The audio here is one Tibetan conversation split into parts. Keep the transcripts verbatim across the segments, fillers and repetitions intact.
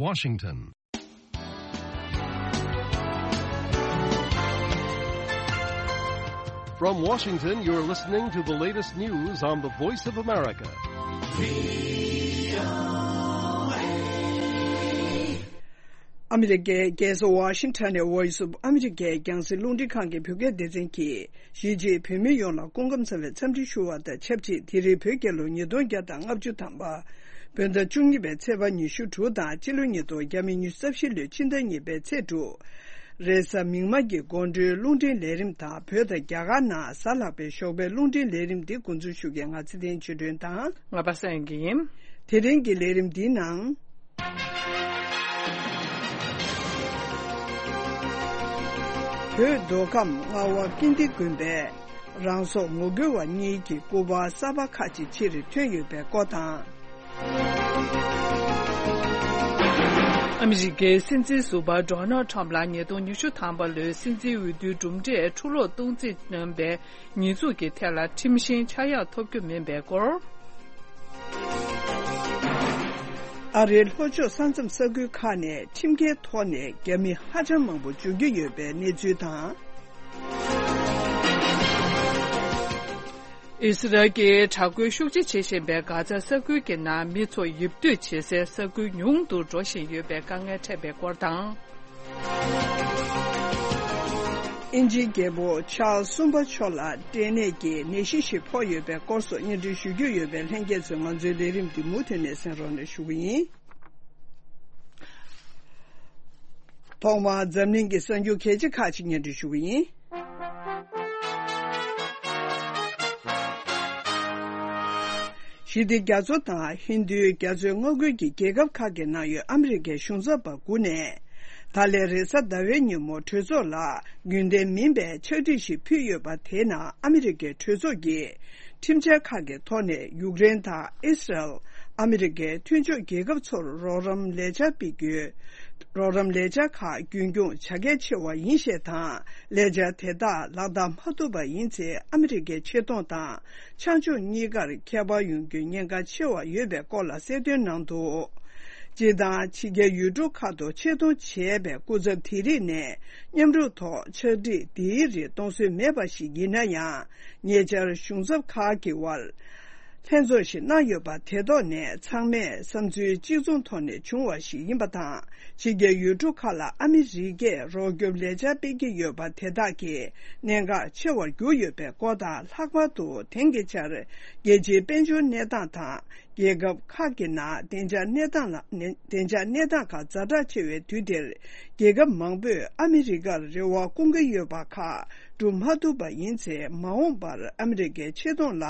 Washington. From Washington, you're listening to the latest news on the Voice of America. ཨ་མི་རི་ཀའི་རྒྱལ་ས་ཝ་ཤིང་ཊོན་ནས་Voice of America རྒྱང་སྲིང་རླུང་འཕྲིན་ཁང་གི་བོད་སྐད་སྡེ་ཚན་གྱིས། གཞིས་བྱེས་བོད་མི་ཡོངས་ལ་སྐུ་ཁམས་བཟང་བའི་འཚམས་འདྲི་ཞུ་བ་དང་ཆབས་ཅིག་དེ་རིང་བོད་རྒྱལ་ལོ་ཉིས་སྟོང་བརྒྱ་དང་ལྔ་བཅུ་ཐམ་པ། བོད་ཟླ་བཅུ་གཉིས་པའི་ཚེས་པ་ཉི་ཤུ་དྲུག་དང་སྤྱི་ལོ་ཉིས་སྟོང་ཉི་ཤུ་རྩ་བཞི་ལོའི་ཕྱི་ཟླ་གཉིས་པའི་ཚེས་དྲུག་རེས་གཟའ་མིག་དམར་གྱི་དགོང་དྲོའི་རླུང་འཕྲིན་ལས་རིམ་དང་བོད་དང་རྒྱ་གར་ནང་གཟའ་ལྷག་པའི་ཞོགས་པའི་རླུང་འཕྲིན་ལས་རིམ་འདི་འགོ་འཛུགས་ཞུ་མཁན་ང་ཚེ་བརྟན་ཆོས་སྒྲོན་དང་། ང་པ་སངས་ཡིན། དེ་རིང་གི་ལས་རིམ་འདིའི་ནང་། བོད་མདོ་ཁམས་རྔ་བ་ཀིརྟི་དགོན་པའི་རང་སྲོག་ངོ་རྒོལ་བ་གཉིས་ཀྱི་སྐུ་པར་གསར་པ་ཁག་ཅིག་ཕྱིར་ཐོན་ཡོད་པའི་སྐོར་དང་། ཨ་མི་རི་ཀའི་སྲིད་འཛིན་ཟུར་པ་ཌོ་ནལ་ཁྲམ་ལ་ཉིས་སྟོང་ཉི་ཤུ་ཐམ་པ་ལོའི་སྲིད་འཛིན་འོས་བསྡུའི་གྲུབ་འབྲས་འཁྲུ་སློག་གཏོང་རྩིས་བཏོན་པའི་ཉེས་འཛུགས་ཀྱི་ཐད་ལ་ཁྲིམས་བཞིན་ཆག་ཡག་ཐོབ་རྒྱུ་མིན་པའི་སྐོར། ཨ་རིའི་ལྷོ་ཕྱོགས་ས་མཚམས་ས་ཁུལ་ཁག་ནས་ཁྲིམས་འགལ་ཐོག་ནས་རྒྱ་མི་ཧ་ཅང་མང་པོ་འབྱོར་གྱི་ཡོད་པའི་གནས་ཚུལ་དང་། ཨི་སི་རལ་གྱིས་དྲག་རྒོལ་ཤུགས་ཆེ་བྱེད་བཞིན་པའི་གྷ་ཛ་ས་ཁུལ་གྱི་ནང་མི་ཚོ་ཡིབ་སྡོད་བྱེད་སའི་ས་ཁུལ་ཉུང་དུ་འགྲོ་བཞིན་ཡོད་པའི་དཀའ་ངལ་འཕྲད་པའི་སྐོར་དང་། དབྱིན་ཇིའི་རྒྱལ་པོ་ཆཱལ་གསུམ་པ་མཆོག་ལ་སྐྲན་ནད་ཀྱི་ནད་གཞི་ཞིག་ཕོག་ཡོད་པའི་སྐོར་སོགས་སྙན་སྒྲོན་ཞུ་རྒྱུ་ཡོད་པས་ལྷན་རྒྱས་ཚོས་ང་ཚོའི་ལས་རིམ་འདི་མུ་མཐུད་ནས་གསན་རོགས་གནང་ཞུ་གི་ཡིན། ཐོག་མར་འཛམ་གླིང་གི་གསར་འགྱུར་གལ་ཆེ་ཁག་ཅིག་སྙན་སྒྲོན་ཞུ་གི་ཡིན། ཞི་བདེ་རྒྱ་མཚོ་དང་ཧིན་རྡུའི་རྒྱ་མཚོའི་མངའ་ཁུལ་གྱི་རྒྱལ་ཁབ་ཁག་གི་ནང་ཡོད་ཨ་མི་རི་ཀའི་གཞུང་ཚབ་པ་དགུ་ནས། ད་ལན་རེས་གཟའ་ཟླ་བའི་ཉིན་མོ་གྲོས་ཚོགས་ལ་རྒྱུན་ལྡན་མིན་པའི་ཕྱག་བྲིས་ཤིག་ཕུལ་ཡོད་པ་དེའི་ནང་ཨ་མི་རི་ཀའི་གྲོས་ཚོགས་ཀྱིས། ཁྲིམས་འཆར་ཁག་གི་ཐོག་ནས་ཡུཀ་རེན་དང་ཨི་སི་རལ། ཨ་མི་རི་ཀའི་མཐུན་ཕྱོགས་རྒྱལ་ཁབ་ཚོར་རོགས་རམ་ལས་འཆར་སྤེལ་རྒྱུའི་རོགས་རམ་ལས་འཆར་ཁག་རྒྱུན་འཁྱོངས་བྱ་གལ་ཆེ་བ་ཡིན་ཞེས་དང་། ལས་འཆར་དེ་དག་ལག་བསྟར་མ་ཐུབ་པ་ཡིན་ཚེ་ཨ་མི་རི་ཀའི་ཆེ་མཐོང་དང་ཆ་འཇོག་གཉིས་ཀར་ཁྱད་པར་ཡོང་རྒྱུའི་ཉེན་ཁ་ཆེ་བ་ཡོད་པའི་སྐོར་ལ་གསལ་སྟོན་གནང་འདུག་སྤྱིར་བཏང་ཕྱི་རྒྱལ་ཡུལ་གྲུ་ཁག་ཏུ་ཆེད་གཏོང་བྱས་པའི་སྐུ་ཚབ་དེ་རིགས་ནས་མཉམ་རུབ་ཐོག་ཕྱག་བྲིས་འདིའི་རིགས་གཏོང་སྲོལ་མེད་པ་ཞིག་ཡིན་ན་ཡང་། ཉེ་ཆར་གཞུང་ཚབ་ཁག་གི་དབར་ལྷན་ཚོགས་ཤིག་གནང་ཡོད་པ་དེ་ཐོག་ནས་ཚང་མས་བསམ་ཚུལ་གཅིག་མཚུངས་ཐོག་ནས་བྱུང་བ་ཞིག་ཡིན་པ་དང་། ཕྱི་རྒྱལ་ཡུལ་གྲུ་ཁག་ལ་ཨ་མི་རི་ཀས་རོགས་སྐྱོབ་ལས་འཆར་སྤེལ་གྱི་ཡོད་པ་དེ་དག་གིས་གནད་འགག་ཆེ་བར་གྱུར་ཡོད་པའི་སྐོར་དང་། ལྷག་པར་དུ་དེང་གི་ཆར་རྒྱལ་སྤྱིའི་དཔལ་འབྱོར་གནས་སྟངས་དང་། རྒྱལ་ཁབ་ཁག་གི་ནང་བདེ་འཇགས་གནས་སྟངས་ལ་ནས་བདེ་འཇགས་གནས་སྟངས་ཁག་ཛ་དྲག་ཆེ་བའི་དུས་འདིར། རྒྱལ་ཁབ་མང་པོས་ཨ་མི་རི་ཀར་རེ་བ་བསྐུང་གི་ཡོད་པ་ཁག་སྒྲུབ་མ་ཐུབ་པ་ཡིན་ཚེ། མ་འོངས་པར་ཨ་མི་རི་ཀའི་ཆེ་མཐོང་ལ་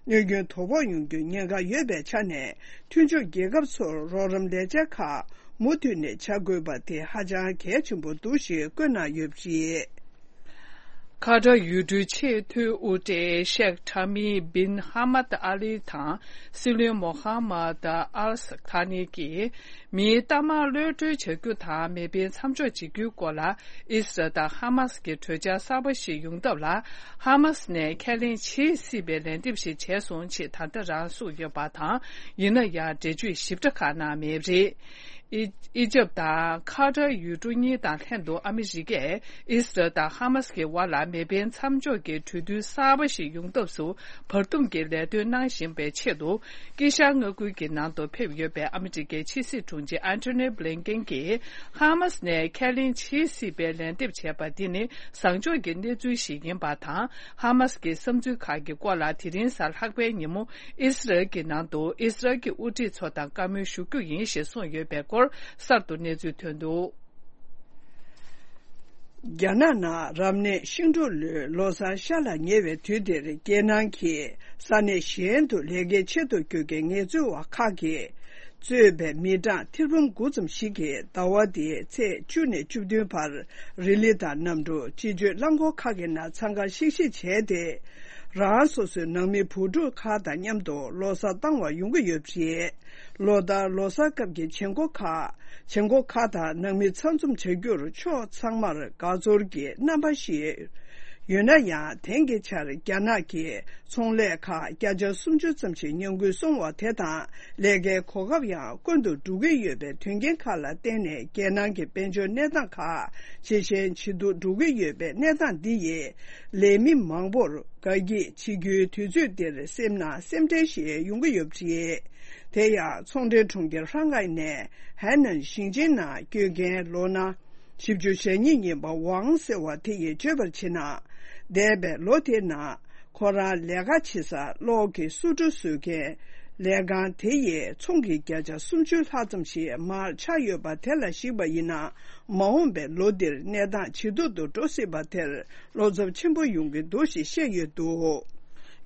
གནོད་སྐྱོན་དོ་ཕོག་ཡོང་རྒྱུའི་ཉེན་ཁ་ཡོད་པའི་ཆ་ནས། མཐུན་ཕྱོགས་རྒྱལ་ཁབ་ཚོར་རོགས་རམ་ལས་འཆར་ཁག་མུ་མཐུད་ནས་བྱ་དགོས་པ་དེ་ཧ་ཅང་གལ་ཆེན་པོ་འདུག་ཞེས་བཀོད་གནང་ཡོད་པ་རེད། ཁ་ཏར་ཡུལ་གྲུའི་ཆེས་མཐོའི་དབུ་ཁྲིད་ཤེག་ཐ་མི་སྦིན་ཧ་མད་ཨ་ལི་དང་སྲིད་བློན་མོ་ཧ་མད་ཨལ་ཐ་ནི་གིས། མིའི་གཏའ་མར་གློད་གྲོལ་བྱ་རྒྱུ་དང་མེ་འཕེན་མཚམས་འཇོག་བྱེད་རྒྱུའི་སྐོར་ལ། ཨི་སི་རལ་དང་ཧ་མ་སི་གི་གྲོས་འཆར་གསར་པ་ཞིག་ཡོང་ཐབས་ལ། ཧ་མ་སི་ནས་ཁས་ལེན་བྱེད་སྲིད་པའི་ལན་འདེབས་ཤིག་བྱས་སོང་ཞེས་ད་ལྟ་རང་གསུངས་ཡོད་པ་དང་། ཡིན་ན་ཡང་འགྲེལ་བརྗོད་ཞིབ་ཕྲ་ཁག་གནང་མེད་པ་རེད། ཨི་ཨི་ཇབ་དང་ཁ་ཏར་ཡུལ་གྲུ་གཉིས་དང་ལྷན་དུ་ཨ་མི་རི་ཀས་ཨི་སི་རལ་དང་ཧ་མ་སི་གི་བར་ལ་མེ་འཕེན་མཚམས་འཇོག་གི་གྲོས་མཐུན་གསར་པ་ཞིག་ཡོང་ཐབས་སུ་བར་འདུམ་གྱི་ལས་དོན་གནང་བཞིན་པའི་ཆེད་དུ། དཀྱིལ་ཤར་མངའ་ཁུལ་གྱི་ནང་དུ་ཕེབས་ཡོད་པའི་ཨ་མི་རི་ཀའི་ཕྱི་སྲིད་དྲུང་ཆེ་ཨན་ཐོ་ནི་བྷི་ལིན་ཀེན་གྱིས། ཧ་མ་སི་ནས་ཁས་ལེན་བྱེད་སྲིད་པའི་ལན་འདེབས་བྱས་པ་འདི་ནི་བཟང་ཕྱོགས་ཀྱི་གནས་ཚུལ་ཞིག་ཡིན་པ་དང་། ཧ་མ་སི་གི་བསམ་ཚུལ་ཁག་གི་སྐོར་ལ་དེ་རིང་གཟའ་ལྷག་པའི་ཉིན་མོ་ཨི་སི་རལ་གྱི་ནང་དུ་ཨི་སི་རལ་གྱི་དབུ་ཁྲིད་ཚོ་དང་བཀའ་མོལ་ཞུ་རྒྱུ་ཡིན་ཞེས་གསུངས་ཡོད་པའི་སྐོར་གསར་དུ་གནས་ཚུལ་ཐོན་འདུག་རྒྱ་ནག་ནང་རབ་གནས་ཤིང་འབྲུག་ལོའི་ལོ་གསར་ཤར་ལ་ཉེ་བའི་དུས་འདིར། རྒྱལ་ནང་གི་ས་གནས་གཞན་དུ་ལས་ཀའི་ཆེད་དུ་བསྐྱོད་མཁན་ངལ་རྩོལ་བ་ཁག་གིས་གཙོས་པའི་མི་གྲངས་ཐེར་འབུམ་དགུ་ཙམ་ཞིག་གིས་ཟླ་བ་འདིའི་ཚེས་བཅུ་ནས་བཅུ་བདུན་བར་རི་ལི་དང་གནམ་གྲུ། སྤྱི་སྤྱོད་རླངས་འཁོར་ཁག་གི་ནང་འཚང་ཁ་ཤིག་ཤིག་བྱས་ཏེ། རང་སོ་སོའི་ནང་མི་བུ་ཕྲུག་ཁག་དང་མཉམ་དུ་ལོ་གསར་བཏང་བར་ཡོང་གི་ཡོད་པ་རེད། ལོ་ལྟར་ལོ་གསར་སྐབས་ཀྱི་བྱེད་སྒོ་ཁག་བྱེད་སྒོ་ཁག་དང་ནང་མི་ཚང་འཛོམས་བྱ་རྒྱུར་ཕྱོགས་ཚང་མར་དགའ་ཚོར་གྱི་རྣམ་པ་ཞིག་ ཡོད་ན་ཡང་། དེང་གི་ཆར་རྒྱ་ནག་གིས་ཚོང་ལས་ཁག་བརྒྱ་ཆ་སུམ་ཅུ་ཙམ་ཞིག་ཉམས་རྒུད་སོང་བ་དེ་དང་། ལས་ཀའི་གོ་སྐབས་ཡང་དཀོན་དུ་འགྲོ་གི་ཡོད་པའི་དོན་རྐྱེན་ཁག་ལ་བརྟེན་ནས། རྒྱལ་ནང་གི་དཔལ་འབྱོར་གནས་སྟངས་ཁག་ཇེ་ཞན་ཇེ་སྡུག་འགྲོ་གི་ཡོད་པའི་གནས་སྟངས་འདི་ཡིས། ལས་མི་མང་པོར་དགའ་སྐྱིད་བྱེད་རྒྱུའི་དུས་ཚོད་འདིར་སེམས་ནང་སེམས་ཁྲལ་ཞིག་ཡོང་གི་ཡོད་པ་རེད། དེ་ཡང་། ཚོང་འབྲེལ་གྲོང་ཁྱེར་ཧྲང་ཧའེ་ནས་ཧའེ་ནན་ཞིང་ཆེན་ནང་བསྐྱོད་མཁན་ལོ་ན་བཞི་བཅུ་ཞེ་གཉིས་ཡིན་པ་ཝང་ཟེར་བ་དེ་ཡིས་བརྗོད་པར་བྱས་ན། འདས་པའི་ལོ་དེའི་ནང་ཁོ་རང་ལས་ཀ་བྱེད་སར་གློག་གི་སོ་གྲུ་བཟོ་མཁན་ལས་ཁང་དེ་ཡིས་ཚོང་གི་བརྒྱ་ཆ་སུམ་ཅུ་ལྷག་ཙམ་ཞིག་མར་ཆག་ཡོད་པ་དེ་ལ་གཞིགས་པ་ཡིན་ན། མ་འོངས་པའི་ལོ་འདིར་གནས་སྟངས་ཇེ་སྡུག་ཏུ་འགྲོ་སྲིད་པ་དེར་བློ་འཚབ་ཆེན་པོ་ཡོང་གི་འདུག་ཞེས་བཤད་ཡོད་འདུག།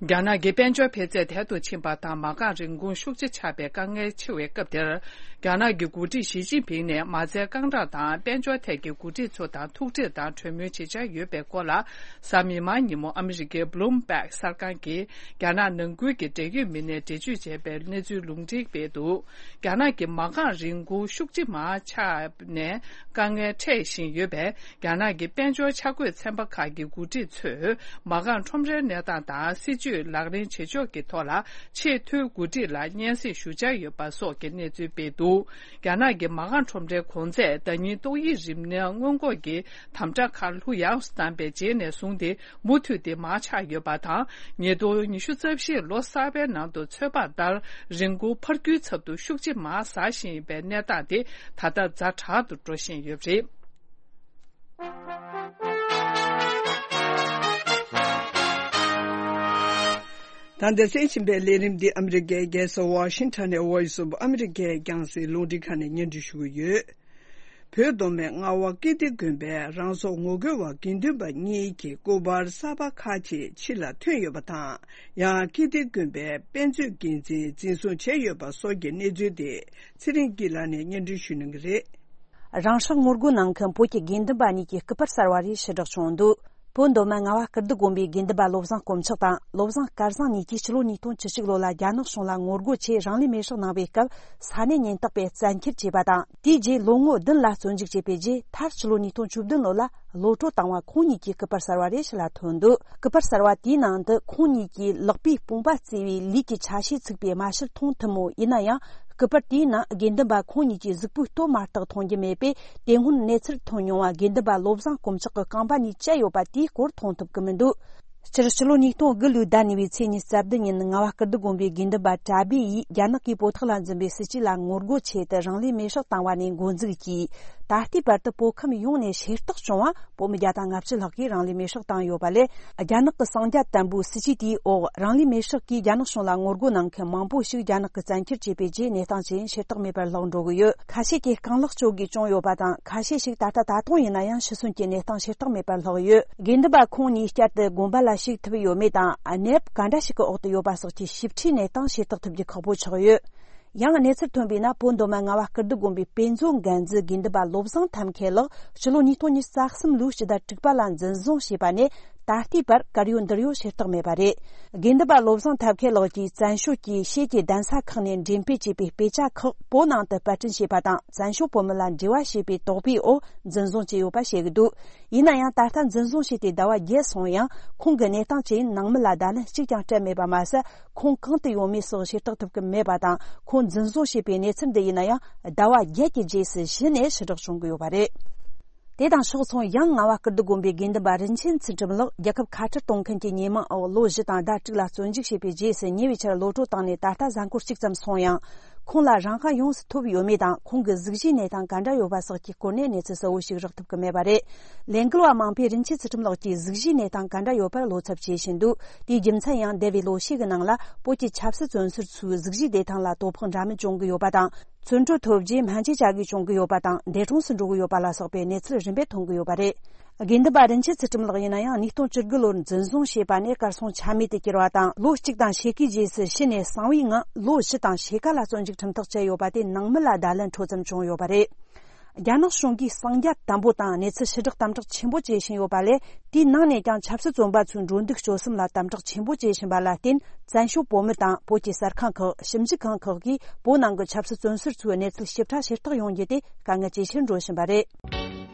རྒྱ་ནག་གི་དཔལ་འབྱོར་འཕེལ་ཚད་དལ་དུ་ཕྱིན་པ་དང་། མ་རྐང་རིན་གོང་ཤུགས་ཆེ་ཆག་པའི་དཀའ་ངལ་ཆེ་བའི་སྐབས་དེར། རྒྱ་ནག་གི་འགོ་ཁྲིད་ཞི་ཅིན་ཕིང་ནས་མ་རྩའི་རྐང་གྲངས་དང་དཔལ་འབྱོར་ཐད་ཀྱི་འགོ་ཁྲིད་ཚོ་དང་ཐུག་འཕྲད་དང་གྲོས་མོལ་བྱེད་འཆར་ཡོད་པའི་སྐོར་ལ། གཟའ་མིག་དམར་ཉིན་མོ་ཨ་མི་རི་ཀའི་Bloomberg གསར་ཁང་གིས་རྒྱ་ནག་ནང་ཁུལ་གྱི་འབྲེལ་ཡོད་མི་སྣས་འགྲེལ་བརྗོད་བྱས་པའི་གནས་ཚུལ་ལུང་འདྲེན་སྤེལ་འདུག། རྒྱ་ནག་གི་མ་རྐང་རིན་གོང་ཤུགས་ཆེ་མར་ཆག་ནས་དཀའ་ངལ་འཕྲད་བཞིན་ཡོད་པས། རྒྱ་ནག་གི་དཔལ་འབྱོར་འཆར་འགོད་ཚན་པ་ཁག་གི་འགོ་ཁྲིད་ཚོས་མ་རྐང་ཁྲོམ་རའི་གནས་སྟངས་དང་སྲིད་ཇུས་ལག་ལེན་བྱེད་ཕྱོགས་ཀྱི་ཐོག་ལ་ཆེས་མཐོའི་འགོ་ཁྲིད་ལ་སྙན་སེང་ཞུ་འཆར་ཡོད་པ་སོགས་ཀྱི་གནས་ཚུལ་སྤེལ་འདུག། རྒྱ་ནག་གི་མ་རྐང་ཁྲོམ་རའི་གོང་ཚད་ཟླ་ཉིན་ཏོག་དབྱིབས་རིམས་ནད་སྔོན་འགོག་གི་དམ་དྲག་ཁ་ལྷུ་ཡངས་སུ་བཏང་པའི་རྗེས་ནས་བཟུང་སྟེ། མུ་མཐུད་དེ་མར་ཆག་ཡོད་པ་དང་། ཉིས་སྟོང་ཉི་ཤུ་རྩ་བཞིའི་ལོ་གསར་པའི་ནང་དུ་ཚོད་དཔག་ལྟར། རིན་གོང་འཕར་རྒྱུའི་ཚབ་ཏུ་ཤུགས་ཆེ་མར་ཟག་བཞིན་ཡོད་པའི་གནས་སྟངས་དེ་ད་ལྟ་ཛ་དྲག་ཏུ་འགྲོ་བཞིན་ཡོད་པ་རེད། ད་ལྟ་གསན་བཞིན་པའི་ལས་རིམ་འདི་ཨ་མི་རི་ཀའི་རྒྱལ་ས་ཝ་ཤིང་ཊོན་ནས་Voice of America རྒྱང་སྲིང་རླུང་འཕྲིན་ཁང་ནས་སྙན་སྒྲོན་ཞུ་གི་ཡོད། བོད་མདོ་སྨད་རྔ་བ་ཀིརྟི་དགོན་པའི་རང་སྲོག་ངོ་རྒོལ་བ་དགེ་འདུན་པ་གཉིས་ཀྱི་སྐུ་པར་གསར་པ་ཁག་ཅིག་ཕྱི་ལ་ཐོན་ཡོད་པ་དང་། ཡང་ཀིརྟི་དགོན་པའི་དཔེ་མཛོད་འགན་འཛིན་འཛིན་བཟུང་བྱས་ཡོད་པ་སོགས་ཀྱི་གནས་ཚུལ་དེ་ཚེ་རིང་སྐྱིད་ལགས་ནས་སྙན་སྒྲོན་ཞུ་གནང་གི་རེད། རང་སྲོག་ངོ་རྒོལ་གནང་མཁན་བོད་ཀྱི་དགེ་འདུན་པ་གཉིས་ཀྱི་སྐུ་པར་གསར་བ་རེ་ཕྱིར་བསྒྲགས་བྱུང་འདུག། བོད་མདོ་སྨད་རྔ་བ་ཀིརྟི་དགོན་པའི་དགེ་འདུན་པ་བློ་བཟང་དཀོན་མཆོག་དང་བློ་བཟང་སྐལ་བཟང་གཉིས་ཀྱིས་ཕྱི་ལོ་ཉིས་སྟོང་བཅུ་གཅིག་ལོ་ལ་རྒྱ་ནག་གཞུང་ལ་ངོ་རྒོལ་ཆེད་རང་ལུས་མེར་སྲེག་གནང་བའི་སྐབས། ས་གནས་ཉེན་རྟོག་པས་བཙན་འཁྱེར་བྱས་པ་དང་། དེའི་རྗེས་ལོ་ངོ་བདུན་ལ་བཙོན་འཇུག་བྱས་པའི་རྗེས། མཐར་ཕྱི་ལོ་ཉིས་སྟོང་བཅུ་བདུན་ལོ་ལ་གློད་གྲོལ་བཏང་བ་ཁོང་གཉིས་ཀྱི་སྐུ་པར་གསར་བ་རེ་ཕྱི་ལ་ཐོན་འདུག། སྐུ་པར་གསར་བ་དེའི་ནང་དུ་ཁོང་གཉིས་ཀྱིས་ལག་པས་དཔུང་པ་བརྩེགས་པའི་ལུས་ཀྱི་ཆ་ཤས་ཚུགས་པའི་རྨ་ཤུལ་མཐོང་ཐུབ་མོད། ཡིན་ན་ཡང་། སྐུ་པར་དེའི་ནང་དགེ་འདུན་པ་ཁོང་གཉིས་ཀྱི་གཟུགས་པོའི་སྟོད་མ་གཏོགས་མཐོང་རྒྱུ་མེད་པས། དེ་སྔོན་གནས་ཚུལ་ཐོན་མྱོང་བ་དགེ་འདུན་པ་བློ་བཟང་དཀོན་མཆོག་གི་རྐང་པ་གཉིས་བཅད་ཡོད་པ་དེའི་སྐོར་མཐོང་ཐུབ་ཀྱི་མི་འདུག། སྤྱིར་ཕྱི་ལོ་ཉིས་སྟོང་དགུ་ལོའི་ཟླ་གཉིས་པའི་ཚེས་ཉི་ཤུ་རྩ་བདུན་ཉིན། རྔ་བ་ཀིརྟི་དགོན་པའི་དགེ་འདུན་པ་གྲྭ་སྦས་ཡིས་རྒྱ་ནག་གིས་བོད་ཐོག་ལ་འཛིན་པའི་སྲིད་བྱུས་ལ་ངོ་རྒོལ་ཆེད་དུ་རང་ལུས་མེར་སྲེག་བཏང་བ་ནས་འགོ་འཛུགས་ཀྱིས། ད་ལྟའི་བར་དུ་བོད་ཁམས་ཡོངས་ནས་ཤེས་རྟོགས་བྱུང་བ་བོད་མི་བརྒྱ་དང་ལྔ་བཅུ་ལྷག་གིས་རང་ལུས་མེར་སྲེག་བཏང་ཡོད་པ་ལས། རྒྱ་ནག་གི་གསང་རྒྱ་དམ་པོའི་སྲིད་བྱུས་དེའི་འོག་རང་ལུས་མེར་སྲེག་གིས་རྒྱ་ནག་གཞུང་ལ་ངོ་རྒོལ་གནང་མཁན་མང་པོ་ཞིག་རྒྱ་ནག་གིས་བཙན་འཁྱེར་བྱས་པའི་རྗེས། གནས་སྟངས་ཇི་ཡིན་ཤེས་རྟོགས་མེད་པར་ལྷག་འགྲོ་གི་ཡོད། ཁ་ཤས་ཀྱིས་རྐང་ལག་གཅོད་དགོས་བྱུང་ཡོད་པ་དང་། ཁ་ཤས་ཤིག་ད་ལྟ་ད་དུང་ཡིན་ན་ཡང་ཤི་གསོན་གྱི་གནས་སྟངས་ཤེས་རྟོགས་མེད་པར་ལྷག་ཡོད། དགེ་འདུན་པ་ཁོང་གཉིས་བསྐྱར་དུ་དགོན་པ་ལ་ཞུགས་ཐུབ་ཡོད་མེད་དང་། གནས་བབ་ག་འདྲ་ཞིག་གི་འོག་ཏུ་ཡོད་པ་སོགས་ཀྱི་ཞིབ་ཕྲའི་གནས་སྟངས་ཤེས་རྟོགས་ཐུབ་རྒྱུ་ཁག་པོ་ཆགས་ཡོད། ཡང་གནས་ཚུལ་ཐོན་པས་ན། བོད་མདོ་སྨད་རྔ་བ་ཀིརྟི་དགོན་པའི་དཔེ་མཛོད་འགན་འཛིན་དགེ་འདུན་པ་བློ་བཟང་ཐབས་མཁས་ལགས་ཕྱི་ལོ་ཉིས་སྟོང་ཉི་ཤུ་རྩ་གསུམ་ལོའི་སྤྱི་ཟླ་དྲུག་པ་ལ་འཛིན་བཟུང་བྱས་པ་ནས། ད་ལྟའི་བར་གར་ཡོད་འདིར་ཡོད་ཤེས་རྟོགས་མེད་པ་རེད། དགེ་འདུན་པ་བློ་བཟང་ཐབས་མཁས་ལགས་ཀྱིས་བཙན་བྱོལ་གྱི་ཤེད་ཀྱི་གདན་ས་ཁག་ནས་འགྲེམས་སྤེལ་བྱས་པའི་དཔེ་ཆ་ཁག་བོད་ནང་དུ་པར་སྐྲུན་བྱས་པ་དང་། བཙན་བྱོལ་བོད་མི་ལ་འབྲེལ་བ་བྱས་པའི་དོགས་པའི་འོག་འཛིན་བཟུང་བྱས་ཡོད་པ་བཤད་ཀྱི་འདུག། ཡིན་ན་ཡང་། ད་ལྟ་འཛིན་བཟུང་བྱས་ཏེ་ཟླ་བ་བརྒྱད་སོང་ཡང་། ཁོང་གི་གནས་སྟངས་ཇི་ཡིན་ནང་མི་ལ་བརྡ་ལན་གཅིག་ཀྱང་སྤྲད་མེད་པ་མ་ཟད། ཁོང་གང་དུ་ཡོད་མེད་སོགས་ཤེས་རྟོགས་ཐུབ་ཀྱི་མེད་པ་དང་། ཁོང་འཛིན་བཟུང་བྱས་པའི་གནས་ཚུལ་འདི་ཡིན་ན་ཡང་། ཟླ་བ་བརྒྱད་ཀྱི་རྗེས་སུ་གཞི་ནས་ཕྱིར་བསྒྲགས་བྱུང་གི་ཡོད་པ་རེད། དེ་དང་ཕྱོགས་མཚུངས། ཡང་རྔ་བ་ཀིརྟི་དགོན་པའི་དགེ་འདུན་པ་རིན་ཆེན་ཚུལ་ཁྲིམས་ལགས་རྒྱལ་ཁབ་ཁ་བྲལ་གཏོང་མཁན་གྱི་ཉེས་མིང་འོག་ལོ་བཞི་དང་ཟླ་དྲུག་ལ་བཙོན་འཇུག་བྱས་པའི་རྗེས་སུ། ཉེ་བའི་ཆར་གློད་གྲོལ་བཏང་ནས་ད་ལྟ་གཟའ་འཁོར་གཅིག་ཙམ་སོང་ཡང་། ཁོང་ལ་རང་དབང་ཡོངས་སུ་ཐོབ་ཡོད་མེད་དང་། ཁོང་གི་གཟུགས་གཞིའི་གནས་སྟངས་ག་འདྲ་ཡོད་པ་སོགས་ཀྱི་སྐོར་ནས་གནས་ཚུལ་གསལ་བོ་ཞིག་རག་ཐུབ་ཀྱི་མེད་པ་རེད། ལས་འགུལ་བ་མང་པོས་རིན་ཆེན་ཚུལ་ཁྲིམས་ལགས་ཀྱི་གཟུགས་གཞིའི་གནས་སྟངས་ག་འདྲ་ཡོད་པར་བློ་འཚབ་བྱེད་བཞིན་འདུག། དེའི་རྒྱུ་མཚན་ཡང་། འདས་པའི་ལོ་ཤས་ཀྱི་ནང་ལ་བོད་ཀྱི་ཆབ་སྲིད་བཙོན་ཟུར་ཚོའི་གཟུགས་གཞིའི་བདེ་ཐང་ལ་དོ་ཕོག་འདྲ་མིན་བྱུང་གི་ཡོད་པ་དང་། བཙོན་གྲོལ་ཐོབ་རྗེས་སྨན་བཅོས་བྱ་དགོས་བྱུང་གི་ཡོད་པ་དང་། འདས་གྲོངས་སུ་འགྲོ་གི་ཡོད་པ་ལ་སོགས་པའི་གནས་ཚུལ་རིམ་པས་ཐོན་གྱི་ཡོད་པ་རེད། དགེ་འདུན་པ་རིན་ཆེན་ཚུལ་ཁྲིམས་ལགས་ཡིན་ན་ཡང་། ཉིས་སྟོང་བཅུ་དགུ་ལོར་འཛིན་བཟུང་བྱས་པ་ནས་གར་སོང་ཆ་མེད་དུ་གྱུར་བ་དང་། ལོ་གཅིག་དང་ཕྱེད་ཀའི་རྗེས་སུ་ཕྱི་ནས་གསང་བའི་ངང་ལོ་བཞི་དང་ཕྱེད་ཀ་ལ་བཙོན་འཇུག་ཁྲིམས་ཐག་བཅད་ཡོད་པ་དེ་ནང་མི་ལ་བརྡ་ལན་འཕྲོད་ཙམ་བྱུང་ཡོད་པ་རེད། རྒྱ་ནག་གཞུང་གིས་གསང་རྒྱ་དམ་པོ་དང་གནས་ཚུལ་ཕྱིར་བསྒྲགས་དམ་དྲག་ཆེན་པོ་བྱེད་བཞིན་ཡོད་པ་ལས། དེའི་ནང་ནས་ཀྱང་ཆབ་སྲིད་བཙོན་པ་ཚོའི་འགྲོ་འདུག་སྤྱོད་གསུམ་ལ་དམ་དྲག་ཆེན་པོ་བྱེད་བཞིན་པ་ལ་བརྟེན། བཙན་བྱོལ་བོད་མི་དང་བོད་ཀྱི་གསར་ཁང་ཁག་ཞིབ་འཇུག་ཁང་ཁག་གིས་བོད་ནང་གི་ཆབ་སྲིད་བཙོན་ཟུར་ཚོའི་གནས་ཚུལ་ཞིབ་ཕྲ་ཤེས་རྟོགས་ཡོང་རྒྱུ་དེ་དཀའ་ངལ་ཇེ་ཆེར་འགྲོ་བཞིན་པ་རེད།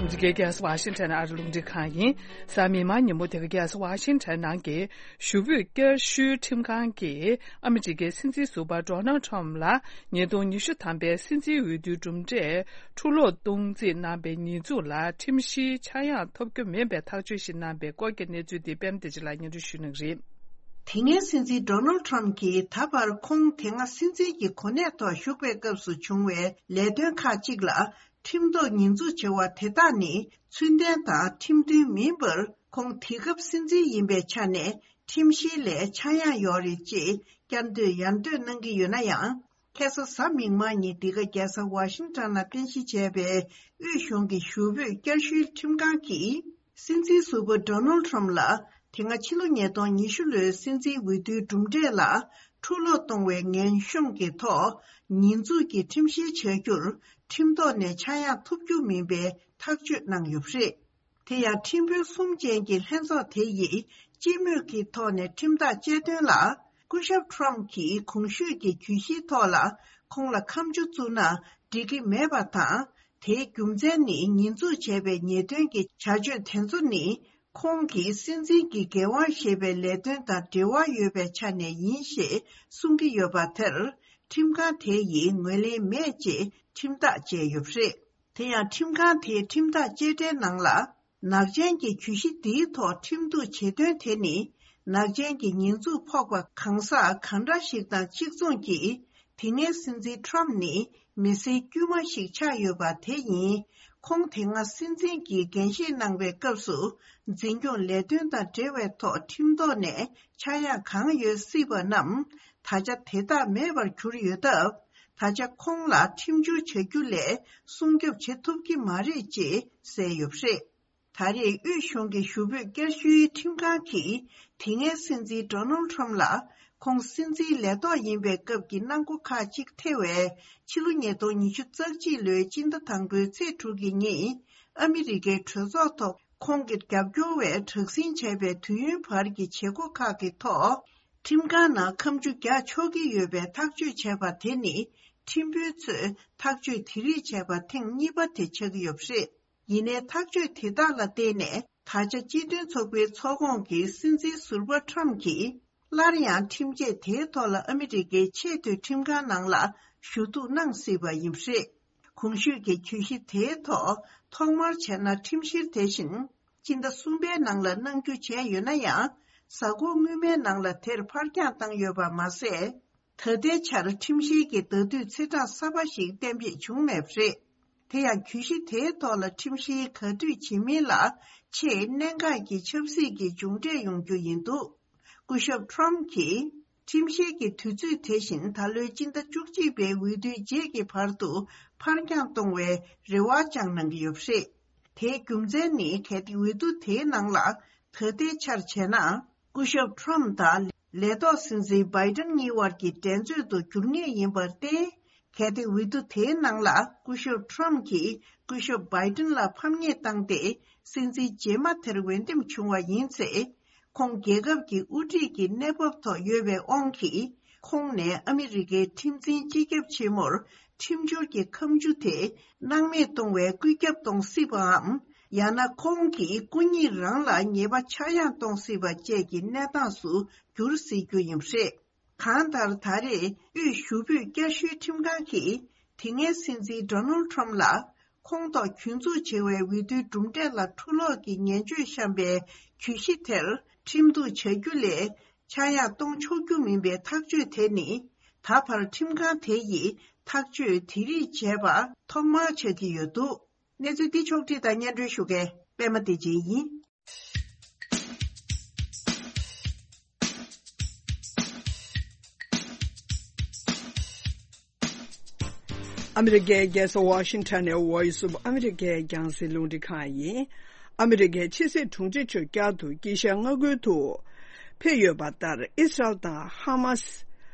འདི་གའི་རྒྱལ་ས་ཝ་ཤིང་ཊོན་ཨ་རི་རླུང་འཕྲིན་ཁང་ཡིན། གཟའ་མིག་དམར་ཉིན་མོ་དེ་ག་རྒྱལ་ས་ཝ་ཤིང་ཊོན་ནང་གི་ཞུ་འབོད་བསྐྱར་ཞུའི་ཁྲིམས་ཁང་གིས་ཨ་མི་རི་ཀའི་སྲིད་འཛིན་ཟུར་པ་ཌོ་ནལ་ཌི་ཊམ་ལ་ཉིས་སྟོང་ཉི་ཤུ་ཐམ་པའི་སྲིད་འཛིན་འོས་བསྡུའི་གྲུབ་འབྲས་འཕྲུལ་སློག་གཏོང་རྩིས་གནང་པའི་ཉེས་འཛུགས་ལ་ཁྲིམས་གཞིའི་ཆག་ཡང་ཐོབ་རྒྱུ་མིན་པའི་ཐག་གཅོད་ཞིག་གནང་པའི་སྐོར་གྱི་གནས་ཚུལ་འདི་པད་མ་བདེ་ཆེན་ལགས་སྙན་སྒྲོན་ཞུ་གནང་གི་རེད། དེ་སྔའི་སྲིད་འཛིན་ཌོ་ནལ་ཌི་ཊམ་གྱིས་ད་བར་ཁོང་དེ་སྔ་སྲིད་འཛིན་གྱི་གོ་གནས་ཐོག་བཞུགས་པའི་སྐབས་སུ་བྱུང་བའི་ལས་དོན་ཁག་ཅིག་ལ་ཁྲིམས་ཐོག་ཉེས་འཛུགས་བྱས་པ་དེ་དག་ནི་ཚུལ་ལྡན་དང་ཁྲིམས་མཐུན་མིན་པར། ཁོང་དེ་སྐབས་སྲིད་འཛིན་ཡིན་པའི་ཆ་ནས་ཁྲིམས་གཞི་ལས་ཆག་ཡང་ཡོད་རེད་ཅེས་བསྐྱར་ཟློས་ཡང་ཟློས་གནང་གི་ཡོད་ན་ཡང་། ཁ་སང་གཟའ་མིག་དམར་ཉིན་འདི་ག་རྒྱལ་ས་ཝ་ཤིང་ཊོན་ནང་རྟེན་གཞི་བྱས་པའི་དབུས་གཞུང་གི་ཞུ་འབོད་བསྐྱར་ཞུའི་ཁྲིམས་ཁང་གིས། སྲིད་འཛིན་ཟུར་པ་ཌོ་ནལ་ཌི་ཊམ་ལ་དེ་སྔ་ཕྱི་ལོ་ཉིས་སྟོང་ཉི་ཤུ་ལོའི་སྲིད་འཛིན་འོས་བསྡུའི་གྲུབ་འབྲས་ལ་འཕྲུལ་སློག་གཏོང་བའི་ངན་གཤོམ་གྱི་ཐོག་ཉེས་འཛུགས་ཀྱི་ཁྲིམས་བཤེར་བྱ་རྒྱུར་ཁྲིམས་ཐོག་ནས་ཆག་ཡང་ཐོབ་རྒྱུ་མིན་པའི་ཐག་གཅོད་གནང་ཡོད་པ་རེད། དེ་ཡང་ཁྲིམས་དཔོན་གསུམ་ཅན་གྱི་ལྷན་ཚོགས་དེ་ཡིས་སྤྱི་མོས་ཀྱི་ཐོག་ནས་ཁྲིམས་ཐག་བཅད་དོན་ལ། སྐུ་ཞབས་ཊམ་གྱིས་གོང་ཞུས་ཀྱི་གྱོད་གཞིའི་ཐོག་ལ་ཁོང་ལ་ཁ་མཆུ་བཙུགས་ན་འགྲིག་གི་མེད་པ་དང་། དེའི་རྒྱུ་མཚན་ནི་ཉེས་འཛུགས་བྱས་པའི་ཉེས་དོན་གྱི་བྱ་སྤྱོད་དེ་ཚོ་ནི་ཁོང་གིས་སྲིད་འཛིན་གྱི་འགན་དབང་བཞེས་པའི་ལས་དོན་དང་འབྲེལ་བ་ཡོད་པའི་ཆ་ནས་ཡིན་ཞེས་གསུང་གི་ཡོད་པ་དེར་ཁྲིམས་ཁང་དེ་ཡིས་ངོས་ལེན་མེད་ཅེས་ཁྲིམས་ཐག་བཅད་ཡོད་པ་རེད། དེ་ཡང་ཁྲིམས་ཁང་དེས་ཁྲིམས་ཐག་བཅད་གྲངས་ནང་ལ། ནག་ཅན་གྱི་གྱོད་གཞི་འདིའི་ཐོག་ཁྲིམས་གཏུག་བྱེད་དོན་དེ་ནི། ནག་ཅན་གྱི་ཉེས་འཛུགས་ཕོག་པ་གང་ཟག་གང་འདྲ་ཞིག་དང་གཅིག་མཚུངས་ཀྱིས། དེ་སྔའི་སྲིད་འཛིན་ཊམ་ནི་མི་སེར་དཀྱུས་མ་ཞིག་ཆགས་ཡོད་པ་དེ་ཡིན། ཁོང་དེ་སྔ་སྲིད་འཛིན་གྱི་འགན་བཞེས་གནང་བའི་སྐབས་སུ། འཛིན་སྐྱོང་ལས་དོན་དང་འབྲེལ་བའི་ཐོག་ཁྲིམས་ཐོག་ནས་ཆག་ཡང་གང་ཡོད་སྲིད་པ་རྣམས། ད་ཆ་དེ་དག་མེད་པར་གྱུར་ཡོད་སྟབས། ད་ཆ་ཁོང་ལ་ཁྲིམས་བསྒྱུར་བྱ་རྒྱུ་ལས་སྲུང་སྐྱོབ་བྱེད་ཐུབ་ཀྱི་མ་རེད་ཅེས་གསལ་ཡོད་པ་རེད། ད་རེས་དབུས་གཞུང་གི་ཞུ་འབོད་བསྐྱར་ཞུའི་ཁྲིམས་ཁང་གིས་དེ་སྔའི་སྲིད་འཛིན་ཌོ་ནལ་ཌི་ཊམ་ལ་ཁོང་སྲིད་འཛིན་ལས་ཐོག་ཡིན་པའི་སྐབས་ཀྱི་གནང་སྒོ་ཁག་ཅིག་ཐེ་བའི་ཕྱི་ལོ་ཉིས་སྟོང་ཉི་ཤུ་རྩ་གཅིག་ལོའི་སྤྱི་ཟླ་དང་པོའི་ཚེས་དྲུག་གི་ཉིན་ཨ་མི་རི་ཀའི་གྲོས་ཚོགས་ཐོག་ཁོང་གི་རྒྱབ་སྐྱོར་བས་དྲག་ཟིང་བྱས་པའི་དུས་ཡུན་བར་གྱི་བྱེད་སྒོ་ཁག་གི་ཐོག་ཁྲིམས་ཁང་ནང་ཁ་མཆུ་རྒྱག་ཆོག་གི་ཡོད་པའི་ཐག་གཅོད་བྱས་པ་དེ་ནི་ཁྲིམས་དཔོན་ཚོས་ཐག་གཅོད་དེ་རིགས་བྱས་པ་ཐེངས་གཉིས་པ་དེ་ཆགས་ཀྱི་ཡོད་པ་རེད། ཡིན་ནའི་ཐག་གཅོད་དེ་དག་ལ་བརྟེན་ནས་ད་ཆ་སྤྱི་མཐུན་ཚོགས་པའི་ཚོགས་ཁོངས་ཀྱི་སྲིད་འཛིན་ཟུར་པ་ཊམ་གྱིས་སླར་ཡང་ཁྲིམས་ཆད་དེའི་ཐོག་ལ་ཨ་མི་རི་ཀའི་ཆེས་མཐོའི་ཁྲིམས་ཁང་ནང་ལ་ཞུ་གཏུག་གནང་སྲིད་པ་ཡིན་པ་རེད། གོང་ཞུས་ཀྱི་གྱོད་གཞི་དེའི་ཐོག་ཐོག་མར་བྱས་ན་ཁྲིམས་བཤེར་དེ་བཞིན་སྤྱི་ཟླ་གསུམ་པའི་ནང་ལ་གནང་རྒྱུ་བྱས་ཡོད་ན་ཡང་། གཟའ་འཁོར་སྔོན་མའི་ནང་ལ་དེར་ཕར་འགྱངས་བཏང་ཡོད་པ་མ་ཟད། ད་ལྟའི་ཆར་ཁྲིམས་བཤེར་གྱི་ཟླ་དུས་ཚེས་གྲངས་གསར་པ་ཞིག་གཏན་འབེབས་བྱུང་མེད་པ་རེད། དེ་ཡང་གྱོད་གཞི་དེའི་ཐོག་ལ་ཁྲིམས་བཤེར་ག་དུས་བྱེད་མིན་ལ་ཆེས་གནད་འགག་གི་ཆབ་སྲིད་ཀྱི་མཇུག་འབྲས་ཡོང་རྒྱུ་ཡིན་འདུག་སྐུ་ཞབས་ཊམ་གྱིས་ཁྲིམས་བཤེར་གྱི་དུས་ཚོད་དེ་བཞིན་ད་ལོའི་སྤྱི་ཟླ་བཅུ་གཅིག་པའི་འོས་བསྡུའི་རྗེས་ཀྱི་བར་དུ་ཕར་འགྱངས་གཏོང་བའི་རེ་བ་བཅངས་གནང་གི་ཡོད་པ་རེད། དེའི་རྒྱུ་མཚན་ནི་གལ་ཏེ་འོས་བསྡུ་དེའི་ནང་ལ་ད་ལྟའི་ཆར་བྱས་ན། སྐུ་ཞབས་ཊམ་དང་ལས་ཐོག་སྲིད་འཛིན་བྷའི་ཏན་གཉིས་བར་གྱི་འགྲན་རྩོད་དུ་འགྱུར་ངེས་ཡིན་པར་བརྟེན། གལ་ཏེ་འོས་བསྡུ་དེའི་ནང་ལ་སྐུ་ཞབས་ཊམ་གྱིས་སྐུ་ཞབས་བྷའི་ཏན་ལ་ཕམ་ཉེས་བཏང་སྟེ་སྲིད་འཛིན་རྗེས་མ་དེར་འོས་འདེམས་བྱུང་བ་ཡིན་ཚེ། ཁོང་རྒྱལ་ཁབ་ཀྱི་དབུ་ཁྲིད་ཀྱི་གནས་བབ་ཐོག་ཡོད་པའི་དབང་གིས། ཁོང་ནས་ཨ་མི་རི་ཀའི་ཁྲིམས་འཛིན་སྤྱི་ཁྱབ་ཆེན་མོར་ཁྲིམས་སྦྱོར་གྱི་ཁ་མཆུ་དེ་སྣང་མེད་གཏོང་བའི་བཀོད་ཁྱབ་གཏོང་སྲིད་པའམ། ཡང་ན་ཁོང་གིས་སྐུ་ཉིད་རང་ལ་ཉེས་པ་ཆག་ཡང་གཏོང་སྲིད་པ་བཅས་ཀྱི་གནས་སྟངས་སུ་འགྱུར་སྲིད་རྒྱུ་ཡིན་པ་རེད། གང་ལྟར་ད་རེས་དབུས་ཞུ་འབོད་བསྐྱར་ཞུའི་ཁྲིམས་ཁང་གིས་དེ་སྔའི་སྲིད་འཛིན་ཌོ་ནལ་ཌི་ཊམ་ལ་ཁོང་ཐོག་གྱོད་འཛུགས་བྱེད་པའི་འོས་བསྡུའི་གྲུབ་འབྲས་ལ་འཕྲུལ་སློག་གི་ངན་བྱུས་བཤམས་པའི་གྱོད་གཞི་དེར་ཁྲིམས་གཏུག་བྱ་རྒྱུ་ལས་ཆག་ཡང་གཏོང་ཆོག་རྒྱུ་མིན་པའི་ཐག་གཅོད་དེ་ནི། ད་བར་ཁྲིམས་ཁང་དེ་ཡིས་ཐག་གཅོད་དེ་རིགས་བྱས་པ་ཐོག་མར་ཆགས་ཀྱི་ཡོད་འདུག་གནས་ཚུལ་འདི་ཕྱོགས་བསྒྲིགས་དང་སྙན་སྒྲོན་ཞུ་མཁན་པད་མ་བདེ་ཆེན་ཡིན། ཨ་མི་རི་ཀའི་རྒྱལ་ས་ཝ་ཤིང་ཊོན་ནས་Voice of America རྒྱང་སྲིང་རླུང་འཕྲིན་ཁང་ཡིན། ཨ་མི་རི་ཀའི་ཕྱི་སྲིད་དྲུང་ཆེ་མཆོག་བསྐྱར་དུ་དཀྱིལ་ཤར་མངའ་ཁུལ་དུ་ཕེབས་ཡོད་པ་ལྟར། ཨི་སི་རལ་དང་ཧ་མ་སི་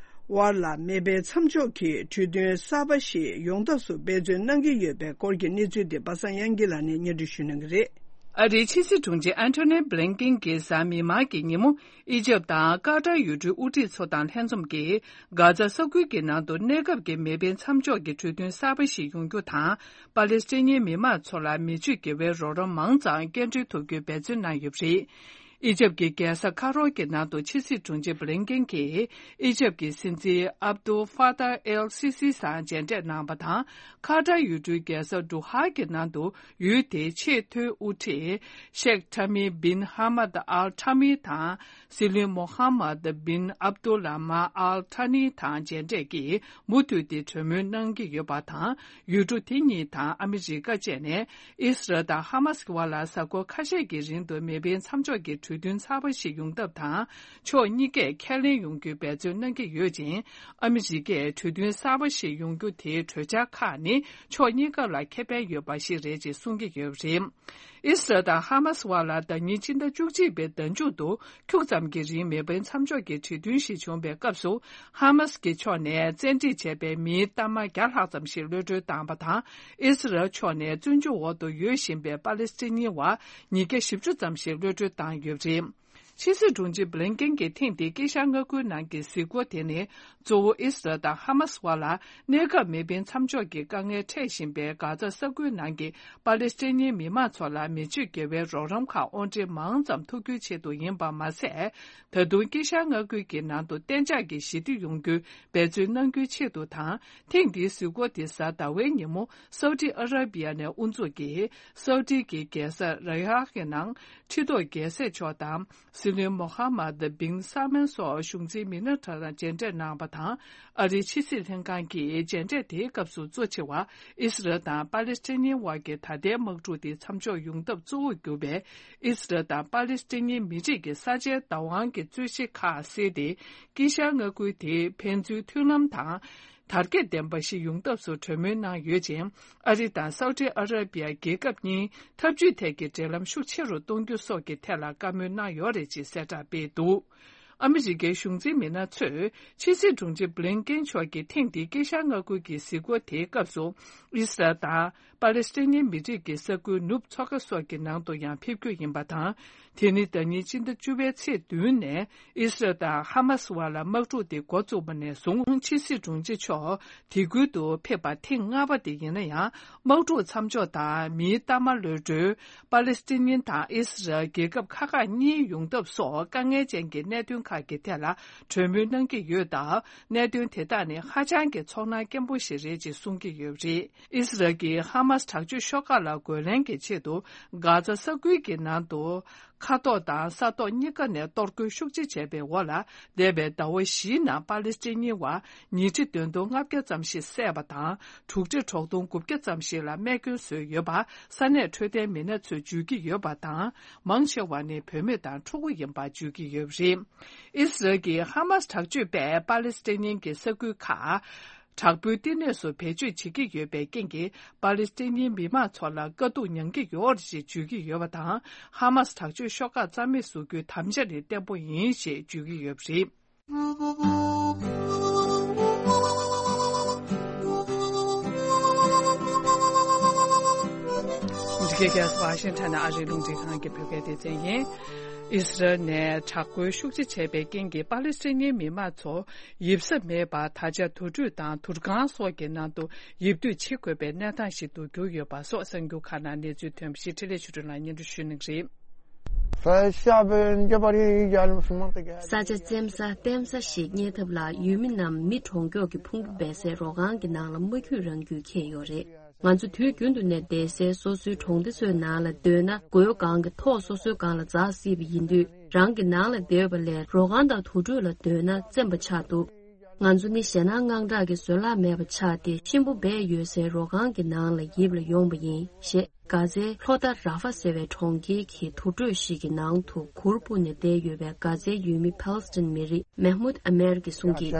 དབར་ལ་མེ་འཕེན་མཚམས་འཇོག་གི་གྲོས་མཐུན་གསར་པ་ཞིག་ཡོང་ཐབས་སུ་འབད་བརྩོན་གནང་གི་ཡོད་པའི་སྐོར་གྱི་གནས་ཚུལ་དེ་པ་སངས་དབྱངས་སྐྱིད་ལགས་ནས་སྙན་སྒྲོན་ཞུ་གནང་གི་རེད། ཨ་རིའི་ཕྱི་སྲིད་དྲུང་ཆེ་ཨན་ཐོ་ནི་བྷི་ལིན་ཀིན་གྱིས་གཟའ་མིག་དམར་གྱི་ཉིན་མོ། ཨི་ཇེབ་དང་ཀ་ཏར་ཡུལ་གྲུའི་དབུ་ཁྲིད་ཚོ་དང་ལྷན་འཛོམས་ཀྱིས། གྷ་ཛ་ས་ཁུལ་གྱི་ནང་དུ་གནས་སྐབས་ཀྱི་མེ་འཕེན་མཚམས་འཇོག་གི་གྲོས་མཐུན་གསར་པ་ཞིག་ཡོང་རྒྱུ་དང་། པ་ལེ་སི་ཐན་མི་མང་ཚོ་ལ་མི་སྤྱོད་དགེ་བའི་རོགས་རམ་མང་ཙམ་སྐྱེལ་འདྲེན་ཐུབ་རྒྱུའི་འབད་བརྩོན་གནང་ཡོད་པ་རེད། ཨི་ཇེབ་ཀྱི་རྒྱལ་ས་ཁ་རོ་གི་ནང་དུ་ཕྱི་སྲིད་དྲུང་ཆེ་བྷི་ལིན་ཀིན་གྱིས་ཨི་ཇེབ་ཀྱི་སྲིད་འཛིན་ཨབ་ཏུ་ཧྥ་ཏཱ་ཨེལ་སི་སི་སང་མཇལ་འཕྲད་གནང་བ་དང་། ཁ་ཏར་ཡུལ་གྲུའི་རྒྱལ་ས་ཌོ་ཧ་གི་ནང་དུ་ཡུལ་དེའི་ཆེས་མཐོའི་དབུ་ཁྲིད་ཤེག་ཐ་མི་བིན་ཧ་མད་ཨལ་ཐ་མི་དང་། སྲིད་བློན་མོ་ཧ་མད་བིན་ཨབ་ཏུ་ལ་མ་ཨལ་ཐ་ནི་དང་མཇལ་འཕྲད་ཀྱིས་མུ་མཐུད་དེ་གྲོས་མོལ་གནང་གི་ཡོད་པ་དང་། ཡུལ་གྲུ་དེ་གཉིས་དང་ཨ་མི་རི་ཀ་བཅས་ནས་ཨི་སི་རལ་དང་ཧ་མ་སི་བར་ལ་གཟའ་འཁོར་ཁ་ཤས་ཀྱི་རིང་དུ་མེ་འཕེན་མཚམས་འཇོག་གི་གྲོས་མཐུན་གསར་པ་ཞིག་ཡོང་ཐབས་དང་། ཕྱོགས་གཉིས་ཀས་ཁས་ལེན་ཡོང་རྒྱུའི་འབད་བརྩོན་གནང་གི་ཡོད་ཅིང་། ཨ་མི་རི་ཀས་གྲོས་མཐུན་གསར་པ་ཞིག་ཡོང་རྒྱུ་དེའི་གྲོས་འཆར་ཁག་ནི་ཕྱོགས་གཉིས་ཀ་ལ་ཁེ་ཕན་ཡོད་པ་ཞིག་རེད་ཅེས་གསུང་གི་ཡོད་པ་རེད། ཨི་སི་རལ་དང་ཧ་མ་སི་བར་ལ་ཟླ་ཉིན་སྤྱི་ཟླ་བཅུ་གཅིག་པའི་ཟླ་མཇུག་ཏུ་ཁྱུག་ཙམ་གྱི་རིང་མེ་འཕེན་མཚམས་འཇོག་གི་གྲོས་མཐུན་ཞིག་བྱུང་བའི་སྐབས་སུ། ཧ་མ་སི་ཀྱི་ཕྱོགས་ནས་བཙན་ཁྲིད་བྱས་པའི་མིའི་གཏའ་མ་བརྒྱ་ལྷག་ཙམ་ཞིག་གློད་གྲོལ་བཏང་བ་དང་། ཨི་སི་རལ་ཕྱོགས་ནས་བཙོན་འཇུག་འོག་ཏུ་ཡོད་བཞིན་པའི་པ་ལེ་སི་ཐན་བ་ཉིས་བརྒྱ་བཞི་བཅུ་ཙམ་ཞིག་གློད་གྲོལ་བཏང་ཡོད་པ་རེད། ཕྱི་སྲིད་དྲུང་ཆེ་བྷི་ལིན་ཀིན་གྱིས་ཐེངས་འདིའི་དཀྱིལ་ཤར་མངའ་ཁུལ་ནང་གི་གཟིགས་སྐོར་དེ་ནི། གཙོ་བོ་ཨི་སི་རལ་དང་ཧ་མ་སི་བར་ལ་གནས་སྐབས་མེ་འཕེན་མཚམས་འཇོག་གི་དཀའ་ངལ་འཕྲད་བཞིན་པའི་གྷ་ཛ་ས་ཁུལ་ནང་གི་པ་ལེ་སི་ཐན་མི་མང་ཚོ་ལ་མི་སྤྱོད་དགེ་བའི་རོགས་རམ་ཁག་དབོར་འདྲེན་མང་ཙམ་ཐུབ་རྒྱུའི་ཆེད་དུ་ཡིན་པ་མ་ཟད། ད་དུང་དཀྱིལ་ཤར་མངའ་ཁུལ་གྱི་ནང་དུ་གཏན་འཇགས་ཀྱི་ཞི་བདེ་ཡོང་རྒྱུའི་འབད་བརྩོན་གནང་རྒྱུའི་ཆེད་དུ་དང་། ཐེངས་འདིའི་གཟིགས་སྐོར་དེ་གཟའ་ཟླ་བའི་ཉིན་མོ་སའུ་ཏི་ཨ་ར་བི་ཡ་ནས་དབུ་འཛུགས་ཀྱིས། སའུ་ཏི་གི་རྒྱལ་ས་རི་ཡཱ་གི་ནང་ཁྲི་ཐོག་རྒྱལ་སྲས་མཆོག་དང་། སྲིད་བློན་མོ་ཧ་མད་བིན་ས་མན་སོགས་གཞུང་འཛིན་མི་སྣ་ཁག་དང་མཇལ་འཕྲད་གནང་བ་དང་། ཨ་རིའི་ཕྱི་སྲིད་ལྷན་ཁང་གིས་མཇལ་འཕྲད་དེའི་སྐབས་སུ་གཙོ་ཆེ་བ་ཨི་སི་རལ་དང་པ་ལེ་སི་ཐན་བར་གྱི་ད་ལྟའི་དམག་འཁྲུག་དེ་མཚམས་འཇོག་ཡོང་ཐབས་གཙོ་བོར་གྱུར་པའི་ཨི་སི་རལ་དང་པ་ལེ་སི་ཐན་མི་རིགས་ཀྱི་ས་ཆའི་བདག་དབང་གི་རྩོད་གཞི་ཁག་སེལ་ཏེ། དཀྱིལ་ཤར་མངའ་ཁུལ་དེའི་ཕན་ཚུན་མཐུན་ལམ་དང་། དར་རྒྱས་ལྡན་པ་ཞིག་ཡོང་ཐབས་སུ་གྲོས་མོལ་གནང་ཡོད་ཅིང་། ཨ་རི་དང་སའུ་ཏི་ཨ་ར་བི་ཡ་རྒྱལ་ཁབ་གཉིས་འཐབ་ཇུས་ཐད་ཀྱི་འབྲེལ་ལམ་ཤུགས་ཆེ་རུ་གཏོང་རྒྱུ་སོགས་ཀྱི་ཐད་ལ་བཀའ་མོལ་གནང་ཡོད་རེད་ཅེས་གསལ་བསྒྲགས་སྤེལ་འདུག་ཨ་མི་རི་ཀའི་གཞུང་འཛིན་མི་སྣ་ཚོས་ཕྱི་སྲིད་དྲུང་ཆེ་བྷི་ལིན་ཀིན་མཆོག་གིས་ཐེངས་འདིའི་དཀྱིལ་ཤར་མངའ་ཁུལ་གྱི་གཟིགས་སྐོར་དེའི་སྐབས་སུ། ཨི་སི་རལ་དང་པ་ལེ་སི་ཐན་མི་རིགས་ཀྱི་ས་ཁུལ་ནུབ་མཚོ་ཁ་སོགས་ཀྱི་ནང་དུ་ཡང་ཕེབས་རྒྱུ་ཡིན་པ་དང་། དེ་ནི་ཟླ་ཉིན་སྤྱི་ཟླ་བཅུ་པའི་ཚེས་བདུན་ནས་ཨི་སི་རལ་དང་ཧ་མ་སི་བར་ལ་དམག་འཁྲུག་དེ་འགོ་བཙུགས་པ་ནས་བཟུང་། ཕྱི་སྲིད་དྲུང་ཆེ་མཆོག་དེ་ཁུལ་དུ་ཕེབས་པ་ཐེངས་ལྔ་པ་དེ་ཡིན་ན་ཡང་། དམག་འཁྲུག་མཚམས་འཇོག་དང་མིའི་གཏའ་མ་གློད་གྲོལ། པ་ལེ་སི་ཐན་དང་ཨི་སི་རལ་རྒྱལ་ཁབ་ཁག་ཁག་གཉིས་ཡོང་ཐབས་སོགས་དཀའ་ངལ་ཅན་གྱི་གནད་དོན་ཁག་གི་ཐད་ལ་གྲོས་མོལ་གནང་གི་ཡོད་སྟབས། གནད་དོན་དེ་དག་ནི་ཧ་ཅང་གི་ཚོར་སྣང་སྐྱེན་པོ་ཞིག་རེད་ཅེས་གསུང་གི་ཡོད་པ་རེད། ཨི་སི་རལ་གྱིས་ཧ་མ་སི་དྲག་སྤྱོད་ཤོག་ཁག་ལ་རྒོལ་ལན་གྱི་ཆེད་དུ། གྷ་ཛ་ས་ཁུལ་གྱི་ནང་དུ། མཁའ་ཐོག་དང་ས་ཐོག་གཉིས་ཀ་ནས་གཏོར་རྒོལ་ཤུགས་ཆེ་བྱས་པའི་འོག་ལ། འདས་པའི་ཟླ་བ་བཞིའི་ནང་པ་ལེ་སི་ཐན་བ་ཉིས་ཁྲི་བདུན་སྟོང་ལྔ་བརྒྱ་ཙམ་ཞིག་བསད་པ་དང་། དྲུག་ཁྲི་དྲུག་སྟོང་དགུ་བརྒྱ་ཙམ་ཞིག་ལ་རྨས་སྐྱོན་བཟོས་ཡོད་པ། ས་གནས་འཕྲོད་བསྟེན་མི་སྣ་ཚོས་བརྗོད་ཀྱི་ཡོད་པ་དང་། མང་ཆེ་བ་ནི་བུད་མེད་དང་ཕྲུ་གུ་ཡིན་པ་བརྗོད་ཀྱི་ཡོད་པ་རེད། ཨི་སི་རལ་གྱིས་ཧ་མ་སི་དྲག་སྤྱོད་པས་པ་ལེ་སི་ཐན་གྱི་ས་ཁུལ་ཁག་དྲག་པོའི་བསྟི་གནས་སུ་བེད་སྤྱོད་བྱེད་ཀྱི་ཡོད་པའི་རྐྱེན་གྱིས། པ་ལེ་སི་ཐན་མི་མང་ཚོ་ལ་དཀའ་སྡུག་མྱང་གི་ཡོད་རེད་ཅེས་བརྗོད་ཀྱི་ཡོད་པ་དང་། ཧ་མ་སི་དྲག་སྤྱོད་ཤོག་ཁག་རྩ་མེད་བཟོ་རྒྱུའི་དམ་བཅའ་ནི་བརྟན་པོ་ཡིན་ཞེས་བརྗོད་ཀྱི་ཡོད་པ་རེད། འདི་གའི་རྒྱལ་ས་ཝ་ཤིང་ཊོན་ནས་ཨ་རིའི་རླུང་འཕྲིན་ཁང་གི་བོད་སྐད་སྡེ་ཚན་ཡིན། ཨི་སི་རལ་ནས་དྲག་རྒོལ་ཤུགས་ཆེ་བྱས་པའི་རྐྱེན་གྱིས་པ་ལེ་སི་ཐན་མི་མང་ཚོ་ཡིབ་ས་མེད་པར་ད་ཆ་དུར་ཁྲོད་དང་དུར་ཁང་སོགས་ཀྱི་ནང་དུ་ཡིབ་སྡོད་བྱེད་དགོས་པའི་གནས་སྟངས་ཤིག་ཏུ་གྱུར་ཡོད་པ་སོགས་གསར་འགྱུར་ཁག་ནང་གནས་ཚུལ་ཐོན་པ་ཞིག་འཕྲིན་ལས་ཆོས་སྒྲོན་ལགས་སྙན་སྒྲོན་ཞུ་གནང་གི་རེད། ས་ཆ་བཙེམ་ས་བརྟན་ས་ཞིག་རྙེད་ཐབས་ལ་ཡུལ་མི་རྣམས་མི་གྲོང་ཁྱོག་གི་ཕུང་པོ་སྦས་སའི་རོ་ཁང་གི་ནང་ལ་མ་འཁྱུད་རང་འཁྱུད་འཁྱེར་ཡོད་རེད། ང་ཚོ་དུས་རྒྱུན་དུ་ནས་བསྡད་སའི་སོ་སོའི་གྲོང་སྡེ་ཚོའི་ནང་ལ་སྡོད་ན། སྒོའི་སྒང་གི་ཐོག་སོ་སོའི་སྒང་ལ་འཛེགས་སྲིད་པ་ཡིན་དུས། རང་གི་ནང་ལ་བསྡད་པ་ལས་རོ་ཁང་དང་དུར་ཁྲོད་ལ་སྡོད་ན་བཙེམ་པ་ཆགས་འདུག་ང་ཚོ་ནི་ཞེད་སྣང་དངངས་སྐྲག་གི་བཟོད་གླགས་མེད་པ་ཆགས་ཏེ། གཤིན་པོ་སྦས་ཡོད་སའི་རོ་ཁང་གི་ནང་ལ་ཡིབ་ལ་ཡོང་པ་ཡིན། ཞེས་གྷ་ཛའི་ལྷོ་མཐའ་ར་ཧྥ་ཟེར་བའི་གྲོང་ཁྱེར་གྱི་དུར་ཁྲོད་ཞིག་གི་ནང་དུ་གུར་སྤུབས་ནས་བསྡད་ཡོད་པའི་གྷ་ཛའི་ཡུལ་མི་ཕཱ་ལེ་སི་ཐན་མི་རིགས་མེ་མུད་ཨ་མེར་གྱིས་གསུངས་ཀྱིས།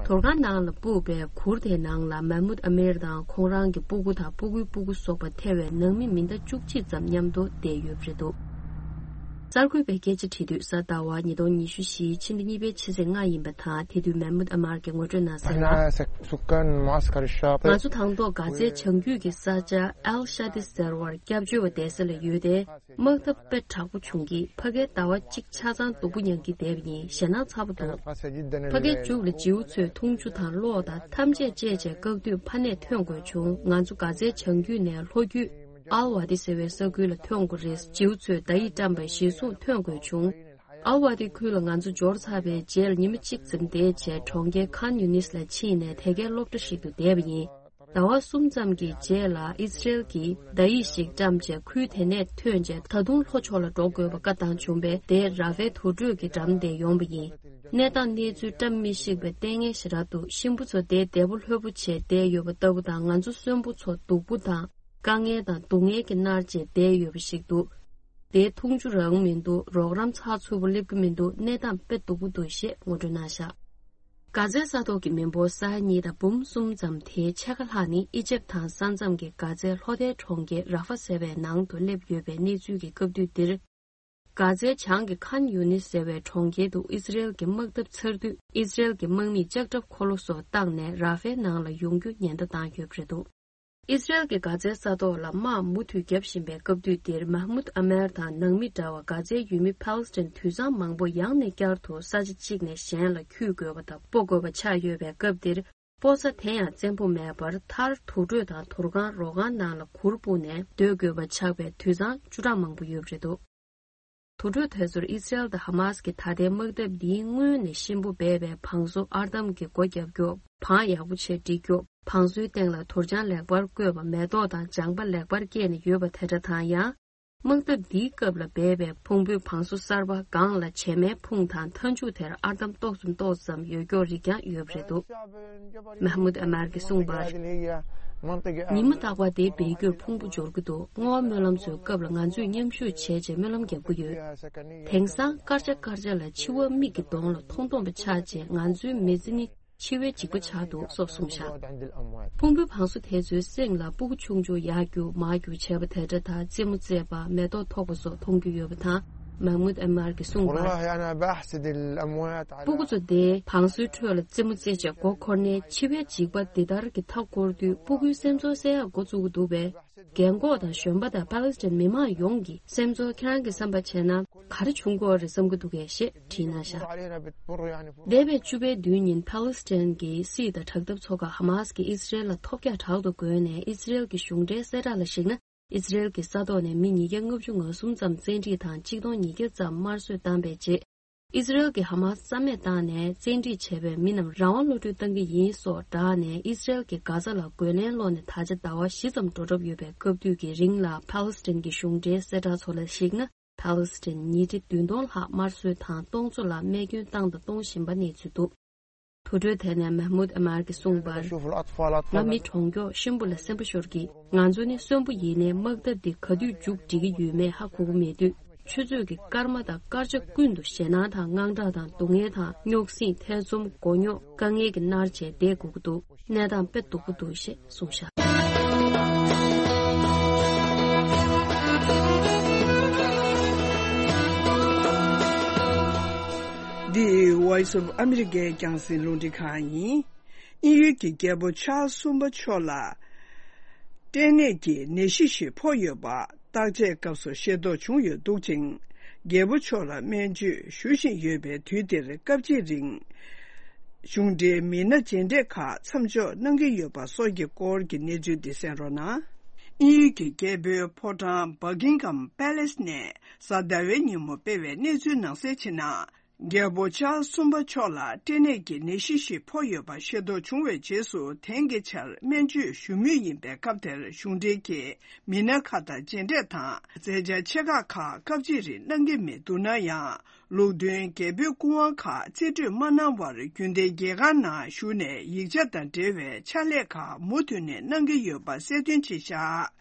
དུར་ཁང་ནང་ལ་སྤུབས་པའི་གུར་དེའི་ནང་ལ་མེ་མུད་ཨ་མེར་དང་ཁོང་རང་གི་སྤུ་གུ་དང་སྤུ་གུའི་སྤུ་གུ་སོགས་པ་ཐེ་བའི་ནང་མི་མི་ཟླ་བཅུ་གཅིག་ཙམ་མཉམ་དུ་བསྡད་ཡོད་པ་རེད་འདུག་གསར་འགོད་པས་སྐད་ཆ་དྲིས་དུས་གཟའ་ཟླ་བ་ཉིས་སྟོང་ཉི་ཤུ་བཞི་ཕྱི་ཟླ་གཉིས་པའི་ཕྱི་ཚེས་ལྔ་ཡིན་པ་དང་། དེ་དུས་མེ་མུད་ཨ་མར་གྱིས་ངོ་སྤྲོད་གནང་གསལ་ལ། احنا سك- سكان معسكر الشاطئ. ང་ཚོ་དང་ཐོག་གྷ་ཛའི་བྱང་རྒྱུད་ཀྱི་ས་ཆ་ཨལ་ཤ་ཏི་ཟེར་བར་སྐྱབས་བཅོལ་བ་བསྡད་ས་ལ་ཡོད་དེ། དམག་འཐབ་དཔེ་དྲག་པོ་བྱུང་གིས་ཕ་གིར་ཟླ་བ་གཅིག་ཆ་ཚང་སྡུག་པོ་མྱངས་ཀྱི་བསྡད་པ་ཡིན། ཞེད་སྣང་ཚ་པོ་འདུག་ཕ་གིའི་མཇུག་ལ་བྱིའུ་ཚོས་འཐུང་ཆུ་དང་གློག་དང་ཐམས་ཅད་བཅད་བྱས་བཀག་དུས་ཕ་ནས་ཐོན་དགོས་བྱུང་། ང་ཚོ་གྷ་ཛའི་བྱང་རྒྱུད་ནས་ལྷོ་རྒྱུད་ཨལ་ཝ་ཏི་ཟེར་བའི་ས་ཁུལ་ལ་ཐོན་དགོས་རེད། བྱིའུ་ཚོས་བརྡ་ཡིག་བཀྲམ་པའི་གཞིར་བཟུང་ཐོན་དགོས་བྱུང་། ཨལ་ཝ་ཏི་ཁུལ་ལ་ང་ཚོ་འབྱོར་ཚར་བའི་རྗེས་ལ་ཉི་མ་གཅིག་ཙམ་བསྡད་བྱས་གྲོང་ཁྱེར་ཁཱན་ཡུ་ནིས་ལ་ཕྱིན་ནས་དེ་གའི་སློབ་གྲྭ་ཞིག་ཏུ་བསྡད་པ་ཡིན། ཟླ་བ་གསུམ་ཙམ་གྱི་རྗེས་ལ་ཨི་སི་རེལ་གྱིས་བརྡ་ཡིག་ཞིག་བཀྲམ་རྗེས་ཁུལ་དེ་ནས་ཐོན་རྗེས་ད་དུང་ལྷོ་ཕྱོགས་ལ་འགྲོ་དགོས་པ་བཀའ་བཏང་བྱུང་བས། དེ་ར་ཧྥའི་དུར་ཁྲོད་ཀྱི་འགྲམ་དེ་ཡོང་པ་ཡིན། གནས་སྟངས་གནས་ཚུལ་བཀྲ་མི་ཤིས་པའི་ལྟས་ངན་ཞེ་དྲག་འདུག་གཤིན་པོ་ཚོ་དེ་བདེ་པོ་ལྷོད་པོ་བྱས་བསྡད་ཡོད་པ་ལྟ་བུ་དང་། ང་ཚོ་གསོན་པོ་ཚོ་སྡུག་པོ་དང་དཀའ་ངལ་དང་སྡུག་བསྔལ་གྱིས་མནར་རྗེས་བསྡད་ཡོད་པ་ཞིག་འདུག་དེ་འཐུང་ཆུ་རག་མི་འདུག་རོགས་རམ་ཚགས་ཚུད་པོ་སླེབས་ཀྱི་མི་འདུག་གནས་སྟངས་དཔེ་སྡུག་པོ་འདུག་ཞེས་ངོ་སྤྲོད་གནང་བཞག་གྷ་ཛའི་ས་ཐོག་གི་མི་འབོར་ས་ཡ་གཉིས་དང་འབུམ་གསུམ་ཙམ་དེའི་ཕྱེད་ཀ་ལྷག་ནི་ཨི་ཇེབ་དང་ས་མཚམས་ཀྱི་གྷ་ཛའི་ལྷོ་མཐའི་གྲོང་ཁྱེར་ར་ཧྥ་ཟེར་བའི་ནང་དུ་སླེབས་ཡོད་པའི་གནས་ཚུལ་གྱི་སྐབས་དུས་འདིར། གྷ་ཛའི་བྱང་གི་ཁཱན་ཡུ་ནིས་ཟེར་བའི་གྲོང་ཁྱེར་དུ་ཨི་སི་རེལ་གྱི་དམག་འཐབ་ཚར་དུས། ཨི་སི་རེལ་གྱི་དམག་མིས་ལྕགས་ཁྲབ་འཁོར་ལོ་སོགས་བཏང་ནས་ར་ཧྥའི་ནང་ལ་ཡོང་རྒྱུ་ཉེན་བརྡ་བཏང་ཡོད་པ་རེད་འདུག་ཨི་སི་རེལ་གྱིས་གྷ་ཛའི་ས་ཐོག་ལ་དམག་མུ་མཐུད་བརྒྱབ་བཞིན་པའི་སྐབས་དུས་འདིར། མཱ་མུད་ཨ་མེར་དང་ནང་མི་འདྲ་བ་གྷ་ཛའི་ཡུལ་མི་ཕཱ་ལེ་སི་ཐན་དུད་ཚང་མང་པོ་ཡང་ནས་བསྐྱར་དུ་ས་ཆ་གཅིག་ནས་གཞན་ལ་འཁྱུད་དགོས་པ་དང་སྤོ་དགོས་པ་ཆགས་ཡོད་པའི་སྐབས་འདིར། སྤོ་ས་དེ་ཡང་བཙན་པོ་མེད་པར་མཐར་དུར་ཁྲོད་དང་དུར་ཁང་རོ་ཁང་ནང་ལ་གུར་སྤུངས་ནས་སྡོད་དགོས་པ་ཆགས་པའི་དུད་ཚང་བཅུ་ཕྲག་མང་པོ་ཡོད་པ་རེད་འདུག་དུར་ཁྲོད་དེ་ཚོར་ཨི་སི་རེལ་དང་ཧ་མཱ་སི་ཀྱི་ད་ལྟའི་དམག་འཐབ་འདིའི་སྔོན་ནས་གཤིན་པོ་སྦས་པའི་བང་སོ་ཨར་འདམ་གྱི་སྒོ་བརྒྱབ་རྒྱུ། བང་ཡག་པོ་བྱས་བསྒྲིགས་རྒྱུ། བང་སོའི་སྟེང་ལ་དུར་བྱང་ལེགས་པར་བཀོད་པ། མེ་ཏོག་དང་ལྗང་པ་ལེགས་པར་སྐྱེས་ནས་ཡོད་པ་དེ་འདྲ་དང་། ཡང་དམག་འཐབ་འདིའི་སྐབས་ལ་སྦས་པའི་ཕུང་པོའི་བང་སོ་གསར་པ་སྒང་ལ་བྱེ་མའི་ཕུང་དང་མཐའ་མཇུག་དེར་ཨར་འདམ་ཏོག་ཙམ་ཏོག་ཙམ་ཡོད་སྐྱོ་རིགས་ཀྱང་ཡོད་པ་རེད་འདུག་མཱ་མུད་ཨ་མར་གྱིས་གསུངས་པར། ཉི་མ་རྟག་པར་དེ་སྦས་རྒྱུར་ཕུང་པོ་འབྱོར་གྱི་འདུག་བསྔོ་བ་སྨོན་ལམ་ཚོའི་སྐབས་ལ་ང་ཚོས་མཉམ་ཞུགས་བྱས་རྗེས་སྨོན་ལམ་རྒྱག་གི་ཡོད། དེང་སང་སྐར་ཆ་སྐར་ཆ་ལ་འཆི་བ་མིག་གི་གདོང་ལ་མཐོང་མཐོང་པ་ཆགས་རྗེས་ང་ཚོའི་མི་ཚེ་ནི་འཆི་བའི་འཇིགས་པ་ཆགས་འདུག་སོགས་གསུངས་བཞག་ཕུང་པོའི་བང་སོ་དེ་ཚོའི་གསེང་ལ་སྤུ་གུ་ཆུང་ཆུང་ཡར་རྒྱུག་མར་རྒྱུག་བྱས་པ་དེ་འདྲ་དང་རྩེད་མོ་རྩེས་པ། མེ་ཏོག་ཐོགས་པ་སོགས་མཐོང་རྒྱུ་ཡོད་པ་དང་། མཱ་མུད་ཨ་མར་གྱིས་གསུངས་པར། والله أنا بحسد الأموات على སྤུ་གུ་ཚོ་དེ་བང་སོའི་ཁྲོད་ལ་རྩེད་མོ་རྩེས་བྱས་མགོ་འཁོར་ནས་འཆི་བའི་འཇིགས་པ་འདི་ལྟར་གྱི་མཐའ་བསྐོར་དུས། སྤུ་གུའི་སེམས་ཚོར་གསལ་ཡག་འགོ་བཙུགས་ཀྱི་འདུག་པས། རྒན་གོག་དང་གཞོན་པ་དང་ཕཱ་ལེ་སི་ཐན་མི་མང་ཡོངས་ཀྱི་སེམས་ཚོར་ཁྱེད་རང་གིས་བསམ་པ་བྱས་ན་ག་རེ་བྱུང་གི་ཡོད་རེད་བསམ་གྱི་འདུག་གས་ཞེས་དྲིས་གནང་བཞག་འདས་པའི་བཅུ་པའི་བདུན་ཉིན་ཕཱ་ལེ་སི་ཐན་གྱི་སྲིད་དང་དྲག་འཐབ་ཚོགས་ཁག་ཧ་མཱ་སི་ཀྱིས་ཨི་སི་རེལ་ལ་ཐོལ་རྒྱག་དྲག་ཏུ་རྒོལ་ནས། ཨི་སི་རེལ་གྱི་གཞུང་འབྲེལ་གསལ་བསྒྲགས་ལ་གཞིགས་ན། ཨི་སི་རེལ་གྱི་ས་ཐོག་ནས་མི་ཉིས་བརྒྱ་ལྔ་བཅུ་ང་གསུམ་ཙམ་བཙན་ཁྲིད་དང་གཅིག་སྟོང་ཉིས་བརྒྱ་ཙམ་དམར་གསོད་བཏང་པའི་རྗེས། ཨི་སི་རེལ་གྱིས་ཧ་མཱ་སི་རྩ་མེད་བཏང་ནས་བཙན་ཁྲིད་བྱས་པའི་མི་རྣམས་རང་དབང་གློད་གྲོལ་བཏང་གི་ཡིན་སོགས་བསྒྲགས་ནས། ཨི་སི་རེལ་གྱིས་གྷ་ཛ་ལ་རྒོལ་ལན་སློག་ནས་ད་ཆ་ཟླ་བ་བཞི་ཙམ་འགྲོ་གྲབས་ཡོད་པའི་སྐབས་དུས་ཀྱི་རིང་ལ། ཕཱ་ལེ་སི་ཐན་གྱི་གཞུང་འབྲེལ་གསལ་བསྒྲགས་ཚོ་ལ་གཞིགས་ན། ཕཱ་ལེ་སི་ཐན་ཉིས་ཁྲི་བདུན་སྟོང་ལྷག་དམར་གསོད་དང་སྟོང་ཚོ་ལ་རྨས་སྐྱོན་བཏང་དང་གཏོང་བཞིན་པ་གནས་ཚུལ་འདུག་དུར་ཁྲོད་དེ་ནས་མཱ་མུད་ཨ་མར་གྱིས་གསུངས་པར། ང་མི་གྲོངས་མགྱོགས་གཤིན་པོ་ལ་སེམས་པ་ཤོར་གྱིས། ང་ཚོ་ནི་གསོན་པོ་ཡིན་ནའི་དམག་འཐབ་འདི་ག་དུས་མཇུག་སྒྲིལ་གྱི་ཡོད་མེད་ཧ་གོ་གི་མེད་དུས། ཆུ་ཚོད་ཀྱི་སྐར་མ་དང་སྐར་ཆ་ཀུན་ཏུ་ཞེད་སྣང་དང་དངངས་སྐྲག་དང་སྡུག་བསྔལ་དང་རྙོག་ཟིང་ཐེ་ཚོམ་མགོ་རྙོག་དཀའ་ངལ་གྱིས་མནར་བྱས་བསྡད་དགོས་ཀྱི་འདུག་གནས་སྟངས་དཔེ་སྡུག་པོ་འདུག་ཞེས་གསུངས་བཞག་འདི་Voice of America རྒྱང་སྲིང་རླུང་འཕྲིན་ཁང་ཡིན། དབྱིན་ཡུལ་གྱི་རྒྱལ་པོ་ཆཱལ་གསུམ་པ་མཆོག་ལ་སྐྲན་ནད་ཀྱི་ནད་གཞི་ཞིག་ཕོག་ཡོད་པ་བརྟག་དཔྱད་སྐབས་སུ་ཤེས་རྟོགས་བྱུང་ཡོད་འདུག་ཅིང་། རྒྱལ་པོ་མཆོག་ལ་སྨན་བཅོས་ཞུ་བཞིན་ཡོད་པའི་དུས་འདིར་སྐབས་གཅིག་རིང་གཞུང་འབྲེལ་མི་སྣ་མཇལ་འཕྲད་ཁག་མཚམས་འཇོག་གནང་གི་ཡོད་པ་སོགས་ཀྱི་སྐོར་གྱི་གནས་ཚུལ་འདི་གསན་རོགས་གནང་། དབྱིན་ཡུལ་གྱི་རྒྱལ་པོའི་ཕོ་བྲང་Buckingham Palace ནས་གཟའ་ཟླ་བའི་ཉིན་མོ་སྤེལ་བའི་གནས་ཚུལ་ནང་གསལ་ཕྱིན་ན། རྒྱལ་པོ་ཆཱལ་གསུམ་པ་མཆོག་ལ་སྐྲན་ནད་ཀྱི་ནད་གཞི་ཞིག་ཕོག་ཡོད་པ་ཤེས་རྟོགས་བྱུང་བའི་རྗེས་སུ། དེང་གི་ཆར་སྨན་བཅོས་ཞུ་མུས་ཡིན་པའི་སྐབས་དེར་གཞུང་འབྲེལ་གྱི་མི་སྣ་ཁག་དང་མཇལ་འཕྲད་དང་མཛད་འཆར་ཆེ་ཁག་ཁག་སྐབས་གཅིག་རིང་གནང་གི་མི་འདུག་ན་ཡང་། ལུགས་མཐུན་རྒྱལ་པོའི་སྐུ་དབང་ཁག་རྩིས་སྤྲོད་མ་གནང་བར་རྒྱུན་ལྡན་རྒྱལ་ཁང་ནང་བཞུགས་ནས་ཡིག་ཆ་དང་འབྲེལ་བའི་ཕྱག་ལས་ཁག་མུ་མཐུད་ནས་གནང་གི་ཡོད་པ་གསལ་སྟོན་བྱས་བཞག་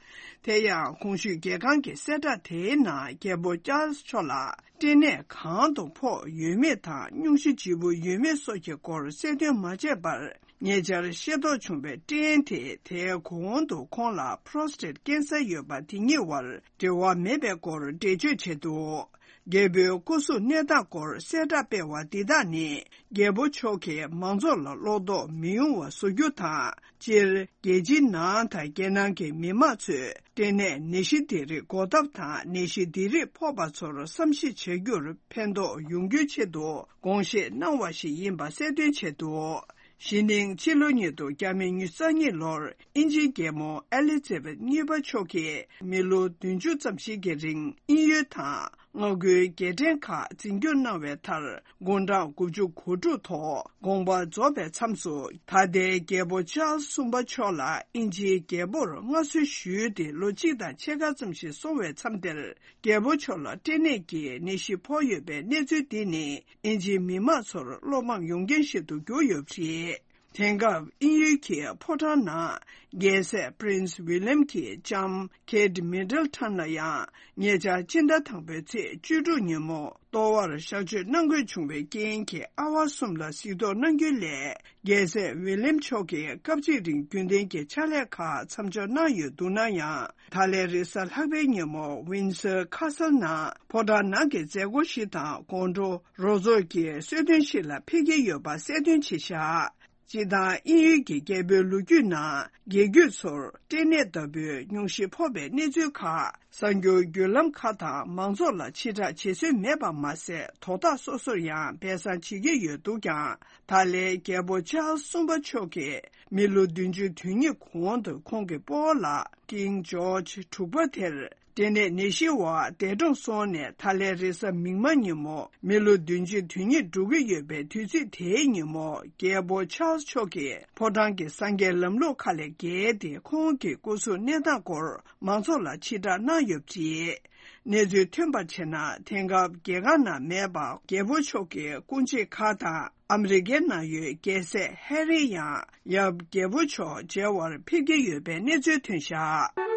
དེ་ཡང་གོང་ཞུས་རྒྱལ་ཁང་གི་གསལ་བསྒྲགས་དེའི་ནང་རྒྱལ་པོ་ཅཱལ་སི་མཆོག་ལ་སྐྲན་ནད་གང་དུ་ཕོག་ཡོད་མེད་དང་སྙུང་གཞི་ལྗིད་པོ་ཡོད་མེད་སོགས་ཀྱི་སྐོར་གསལ་སྟོན་མ་བྱས་པར། ཉེ་ཆར་ཤེས་རྟོགས་བྱུང་བའི་སྐྲན་དེ་དེའི་གོང་དུ་ཁོང་ལ་པྲོ་སི་ཊེཊ་ཀེན་སར་ཡོད་པ་དེ་གཉིས་བར་འབྲེལ་བ་མེད་པའི་སྐོར་འགྲེལ་བརྗོད་བྱས་འདུག་རྒྱལ་པོའི་སྐུ་གཟུགས་གནས་སྟངས་སྐོར་གསལ་བསྒྲགས་སྤེལ་བ་འདི་དག་ནི། རྒྱལ་པོ་མཆོག་གིས་མང་ཚོགས་ལ་བློ་དོགས་མི་ཡོང་བ་བཟོ་རྒྱུ་དང་། སྤྱིར། རྒྱལ་སྤྱིའི་ནང་དང་རྒྱལ་ནང་གི་མི་མང་ཚོས། ལྟེ་གནས་ནད་གཞི་འདི་རིགས་འགོག་ཐབས་དང་། ནད་གཞི་འདི་རིགས་ཕོག་པ་ཚོར་བསམ་ཤེས་བྱ་རྒྱུར་ཕན་ཐོགས་ཡོང་རྒྱུའི་ཆེད་དུ། དགོངས་བཞེས་གནང་བ་ཞིག་ཡིན་པ་གསལ་སྟོན་བྱས་འདུག་གཞེས་ནིང་ཕྱི་ལོ་ཉིས་སྟོང་ཉི་ཤུ་རྩ་གཉིས་ལོར། དབྱིན་ཇིའི་རྒྱལ་མོ་ཨེ་ལི་ཛ་བེད་གཉིས་པ་མཆོག་གིས། མི་ལོ་བདུན་ཅུ་ཙམ་ཞིག་གི་རིང་། དབྱིན་ཡུལ་དང་། མངའ་ཁུལ་རྒྱལ་ཕྲན་ཁག་འཛིན་སྐྱོང་གནང་བའི་མཐར། དགུང་གྲངས་དགུ་བཅུ་གོ་དྲུག་ཐོག་དགོངས་པ་རྫོགས་པའི་མཚམས་སུ། ད་ལྟའི་རྒྱལ་པོ་ཆཱལ་སི་གསུམ་པ་མཆོག་ལ་དབྱིན་ཇིའི་རྒྱལ་པོར་མངའ་གསོལ་ཞུས་ཏེ། ལོ་གཅིག་དང་ཕྱེད་ཀ་ཙམ་ཞིག་སོང་བའི་མཚམས་དེར། རྒྱལ་པོ་མཆོག་ལ་སྐྲན་ནད་ཀྱི་ནད་གཞི་ཕོག་ཡོད་པའི་གནས་ཚུལ་འདི་ནི། དབྱིན་ཇིའི་མི་མང་ཚོར་བློ་ཕམ་ཡོང་རྐྱེན་ཞིག་ཏུ་གྱུར་ཡོད་པ་རེད། དེང་སྐབས་དབྱིན་ཡུལ་གྱི་ཕོ་བྲང་ནང་། རྒྱལ་སྲས་Prince William གྱི་ལྕམ་Kate Middleton ལ་ཡང་། ཉེ་ཆར་སྤྱི་ཟླ་དང་པོའི་ཚེས་བཅུ་དྲུག་ཉིན་མོ། ལྟོ་བར་གཤག་བཅོས་གནང་དགོས་བྱུང་བའི་རྐྱེན་གྱིས། ཨ་བ་གསུམ་ལ་གཟིགས་རྟོག་གནང་རྒྱུའི་སླད། རྒྱལ་སྲས་William མཆོག་གིས་སྐབས་གཅིག་རིང་རྒྱུན་ལྡན་གྱི་ཕྱག་ལས་ཁག་མཚམས་འཇོག་གནང་ཡོད་འདུག་ན་ཡང་། ད་ལན་རེས་གཟའ་ལྷག་པའི་ཉིན་མོ། Windsor Castle ནང་ཕོ་བྲང་ནང་གི་མཛད་སྒོ་ཞིག་དང་། དགོང་དྲོ་རོགས་ཚོགས་ཀྱི་གསོལ་སྟོན་ཞིག་ལ་ཕེབས་ཀྱི་ཡོད་པ་གསལ་སྟོན་བྱས་བཞག་སྤྱིར་བཏང་དབྱིན་ཡུལ་གྱི་རྒྱལ་པོའི་ལོ་རྒྱུས་ནང་། རྒྱལ་རྒྱུད་ཚོར་སྐྲན་ནད་ལྟ་བུའི་སྙུང་གཞི་ཕོག་པའི་གནས་ཚུལ་ཁག་གསར་འགྱུར་བརྒྱུད་ལམ་ཁག་དང་མང་ཚོགས་ལ་ཕྱིར་བསྒྲགས་བྱེད་སྲོལ་མེད་པ་མ་ཟད། དོ་བདག་སོ་སོར་ཡང་སྦས་གསང་བྱེད་ཀྱི་ཡོད་འདུག་ཀྱང་། ད་ལན་རྒྱལ་པོ་ཆཱལ་སི་གསུམ་པ་མཆོག་གིས་མི་ལོ་བདུན་ཅུ་དོན་གཉིས་གོང་དུ་ཁོང་གི་སྤོ་བོ་ལགས་King George དྲུག་པ་དེར། སྐྲན་ནད་ནད་གཞིའི་འོག་འདས་གྲོངས་སོང་ནས། ད་ལན་རེས་གཟའ་མིག་དམར་ཉིན་མོ། མི་ལོ་བདུན་ཅུ་དོན་གཉིས་འགྲོ་གི་ཡོད་པའི་དུས་ཚིགས་དེའི་ཉིན་མོ། རྒྱལ་པོ་ཆཱལ་སི་མཆོག་གིས་ཕོ་བྲང་གི་སངས་རྒྱས་ལམ་ལུགས་ཁག་ལས་འགལ་ཏེ། ཁོང་གི་སྐུ་གཟུགས་གནས་སྟངས་སྐོར་མང་ཚོགས་ལ་ཕྱིར་བསྒྲགས་གནང་ཡོད་པ་རེད། གནས་ཚུལ་ཐོན་པར་བྱས་ན། དེང་སྐབས་རྒྱལ་ཁང་ནང་མེད་པར། རྒྱལ་པོ་མཆོག་གི་སྐུ་མཆེད་ཁག་དང་། ཨ་མི་རི་ཀའི་ནང་ཡོད་རྒྱལ་སྲས་ཧེ་རི་ཡང་ཡབ་རྒྱལ་པོ་མཆོག་མཇལ་བར་ཕེབས་ཀྱི་ཡོད་པའི་གནས་ཚུལ་ཐོན་བཞག་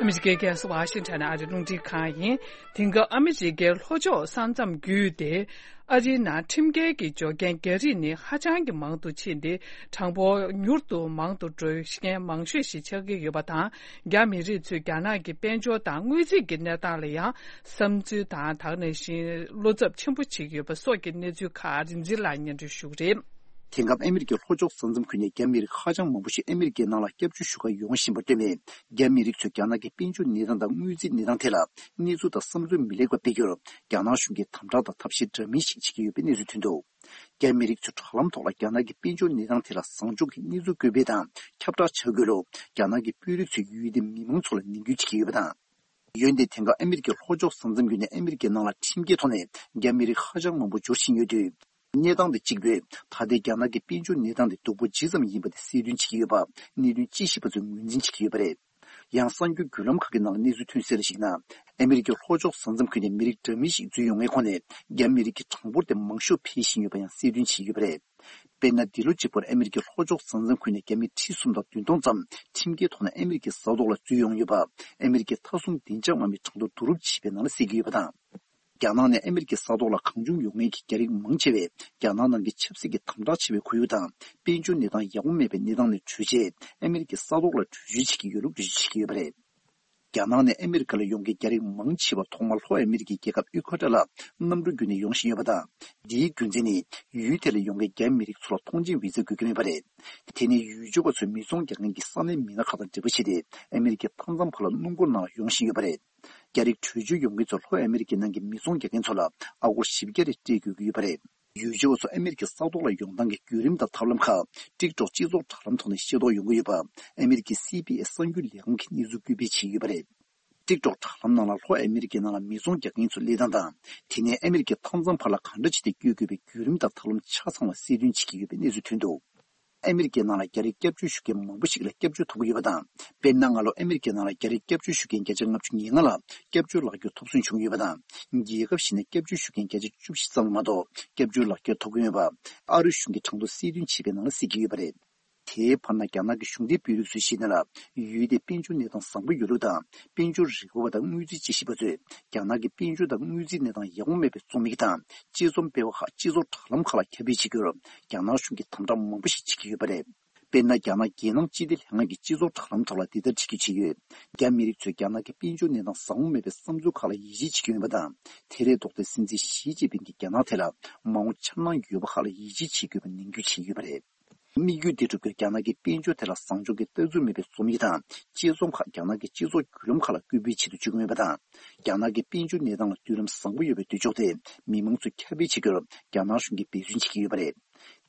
ཨ་མི་རི་ཀའི་རྒྱལ་ས་ཝ་ཤིང་ཊོན་ཨ་རིའི་རླུང་འཕྲིན་ཁང་ཡིན། དེང་སྐབས་ཨ་མི་རི་ཀའི་ལྷོ་ཕྱོགས་ས་མཚམས་བརྒྱུད་དེ། ཨ་རིའི་ནང་ཁྲིམས་འགལ་གྱི་འབྱོར་མཁན་རྒྱ་རིགས་ནི་ཧ་ཅང་གི་མང་དུ་ཕྱིན་ཏེ། གྲངས་འབོར་མྱུར་དུ་མང་དུ་འགྲོ་མཁན་མང་ཤོས་ཤིག་ཆགས་ཀྱི་ཡོད་པ་དང་། རྒྱ་མི་རིགས་ཚོས་རྒྱ་ནག་གི་དཔལ་འབྱོར་དང་དངུལ་རྩིས་ཀྱི་གནས་སྟངས་ལ་ཡང་བསམ་ཚུལ་དང་། དེ་ནང་བཞིན་བློ་འཚབ་ཆེན་པོ་བྱེད་ཀྱི་ཡོད་པ་སོགས་ཀྱི་གནས་ཚུལ་ཁག་རིག་འཛིན་ལགས་སྙན་སྒྲོན་ཞུ་གི་རེད། དེང་སྐབས་ཨ་མི་རི་ཀའི་ལྷོ་ཕྱོགས་ས་མཚམས་ཁུལ་ནས་རྒྱ་མི་རིགས་ཧ་ཅང་མང་པོ་ཞིག་ཨ་མི་རི་ཀའི་ནང་ལ་སྐྱབས་བཅོལ་ཞུ་གར་ཡོང་བཞིན་པར་བརྟེན་ནས། རྒྱ་མི་རིགས་ཚོས་རྒྱ་ནག་གི་དཔལ་འབྱོར་གནས་སྟངས་དང་དངུལ་རྩིས་གནས་སྟངས་ཐད་ལ་གནས་ཚུལ་དང་བསམ་ཚུལ་མི་ལེགས་པ་སྤེལ་རྒྱུར། རྒྱ་ནག་གཞུང་གིས་དམ་དྲག་དང་ཐབས་ཤེས་འདྲ་མིན་ཞིག་བྱེད་ཀྱི་ཡོད་པའི་གནས་ཚུལ་ཐོན་འདུག་རྒྱ་མི་རིགས་ཚོས་དྲ་ལམ་ཐོག་ལ་རྒྱ་ནག་གི་དཔལ་འབྱོར་གནས་སྟངས་ཐད་ལ་བཟང་ཕྱོགས་ཀྱི་གནས་ཚུལ་བཀོད་སྤེལ་དང་ཁྱབ་བསྒྲགས་བྱ་དགོས་ལུགས། རྒྱ་ནག་གི་དཔོན་རིགས་ཚོས་ཡུལ་དེའི་མི་མང་ཚོ་ལ་ནན་སྐུལ་བྱེད་ཀྱི་ཡོད་པ་དང་། འོན་ཏེ། དེང་སྐབས་ཨ་མི་རི་ཀའི་ལྷོ་ཕྱོགས་ས་མཚམས་བརྒྱུད་ནས་ཨ་མི་རི་ཀའི་ནང་ལ་ཁྲིམས་འགལ་ཐོག་ནས་རྒྱ་མི་རིགས་ཧ་ཅང་མང་པོ་འབྱོར་བཞིན་ཡོད་དུས། གནས་སྟངས་དེ་གཅིག་པུས་ད་ལྟའི་རྒྱ་ནག་གི་དཔལ་འབྱོར་གནས་སྟངས་དེ་སྡུག་པོ་ཇི་ཙམ་ཡིན་པ་དེ་གསལ་སྟོན་བྱེད་ཀྱི་ཡོད་པ། གནད་དོན་དཔྱད་ཞིབ་པ་ཚོས་ངོས་འཛིན་བྱེད་ཀྱི་ཡོད་པ་རེད། ཡང་། གསར་འགྱུར་བརྒྱུད་ལམ་ཁག་གི་ནང་ལ་གནས་ཚུལ་ཐོན་གསལ་ལ་གཞིགས་ན། ཨ་མི་རི་ཀའི་ལྷོ་ཕྱོགས་ས་མཚམས་ཁུལ་ནས་མི་རིགས་འདྲ་མིན་ཞིག་འཛུལ་ཡོང་མཁན་ཁོངས་ནས་རྒྱ་མི་རིགས་ཀྱི་གྲངས་འབོར་དེ་མང་ཤོས་འཕེལ་བཞིན་ཡོད་པ་ཡང་གསལ་སྟོན་བྱེད་ཀྱི་ཡོད་པ་རེད། དཔེར་ན། འདི་ལོ་གཅིག་པུར་ཨ་མི་རི་ཀའི་ལྷོ་ཕྱོགས་ས་མཚམས་ཁུལ་ནས་རྒྱ་མི་ཁྲི་གསུམ་དང་བདུན་སྟོང་ཙམ་ཁྲིམས་འགལ་ཐོག་ནས་ཨ་མི་རི་ཀའི་ས་ཐོག་ལ་འཛུལ་ཡོང་ཡོད་པ། ཨ་མི་རི་ཀའི་མཐའ་སྲུང་བདེ་འཇགས་དམག་མིས་གྲངས་ཐོ་བསྡུ་རུབ་བྱས་པའི་ནང་ལ་གསལ་གྱི་ཡོད་པ་དང་། རྒྱ་ནག་ནས་ཨ་མི་རི་ཀའི་ས་ཐོག་ལ་གང་བྱུང་ཡོང་མཁན་གྱི་རྒྱ་རིགས་མང་ཆེ་བས། རྒྱ་ནག་ནང་གི་ཆབ་སྲིད་ཀྱི་དམ་དྲག་ཆེ་བའི་ཁོར་ཡུག་དང་། དཔལ་འབྱོར་གནས་སྟངས་ཡག་པོ་མེད་པའི་གནས་སྟངས་ནས་བྲོས་རྗེས། ཨ་མི་རི་ཀའི་ས་ཐོག་ལ་བྲོས་བྱོལ་བྱེད་ཀྱི་ཡོད་ལུགས་འགྲེལ་བརྗོད་བྱེད་ཀྱི་ཡོད་པ་རེད། རྒྱ་ནག་ནས་ཨ་མི་རི་ཀ་ལ་ཡོང་མཁན་རྒྱ་རིགས་མང་ཆེ་བ་ཐོག་མར་ལྷོ་ཨ་མི་རི་ཀའི་རྒྱལ་ཁབ་ཨི་ཁུ་ཨེ་ཀྲ་ལ་གནམ་གྲུ་བརྒྱུད་ནས་ཡོང་བཞིན་ཡོད་པ་དང་། འདིའི་རྒྱུ་མཚན་ནི། ཡུལ་དེ་ལ་ཡོང་མཁན་རྒྱ་མི་རིགས་ཚོ་ལ་ཐོངས་མཆན་བི་ཛ་དགོས་ཀྱི་མེད་པ་རེད། དེ་ནས་ཡུལ་སྐྱོར་བ་ཚོས་མི་ཚོང་རྒྱག་མཁན་གྱི་ས་གནས་མི་སྣ་ཁག་དང་འབྲེལ་བ་བྱས་ཏེ། ཨ་མི་རི་ཀའི་མཐའ་མཚམས་བར་ལ་སྣུམ་འཁོར་ནང་ལ་ཡོང་བཞིན་ཡོད་པ་རེད། རྒྱ་རིགས་བྲོས་བྱོལ་ཡོང་མཁན་ཚོ་ལྷོ་ཨ་མི་རི་ཀའི་ནང་གི་མི་ཚོང་རྒྱག་མཁན་ཚོ་ལ་ཨ་སྒོར་བཞི་བརྒྱ་རེ་སྤྲད་དགོས་ཀྱི་ཡོད་པ་རེད། ཡུལ་སྐྱོར་བ་ཚོ་ཨ་མི་རི་ཀའི་ས་ཐོག་ལ་ཡོང་སྟངས་ཀྱི་བརྒྱུད་རིམ་དང་ཐབས་ལམ་ཁག་ཊིག་ཊོག་སྤྱི་ཚོགས་དྲ་ལམ་ཐོག་ནས་ཤེས་རྟོགས་ཡོང་གི་ཡོད་པ། ཨ་མི་རི་ཀའི་སི་བྷི་ཨེས་གསར་འགྱུར་ལས་ཁང་གིས་གནས་ཚུལ་བཀོད་སྤེལ་བྱས་ཡོད་པ་རེད། ཊིག་ཊོག་དྲ་ལམ་ནང་ལ་ལྷོ་ཨ་མི་རི་ཀའི་ནང་ལ་མི་ཚོང་རྒྱག་མཁན་ཚོའི་སླེབས་སྟངས་དང་། དེ་ནས་ཨ་མི་རི་ཀའི་མཐའ་མཚམས་བར་ལ་གང་འདྲ་བྱས་ཏེ་བསྐྱོད་དགོས་པའི་བརྒྱུད་རིམ་དང་ཐབས་ལམ་ཆ་ཚང་བ་གསལ་སྟོན་བྱེད་ཀྱི་ཡོད་པའི་གནས་ཚུལ་ཐོན་འདུག་ཨ་མི་རི་ཀའི་ནང་ལ་རྒྱ་རིགས་སྐྱབས་བཅོལ་ཞུ་མཁན་མང་པོ་ཞིག་ལ་སྐྱབས་བཅོལ་ཐོབ་ཀྱི་ཡོད་པ་དང་། དཔེར་ན། སྔ་ལོ་ཨ་མི་རི་ཀའི་ནང་ལ་རྒྱ་རིགས་སྐྱབས་བཅོལ་ཞུ་མཁན་བརྒྱ་ཆ་ལྔ་བཅུ་ང་ལྔ་ལ་སྐྱབས་བཅོལ་ལག་འཁྱེར་ཐོབ་ཚུན་བྱུང་ཡོད་པ་དང་། རྒྱལ་ཁབ་གཞན་ནས་སྐྱབས་བཅོལ་ཞུ་མཁན་བརྒྱ་ཆ་བཅུ་བཞི་ཙམ་མ་གཏོགས་སྐྱབས་བཅོལ་ལག་འཁྱེར་ཐོབ་ཀྱི་མེད་པ། ཨ་རིའི་གཞུང་གིས་གྲངས་ཐོ་གསལ་སྟོན་བྱས་པའི་ནང་ལ་གསལ་གྱི་ཡོད་པ་རེད། དེའི་བར་ན། རྒྱ་ནག་གི་གཞུང་འབྲེལ་དཔོན་རིགས་ཚོས་བཤད་ན་ལ། ཡུལ་དེའི་དཔལ་འབྱོར་གནས་སྟངས་བཟང་པོ་ཡོད་ལུགས་དང་། དཔལ་འབྱོར་རིག་པ་བ་དང་དངུལ་རྩིས་དཔྱད་ཞིབ་པ་ཚོས་རྒྱ་ནག་གི་དཔལ་འབྱོར་དང་དངུལ་རྩིས་གནས་སྟངས་ཡག་པོ་མེད་པའི་རྩོམ་ཡིག་དང་། དཔྱད་རྩོམ་སྤེལ་བ་ཁག་སྤྱི་ཚོགས་དྲ་ལམ་ཁག་ལ་ཁྱབ་སྤེལ་བྱེད་རྒྱུར། རྒྱ་ནག་གཞུང་གིས་དམ་དྲག་མང་པོ་ཞིག་བྱེད་ཀྱི་ཡོད་པ་རེད། དཔེར་ན། རྒྱ་ནག་རྒྱལ་ནང་སྤྱི་བདེ་ལྷན་ཁང་གི་སྤྱི་ཚོགས་དྲ་ལམ་ཐོག་ལ་འདི་ལྟར་བྲིས་བརྗོད་བྱས་ཡོད། རྒྱ་མི་རིགས་ཚོས་རྒྱ་ནག་གི་དཔལ་འབྱོར་གནས་སྟངས་བཟང་པོ་མེད་པའི་བསམ་ཚུལ་ཁག་ལ་ཡིད་ཆེས་བྱེད་ཀྱི་ཡོད་པ་དང་། དེ་ལས་ལྡོག་སྟེ། སྲིད་འཛིན་ཞི་ཅིན་ཕིང་གིས་རྒྱ་ནག་དེ་ལ་མ་འོངས་འཆར་སྣང་ཡོད་པ་ཁག་ལ་ཡིད་ཆེས་བྱེད་དགོས་པའི་ནན་སྐུལ་བྱས་ཡོད་པ་རེད། དམིགས་ཡུལ་འདི་སྒྲུབ་རྒྱུར་རྒྱ་ནག་གི་དཔལ་འབྱོར་དེ་ལ་བཟང་ཕྱོགས་ཀྱི་ལྟ་ཚུལ་མེད་པའི་རྩོམ་ཡིག་དང་། བཅད་རྩོམ་ཁག་རྒྱ་ནག་གི་སྤྱི་ཚོགས་བརྒྱུད་ལམ་ཁག་ལ་སྐུལ་སྤེལ་བྱེད་དུ་བཅུག་གི་མེད་པ་དང་། རྒྱ་ནག་གི་དཔལ་འབྱོར་གནས་སྟངས་ལ་མདུན་ལམ་བཟང་པོ་ཡོད་པའི་འདོད་ཕྱོགས་དེ་མི་མང་ཚོས་ཁྱབ་སྤེལ་བྱེད་རྒྱུར་རྒྱ་ནག་གཞུང་གིས་འབད་བརྩོན་བྱེད་ཀྱི་ཡོད་པ་རེད།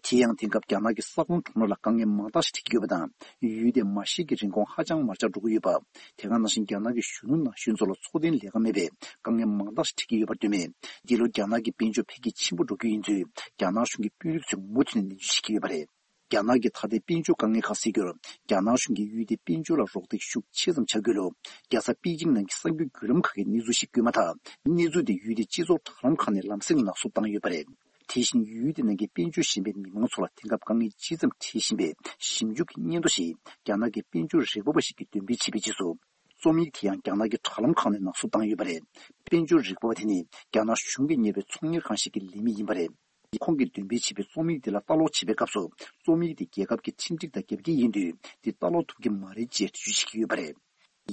དེ་ཡང་། དེང་སྐབས་རྒྱ་ནག་གི་ས་ཁང་ཁྲོམ་ར་ལ་དཀའ་ངལ་མང་དག་ཞིག་འཕྲད་ཀྱི་ཡོད་པ་དང་། ཡུལ་དེའི་མ་ཤི་ཀའི་རིན་གོང་ཧ་ཅང་མར་ཆག་འགྲོ་གི་ཡོད་པ། དེ་ག་ནང་བཞིན། རྒྱ་ནག་གི་གཞོན་ནུ་ན་གཞོན་ཚོ་ལ་འཚོ་རྟེན་ལས་ཀ་མེད་པས་དཀའ་ངལ་མང་དག་ཞིག་འཕྲད་ཀྱི་ཡོད་པར་འདོད་མོད། འདི་ལོ་རྒྱ་ནག་གི་དཔལ་འབྱོར་འཕེལ་རྒྱས་ཆེན་པོ་འགྲོ་རྒྱུ་ཡིན་ཚུལ་རྒྱ་ནག་གཞུང་གི་དཔོན་རིགས་ཚོས་མུ་མཐུད་ནས་ནན་བརྗོད་བྱེད་ཀྱི་ཡོད་པ་རེད། རྒྱ་ནག་གི་ད་ལྟའི་དཔལ་འབྱོར་དཀའ་ངལ་ཁག་སེལ་རྒྱུར། རྒྱ་ནག་གཞུང་གིས་ཡུལ་དེའི་དཔལ་འབྱོར་ལ་རོགས་འདེགས་ཤུགས་ཆེ་ཙམ་བྱ་དགོས་ལུགས། རྒྱལ་ས་པེ་ཅིང་ནང་གི་གསར་འགྱུར་བརྒྱུད་ལམ་ཁག་གིས་གནས་ཚུལ་ཞིག་བསྐྱོན་མ་ཐག། གནས་ཚུལ་དེ་ཡུལ་དེའི་སྤྱི་ཚོགས་དྲ་ལམ་ཁག་ནས་ལམ་སེང་ནག་བསུབ་བཏང་ཡོད་པ་རེད། དེ་བཞིན། ཡུལ་དེ་ནང་གི་དཔལ་འབྱོར་ཞན་པའི་མི་མང་ཚོ་ལ་དེང་སྐབས་དཀའ་ངལ་ཇི་ཙམ་འཕྲད་བཞིན་པའི་ཞིབ་འཇུག་གི་སྙན་ཐོ་ཞིག་རྒྱ་ནག་གི་དཔལ་འབྱོར་རིག་པ་བ་ཞིག་གིས་འདོན་སྤེལ་བྱས་པའི་རྗེས་སུ། རྩོམ་ཡིག་དེ་ཡང་རྒྱ་ནག་གི་དྲ་ལམ་ཁག་ནས་ནག་བསུབ་བཏང་ཡོད་པ་རེད། དཔལ་འབྱོར་རིག་པ་བ་དེ་ནི་རྒྱ་ནག་གཞུང་གིས་གཉེར་བའི་ཚོང་གཉེར་ཁང་ཞིག་གི་ལས་མི་ཡིན་པ་རེད། ཁོང་གིས་འདོན་སྤེལ་བྱས་པའི་རྩོམ་ཡིག་དེ་ལ་ལྟ་ཀློག་བྱེད་པའི་སྐབས་སུ། རྩོམ་ཡིག་དེ་རྒྱལ་ཁབ་ཀྱི་ཁྲིམས་སྒྲིག་དང་རྒྱབ་འགལ་ཡིན་དུས། འདི་ལྟ་ཀློག་ཐུབ་ཀྱི་མ་རེད་ཅེས་འགྲེལ་བརྗོད་བྱེད་ཀྱི་ཡོད་པ་རེད།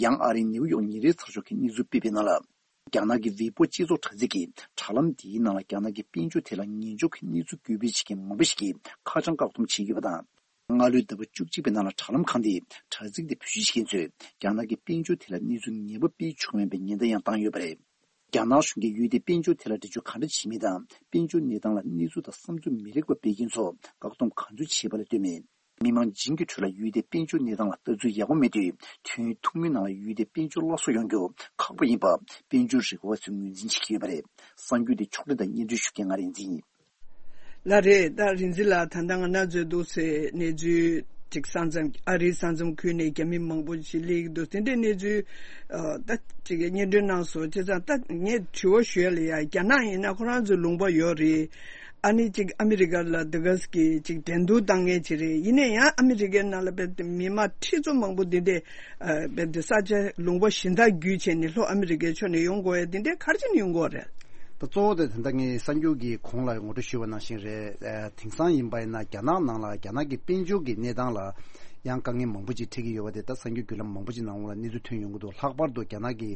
ཡང་། ཨ་རིའི་ནེའུ་ཡོག་ཉིན་རེའི་ཚགས་ཤོག་གིས་གནས་ཚུལ་སྤེལ་བའི་ནང་ལ། རྒྱ་ནག་གི་ཝེ་པོ་སྤྱི་ཚོགས་དྲ་ཚིགས་ཀྱིས་དྲ་ལམ་འདིའི་ནང་ལ་རྒྱ་ནག་གི་དཔལ་འབྱོར་དེ་ལ་ངན་ཕྱོགས་ཀྱི་གནས་ཚུལ་འགོད་སྤེལ་བྱེད་མཁན་མང་པོ་ཞིག་གིས་ཁ་བྱང་བཀག་སྡོམ་བྱེད་ཀྱི་ཡོད་པ་དང་། སྔ་ལོའི་ཟླ་བ་བཅུ་གཅིག་པའི་ནང་ལ་དྲ་ལམ་ཁང་དེས་དྲ་ཚིགས་དེ་བེད་སྤྱོད་བྱེད་མཁན་ཚོས་རྒྱ་ནག་གི་དཔལ་འབྱོར་དེ་ལ་གནས་ཚུལ་ངན་པ་སྤེལ་ཆོག་མིན་པའི་ཉེན་བརྡ་ཡང་བཏང་ཡོད་པ་རེད། རྒྱ་ནག་གཞུང་གིས་ཡུལ་དེའི་དཔལ་འབྱོར་དེ་ལ་འགྲེལ་བརྗོད་ག་འདྲ་བྱེད་མིན་དང་། དཔལ་འབྱོར་གནས་སྟངས་ལ་གནས་ཚུལ་དང་བསམ་ཚུལ་མི་ལེགས་པ་སྤེལ་མཁན་ཚོ་བཀག་སྡོམ་ག་ཚོད་བྱས་པ་ལ་ལྟོས་མེད། མི་མང་བྱིངས་ཀྱི་ཁྲོད་ལ་ཡུལ་དེའི་དཔལ་འབྱོར་གནས་སྟངས་ལ་ལྟ་ཚུལ་ཡག་པོ་མེད་དུས། དུས་ཡུན་ཐུང་ངུའི་ནང་ལ་ཡུལ་དེའི་དཔལ་འབྱོར་སླར་གསོ་ཡོང་རྒྱུ་ཁག་པོ་ཡིན་པ་དཔལ་འབྱོར་རིག་པ་བ་ཚོས་ངོས་འཛིན་བྱེད་ཀྱི་ཡོད་པ་རེད། གསར་འགྱུར་དེ་ཕྱོགས་སྒྲིག་དང་སྙན་སྒྲོན་ཞུ་མཁན་ང་རིག་འཛིན་ཡིན། ལགས་རེད། ད་རིག་འཛིན་ལགས། ད་ལྟ་ང་རང་ཚོའི་འདུག་སེ་གནས་ཚུལ་ཅིག་ས་མཚམས། ཨ་རིའི་ས་མཚམས་ཁུལ་ནས་རྒྱ་མི་མང་པོ་ཞིག་སླེབས་ཀྱི་འདུག་དེ་འདྲའི་གནས་ཚུལ་ཨ་ད་ཅིག་སྙན་སྒྲོན་གནང་སོང་། བྱས་ཙང་ད་ངས་དྲི་བ་ཞུ་ཡ་ལ་ཡ། རྒྱ་ནག་ཡིན་ན་ཁོ་རང་ཚོའི་ལུང་པ་ཡོད་རེད། ཨ་ནི་ཅིག་ཨ་མི་རི་ཀ་ལ་འདི་ག་ཅིག་འགྲན་བསྡུར་བཏང་མཁན་ཅིག་རེད། ཡིན་ན་ཡང་ཨ་མི་རི་ཀའི་ནང་ལ་བས་མི་མང་ཁྲི་ཚོ་མང་པོ་འདི་འདྲས་ཨ་བས་འདི་ས་ཆ་ལུང་པ་གཞན་དག་བརྒྱུད་བྱས་ནས་ལྷོ་ཨ་མི་རི་ཀའི་ཕྱོགས་ནས་ཡོང་དགོས་ཡ་འདི་འདྲས་ག་རེ་བྱས་ནས་ཡོང་དགོས་རེད། ད་གཙོ་བོ་དེ་ད་ལྟ་ངས་གསར་འགྱུར་གྱི་གོང་ལ་ངོ་སྤྲོད་ཞུས་པ་ནང་བཞིན་རེད། ཨ་དེང་སང་ཡིན་པ་ཡིན་ན་རྒྱ་ནག་ནང་ལ་རྒྱ་ནག་གི་དཔལ་འབྱོར་གྱི་གནས་སྟངས་ལ་ཡང་དཀའ་ངལ་མང་པོ་ཅིག་འཕྲད་ཀྱི་ཡོད་པ་དེ་ད་གསར་འགྱུར་བརྒྱུད་ལམ་མང་པོ་ཅིག་ནང་ལ་གནས་ཚུལ་ཐོན་ཡོང་གི་འདུག་ལྷག་པར་དུ་རྒྱ་ནག་གི་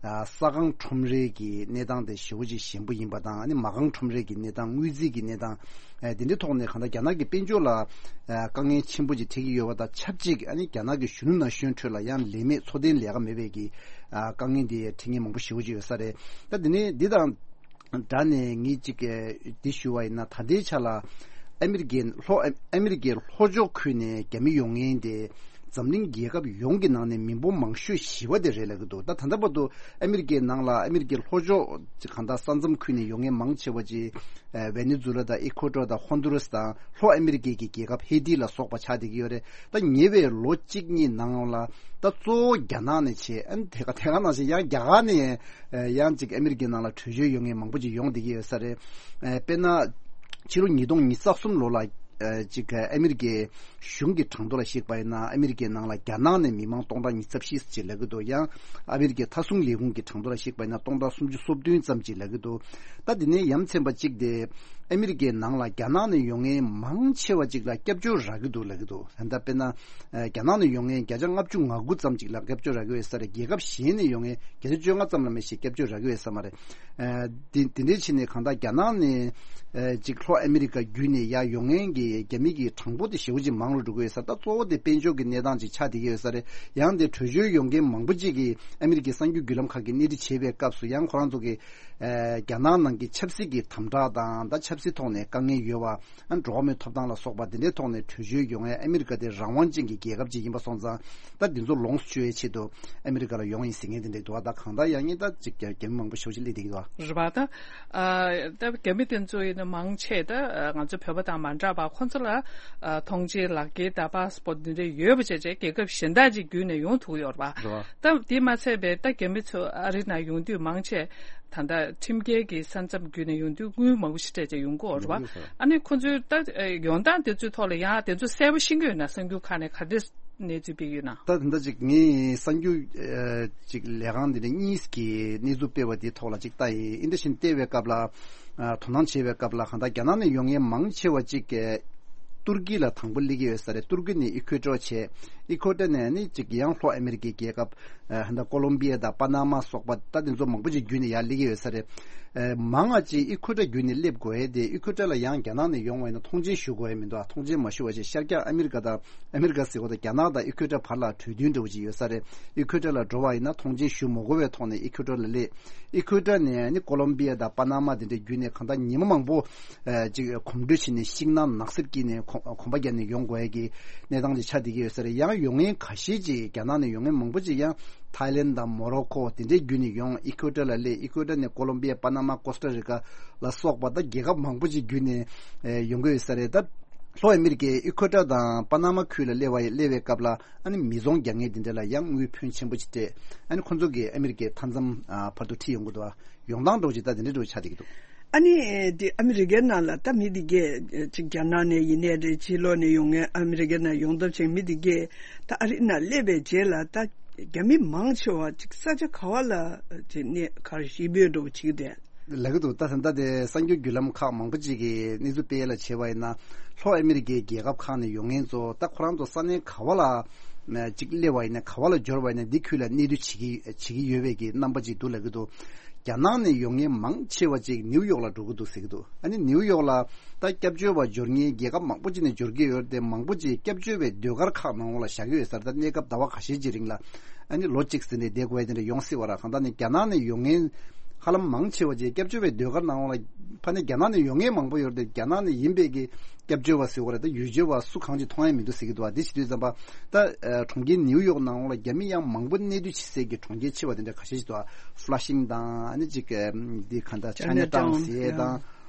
ཨ་ས་ཁང་ཁྲོམ་རའི་གི་གནས་སྟངས་དེ་ཞེ་པོ་ཅིག་ཞན་པོ་ཡིན་པ་དང་། ཨ་ནི་མ་རྐང་ཁྲོམ་རའི་གི་གནས་སྟངས། དངུལ་རྩིས་ཀྱི་གནས་སྟངས། ཨ་དེ་འདྲའི་ཐོག་ནས་གང་ལྟར་རྒྱ་ནག་གི་དཔལ་འབྱོར་ལ་ཨ་དཀའ་ངལ་ཆེན་པོ་ཅིག་འཕྲད་ཀྱི་ཡོད་པ་དང་ཆབས་ཅིག་ཨ་ནི་རྒྱ་ནག་གི་གཞོན་ནུ་ན་གཞོན་ཁྲོད་ལ་ཡང་ལས་མེད་འཚོ་རྟེན་ལས་ཀ་མེད་པའི་གི་ཨ་དཀའ་ངལ་འདི་འཕྲད་མཁན་མང་པོ་ཞེ་པོ་ཅིག་ཡོད་ས་རེད། ད་འདི་ནས་འདི་དང་སྦྲགས་ནས་ངས་ཅིག་འདི་ཞུ་བ་ཡིན་ན། ད་ལྟའི་ཆ་ལ་ཨ་མི་རི་ཀའི་ལྷོ་ཨ་མི་རི་ཀའི་ལྷོ་ཕྱོགས་ཁུལ་ནས་རྒྱ་མི་ཡོང་མཁན་དེ་འཛམ་གླིང་རྒྱལ་ཁབ་ཡོངས་ཀྱི་ནང་ནས་མི་འབོར་མང་ཤོས་བཞི་པ་དེ་རེད་ལབ་ཀྱི་འདུག་ད་ད་ལྟ་བར་དུ་ཨ་མི་རི་ཀའི་ནང་ལ་ཨ་མི་རི་ཀའི་ལྷོ་ཕྱོགས་ཅིག་གང་ལྟར་ས་མཚམས་ཁུལ་ནས་ཡོང་མཁན་མང་ཆེ་བ་ཅིག་ཨ་ཝེ་ནེ་ཛུ་ལ་དང་། ཨི་ཁོ་ཏོར་དང་། ཧོན་དུ་རུ་སི་དང་། ལྷོ་ཨ་མི་རི་ཀའི་གི་རྒྱལ་ཁབ་ཧེ་ཏི་ལ་སོགས་པ་ཆགས་བསྡད་ཀྱི་ཡོད་རེད། ད་ཉེ་བའི་ལོ་གཅིག་གཉིས་ནང་ལ་ད་གཙོ་བོ་རྒྱ་ནག་ནས་བྱས། ཨ་ནི་དེ་ག་དེ་ག་ནང་བཞིན་ཡང་རྒྱ་གར་ནས་ཡང་ཅིག་ཨ་མི་རི་ཀའི་ནང་ལ་བྲོས་བྱོལ་ཡོང་མཁན་མང་པོ་ཅིག་ཡོང་བསྡད་ཀྱི་ཡོད་ས་རེད། ཨ་དཔེར་ན་ཕྱི་ལོ་ཉིས་སྟོང་ཉི་ཤུ་རྩ་གསུམ་ལོ་ལ་ཨ་ཅིག་ཨ་མི་རི་ཀའི་གཞུང་གི་གྲངས་ཐོ་ལ་གཞིགས་པ་ཡིན་ན། ཨ་མི་རི་ཀའི་ནང་ལ་རྒྱ་ནག་ནས་མི་མང་སྟོང་ཕྲག་ཉི་ཤུ་རྩ་བཞི་ཅིག་ལབ་ཀྱི་འདུག་ཡང་ཨ་མི་རི་ཀའི་མཐའ་སྲུང་ལས་ཁུངས་ཀྱི་གྲངས་ཐོ་ལ་གཞིགས་པ་ཡིན་ན་སྟོང་ཕྲག་སུམ་ཅུ་སོ་བདུན་ཙམ་ཅིག་ལབ་ཀྱི་འདུག་ད་འདི་ནས་ཡ་མཚན་པ་གཅིག་དེ་ཨ་མི་རི་ཀའི་ནང་ལ་རྒྱ་ནག་ནས་ཡོང་མཁན་མང་ཆེ་བ་ཅིག་ལ་སྐྱབས་བཅོལ་རག་གི་འདུག་ལབ་ཀྱི་འདུག་ད་ལྟ་དཔེར་ན་ཨ་རྒྱ་ནག་ནས་ཡོང་མཁན་བརྒྱ་ཆ་ལྔ་བཅུ་ང་དགུ་ཙམ་ཅིག་ལ་སྐྱབས་བཅོལ་རག་གི་ཡོད་ས་རེད། རྒྱལ་ཁབ་གཞན་ནས་ཡོང་མཁན་བརྒྱ་ཆ་བཅོ་ལྔ་ཙམ་ལ་མ་ཞིག་སྐྱབས་བཅོལ་རག་གི་ཡོད་ས་མ་རེད། ཨ་དེ་དེ་འདྲའི་ཕྱིར་ནས་གང་ལྟར་རྒྱ་ནག་ནས་ཨ་ཅིག་ལྷོ་ཨ་མི་རི་ཀ་བརྒྱུད་ནས་ཡར་ཡོང་མཁན་གྱི་རྒྱ་མི་གི་གྲངས་འབོར་དེ་ཞེ་པོ་ཅིག་མང་རུ་འགྲོ་གི་ཡོད་ས། ད་གཙོ་བོ་དེ་དཔལ་འབྱོར་གྱི་གནས་སྟངས་ཅིག་ཆགས་བསྡད་ཀྱི་ཡོད་ས་རེད། ཡང་དེ་བྲོས་བྱོལ་ཡོང་མཁན་མང་པོ་ཅིག་གིས་ཨ་མི་རི་ཀའི་གསར་འགྱུར་བརྒྱུད་ལམ་ཁག་གིས་སྣེ་ཁྲིད་བྱེད་པའི་སྐབས་སུ་ཡང་ཁོ་རང་ཚོ་གི་ཨ་རྒྱ་ནག་ནང་གི་ཆབ་སྲིད་ཀྱི་དམ་དྲག་དང་། ད་ཆབ་སྲིད་ཐོག་ནས་དཀའ་ངལ་ཡོད་པ། ཨ་འགྲོ་བ་མིའི་ཐོབ་ཐང་ལ་སོགས་པ་དེ་འདྲའི་ཐོག་ནས་བྲོས་བྱོལ་ཡོང་ཡས། ཨ་མི་རི་ཀ་དེ་རང་དབང་ཅན་གྱི་རྒྱལ་ཁབ་ཅིག་ཡིན་པ་སོང་ཙང་། ད་འདི་ཚོ་ལོངས་སུ་སྤྱོད་ཡས་ཆེད་དུ་ཨ་མི་རི་ཀ་ལ་ཡོང་ཡིན་ཟེར་མཁན་དེ་འདྲ་འདུག་ད་གང་ལྟར་ཡང་ཉིད་ད་ཅིག་རྒྱ་རྒྱ་མི་མང་པོ་ཞེ་པོ་ཅིག་སླེབས་བསྡད་ཀྱི་འདུག་རེད་པ། ད་ཨ་ད་རྒྱ་མི་དེ་ཚོ་ཡིན་ན་མང་ཆེ་ད་ང་ཚོ་བོད་པ་དང་མ་འདྲ་བ། ཁོང་ཚོ་ལ་ཨ་ཐོངས་མཆན་ལག་འཁྱེར་དང་པཱ་སི་པོར་ཊི་འདི་འདྲ་ཡོད་པ་བྱས་བྱས་རྒྱལ་ཁབ་གཞན་དག་ཅིག་བརྒྱུད་ནས་ཡོང་ཐུབ་ཀྱི་ཡོད་རེད་པ། རེད་པ། ད་དེ་མ་ཚད་པའི་ད་རྒྱ་མི་ཚོ་ཨ་རི་ནང་ཡོང་དུས་མང་ཆེ་ད་ལྟ་ཁྲིམས་འགལ་གྱི་ས་མཚམས་བརྒྱུད་ནས་ཡོང་དུས་དངུལ་མང་པོ་ཞིག་སྤྲད་བྱས་ཡོང་གི་ཡོད་རེད་པ། ཡོང་གི་ཡོད་རེད། ཨ་ནི་ཁོང་ཚོའི་ད་ཡོང་སྟངས་དེ་ཚོའི་ཐོག་ལ་ཡང་དེ་ཚོ་གསལ་པོ་ཤེས་ཀྱི་ཡོད་ན། གསར་འགྱུར་ཁག་ནས་ག་འདྲས་གནས་ཚུལ་སྤེལ་གྱི་ཡོད་ན། ད་ད་ལྟ་ཅིག་ངས་གསར་འགྱུར་ཨ་ཅིག་ལས་ཁང་འདི་འདྲ་གཉིས་ཀྱིས་གནས་ཚུལ་སྤེལ་བ་དེའི་ཐོག་ལ་ཅིག་ལྟ་ཡིན། ཨིན་ཏེ་བཞིན་བལྟས་པའི་སྐབས་ལ། ཨ་དོ་སྣང་བྱེད་པའི་སྐབས་ལ་གང་ལྟར་རྒྱ་ནག་ནས་ཡོང་མཁན་མང་ཆེ་བ་ཅིག་གིས་ ཏུར་ཀི་ལ་དང་པོ་སླེབས་ཀྱི་ཡོད་ས་རེད། ཏུར་ཀི་ནས་ཨི་ཁུ་ཊར་བྱས། ཨི་ཁུ་ཊར་ནས་ནི་ཅིག་ཡང་ལྷོ་ཨ་མི་རི་ཀའི་རྒྱལ་ཁབ་ཨ་ད་ཀོ་ལོམ་བི་ཡ་དང་པ་ན་མ་སོགས་པ་ད་དེ་ཚོ་མང་པོ་ཅིག་བརྒྱུད་ནས་ཡར་སླེབས་ཀྱི་ཡོད་ས་རེད། ཨ་མང་ང་ཅིག་ཨི་ཁུ་ཊར་བརྒྱུད་ནས་སླེབས་དགོས་ཡས་དེ། ཨི་ཁུ་ཊར་ལ་ཡང་རྒྱ་ནག་ནས་ཡོང་བ་ཡིན་ན་མཐོང་མཆན་ཞུ་དགོས་ཡས་མི་འདུག་མཐོང་མཆན་མ་ཞུ་བ་བྱས། ཤར་རྒྱག་ཨ་མི་རི་ཀ་དང་ཨ་མི་རི་ཀ་ཟེར་བ་དང་རྒྱ་ནག་དང་ཨི་ཁུ་ཊར་བར་ལ་གྲོས་མཐུན་འདྲ་བོ་ཅིག་ཡོད་ས་རེད། ཨི་ཁུ་ཊར་ལ་འགྲོ་བ་ཡིན་ན་མཐོང་མཆན་ཞུ་མ་དགོས་པའི་ཐོག་ནས་ཨི་ཁུ་ཊར་ལ་སླེབས། ཨི་ཁུ་ཊར་ནས་ནི་ཀོ་ལོམ་བི་ཡ་དང་པ་ན་མ་དེ་འདྲ་བརྒྱུད་ནས་གང་ལྟར་ཉི་མ་མང་པོ་ཨ་ཅིག་གོམ་བགྲོད་བྱས་ནས་ཤིང་ནགས་ནགས་གསེབ་དཀྱིལ་ནས་གོམ་གོམ་པ་བརྒྱབ་ནས་ཡོང་དགོས་ཡ་གི་གནས་སྟངས་ཅིག་ཆགས་བསྡད་ཀྱི་ཡོད་ས་རེད། ཡང་ཡོང་མཁན་ཁ་ཤས་ཅིག་རྒྱ་ནག་ནས་ཡོང་མཁན་མང་པོ་ཅིག་ཡང་ཐའི་ལེན་དང་མོ་རོ་ཁོ་དེ་འདྲའི་བརྒྱུད་ནས་ཡོང་། ཨི་ཁུ་ཊར་ལ་སླེབས། ཨི་ཁུ་ཊར་ནས་ཀོ་ལོམ་བི་ཡ་པ་ན་མ་ཀོ་སྟ་རི་ཀ་ལ་སོགས་པ་ད་རྒྱལ་ཁབ་མང་པོ་ཅིག་བརྒྱུད་ནས་ཨེ་ཡོང་གི་ཡོད་ས་རེད། ད་ལྷོ་ཨ་མི་རི་ཀའི་ཨི་ཁུ་ཊར་དང་པ་ན་མ་ཁུལ་ལ་སླེབས་པ་སླེབས་པའི་སྐབས་ལ་ཨ་ནི་མི་ཚོང་རྒྱག་མཁན་དེ་འདྲ་ལ་ཡང་དངུལ་ཕོན་ཆེན་པོ་ཅིག་སྤྲད། ཨ་ནི་ཁོ་ཚོ་གིས་ཨ་མི་རི་ཀའི་མཐའ་མཚམས་ཨ་བར་དུ་ཁྲིད་ཡོང་གི་འདུག་ཡོང་སྟངས་འདྲ་བོ་ཅིག་ད་དེ་འདྲ་འདྲ་བོ་ཆགས་བསྡད་ཀྱི་འདུག་ཨ་ནི་དེ་ཨ་མི་རི་ཀའི་ནང་ལ་ད་མི་དེ་གས་ཅིག་རྒྱ་ནག་ནས་ཡིན་ནའི་རེད། ཕྱི་ལོགས་ནས་ཡོང་མཁན་ཨ་མི་རི་ཀའི་ནང་ཡོང་ཐབས་བྱེད་མཁན་མི་དེ་གས་ད་ཨ་རི་ནང་སླེབས་པའི་རྗེས་ལ་ད་རྒྱ་མི་མང་ཆེ་བ་ཅིག་ས་ཆ་ག་བ་ལ་ཅིག་གནས་ག་རེ་གཞིས་སྤོས་འདྲ་བོ་བྱེད་ཀྱི་འདུག་ལབ་ཀྱི་འདུག་ད་ད་ལྟ་དེ་གསར་འགྱུར་བརྒྱུད་ལམ་ཁག་མང་པོ་ཅིག་གིས་གནས་ཚུལ་སྤེལ་ཡ་ལ་བྱས་པ་ཡིན་ན། ལྷོ་ཨ་མི་རི་ཀའི་རྒྱལ་ཁབ་ཁག་ནས་ཡོང་མཁན་ཚོ་ད་ཁོ་རང་ཚོ་ས་གནས་ག་བ་ལ་ཅིག་སླེབས་པ་ཡིན་ན། ག་བ་ལ་འབྱོར་བ་ཡིན་ན་འདི་ཁུལ་ལ་གནས་སྡོད་བྱེད་ཀྱི་བྱེད་ཀྱི་ཡོད་པའི་གི་རྣམ་པ་ཅིག་འདུག་ལབ་ཀྱི་འདུག་རྒྱ་ནག་ནས་ཡོང་མཁན་མང་ཆེ་བ་ཅིག་ནིའུ་ཡོག་ལ་འགྲོ་གི་འདུག་ཟེར་གྱི་འདུག་ཨ་ནི་ནིའུ་ཡོག་ལ་ད་སྐྱབས་བཅོལ་བ་འབྱོར་མཁན་རྒྱལ་ཁབ་མང་པོ་ཅིག་ནས་འབྱོར་གྱི་ཡོད་རེད་དེ། མང་པོ་ཅིག་སྐྱབས་བཅོལ་བའི་ཟློས་གར་ཁག་ནང་ལོགས་ལ་བཞག་གི་ཡོད་ས་རེད། ད་གནས་སྐབས་ཟླ་བ་ཁ་ཤས་ཅིག་རིང་ལ་ཨ་ནི་ལོ་གཅིག་ཟིན་ནས་བསྡད་དགོས་ཡ་དེ་འདྲ་ཡོང་སྲིད་པ་ར། གང་ལྟར་ནི་རྒྱ་ནག་ནས་ཡོང་མཁན་ཧ་ལམ་མང་ཆེ་བ་ཅིག་སྐྱབས་བཅོལ་བའི་ཟློས་གར་ནང་ལོགས་ལ་ཕ་ནི་རྒྱ་ནག་ནས་ཡོང་མཁན་མང་པོ་ཡོད་རེད་དེ། རྒྱ་ནག་ནས་ཡིན་པའི་གི་སྐྱབས་བཅོལ་བ་ཟེར་བ་རེད། ད་ཡུལ་སྐྱོབ་པ་སུ་གང་ཅིག་མཐོང་ཡ་མི་འདུག་ཟེར་གྱི་འདུག་བ། དེ་བྱེད་དུས་ཙམ་པ་ད་ཨ་གྲོང་ཁྱེར་ནིའུ་ཡོག་ནང་ལོགས་ལ་རྒྱ་མི་ཡང་མང་པོ་གནས་སྡོད་བྱེད་སའི་གི་གྲོང་ཁྱེར་ཆེ་བ་དེ་འདྲ་ཁ་ཤས་ཤིག་འདུག་ཨ་Flushing་དང་ཨ་ནི་ཅིག་ཨ་འདི་ག་འདྲ་Chinatown Chinatown ཟེར་ཡས་དང་།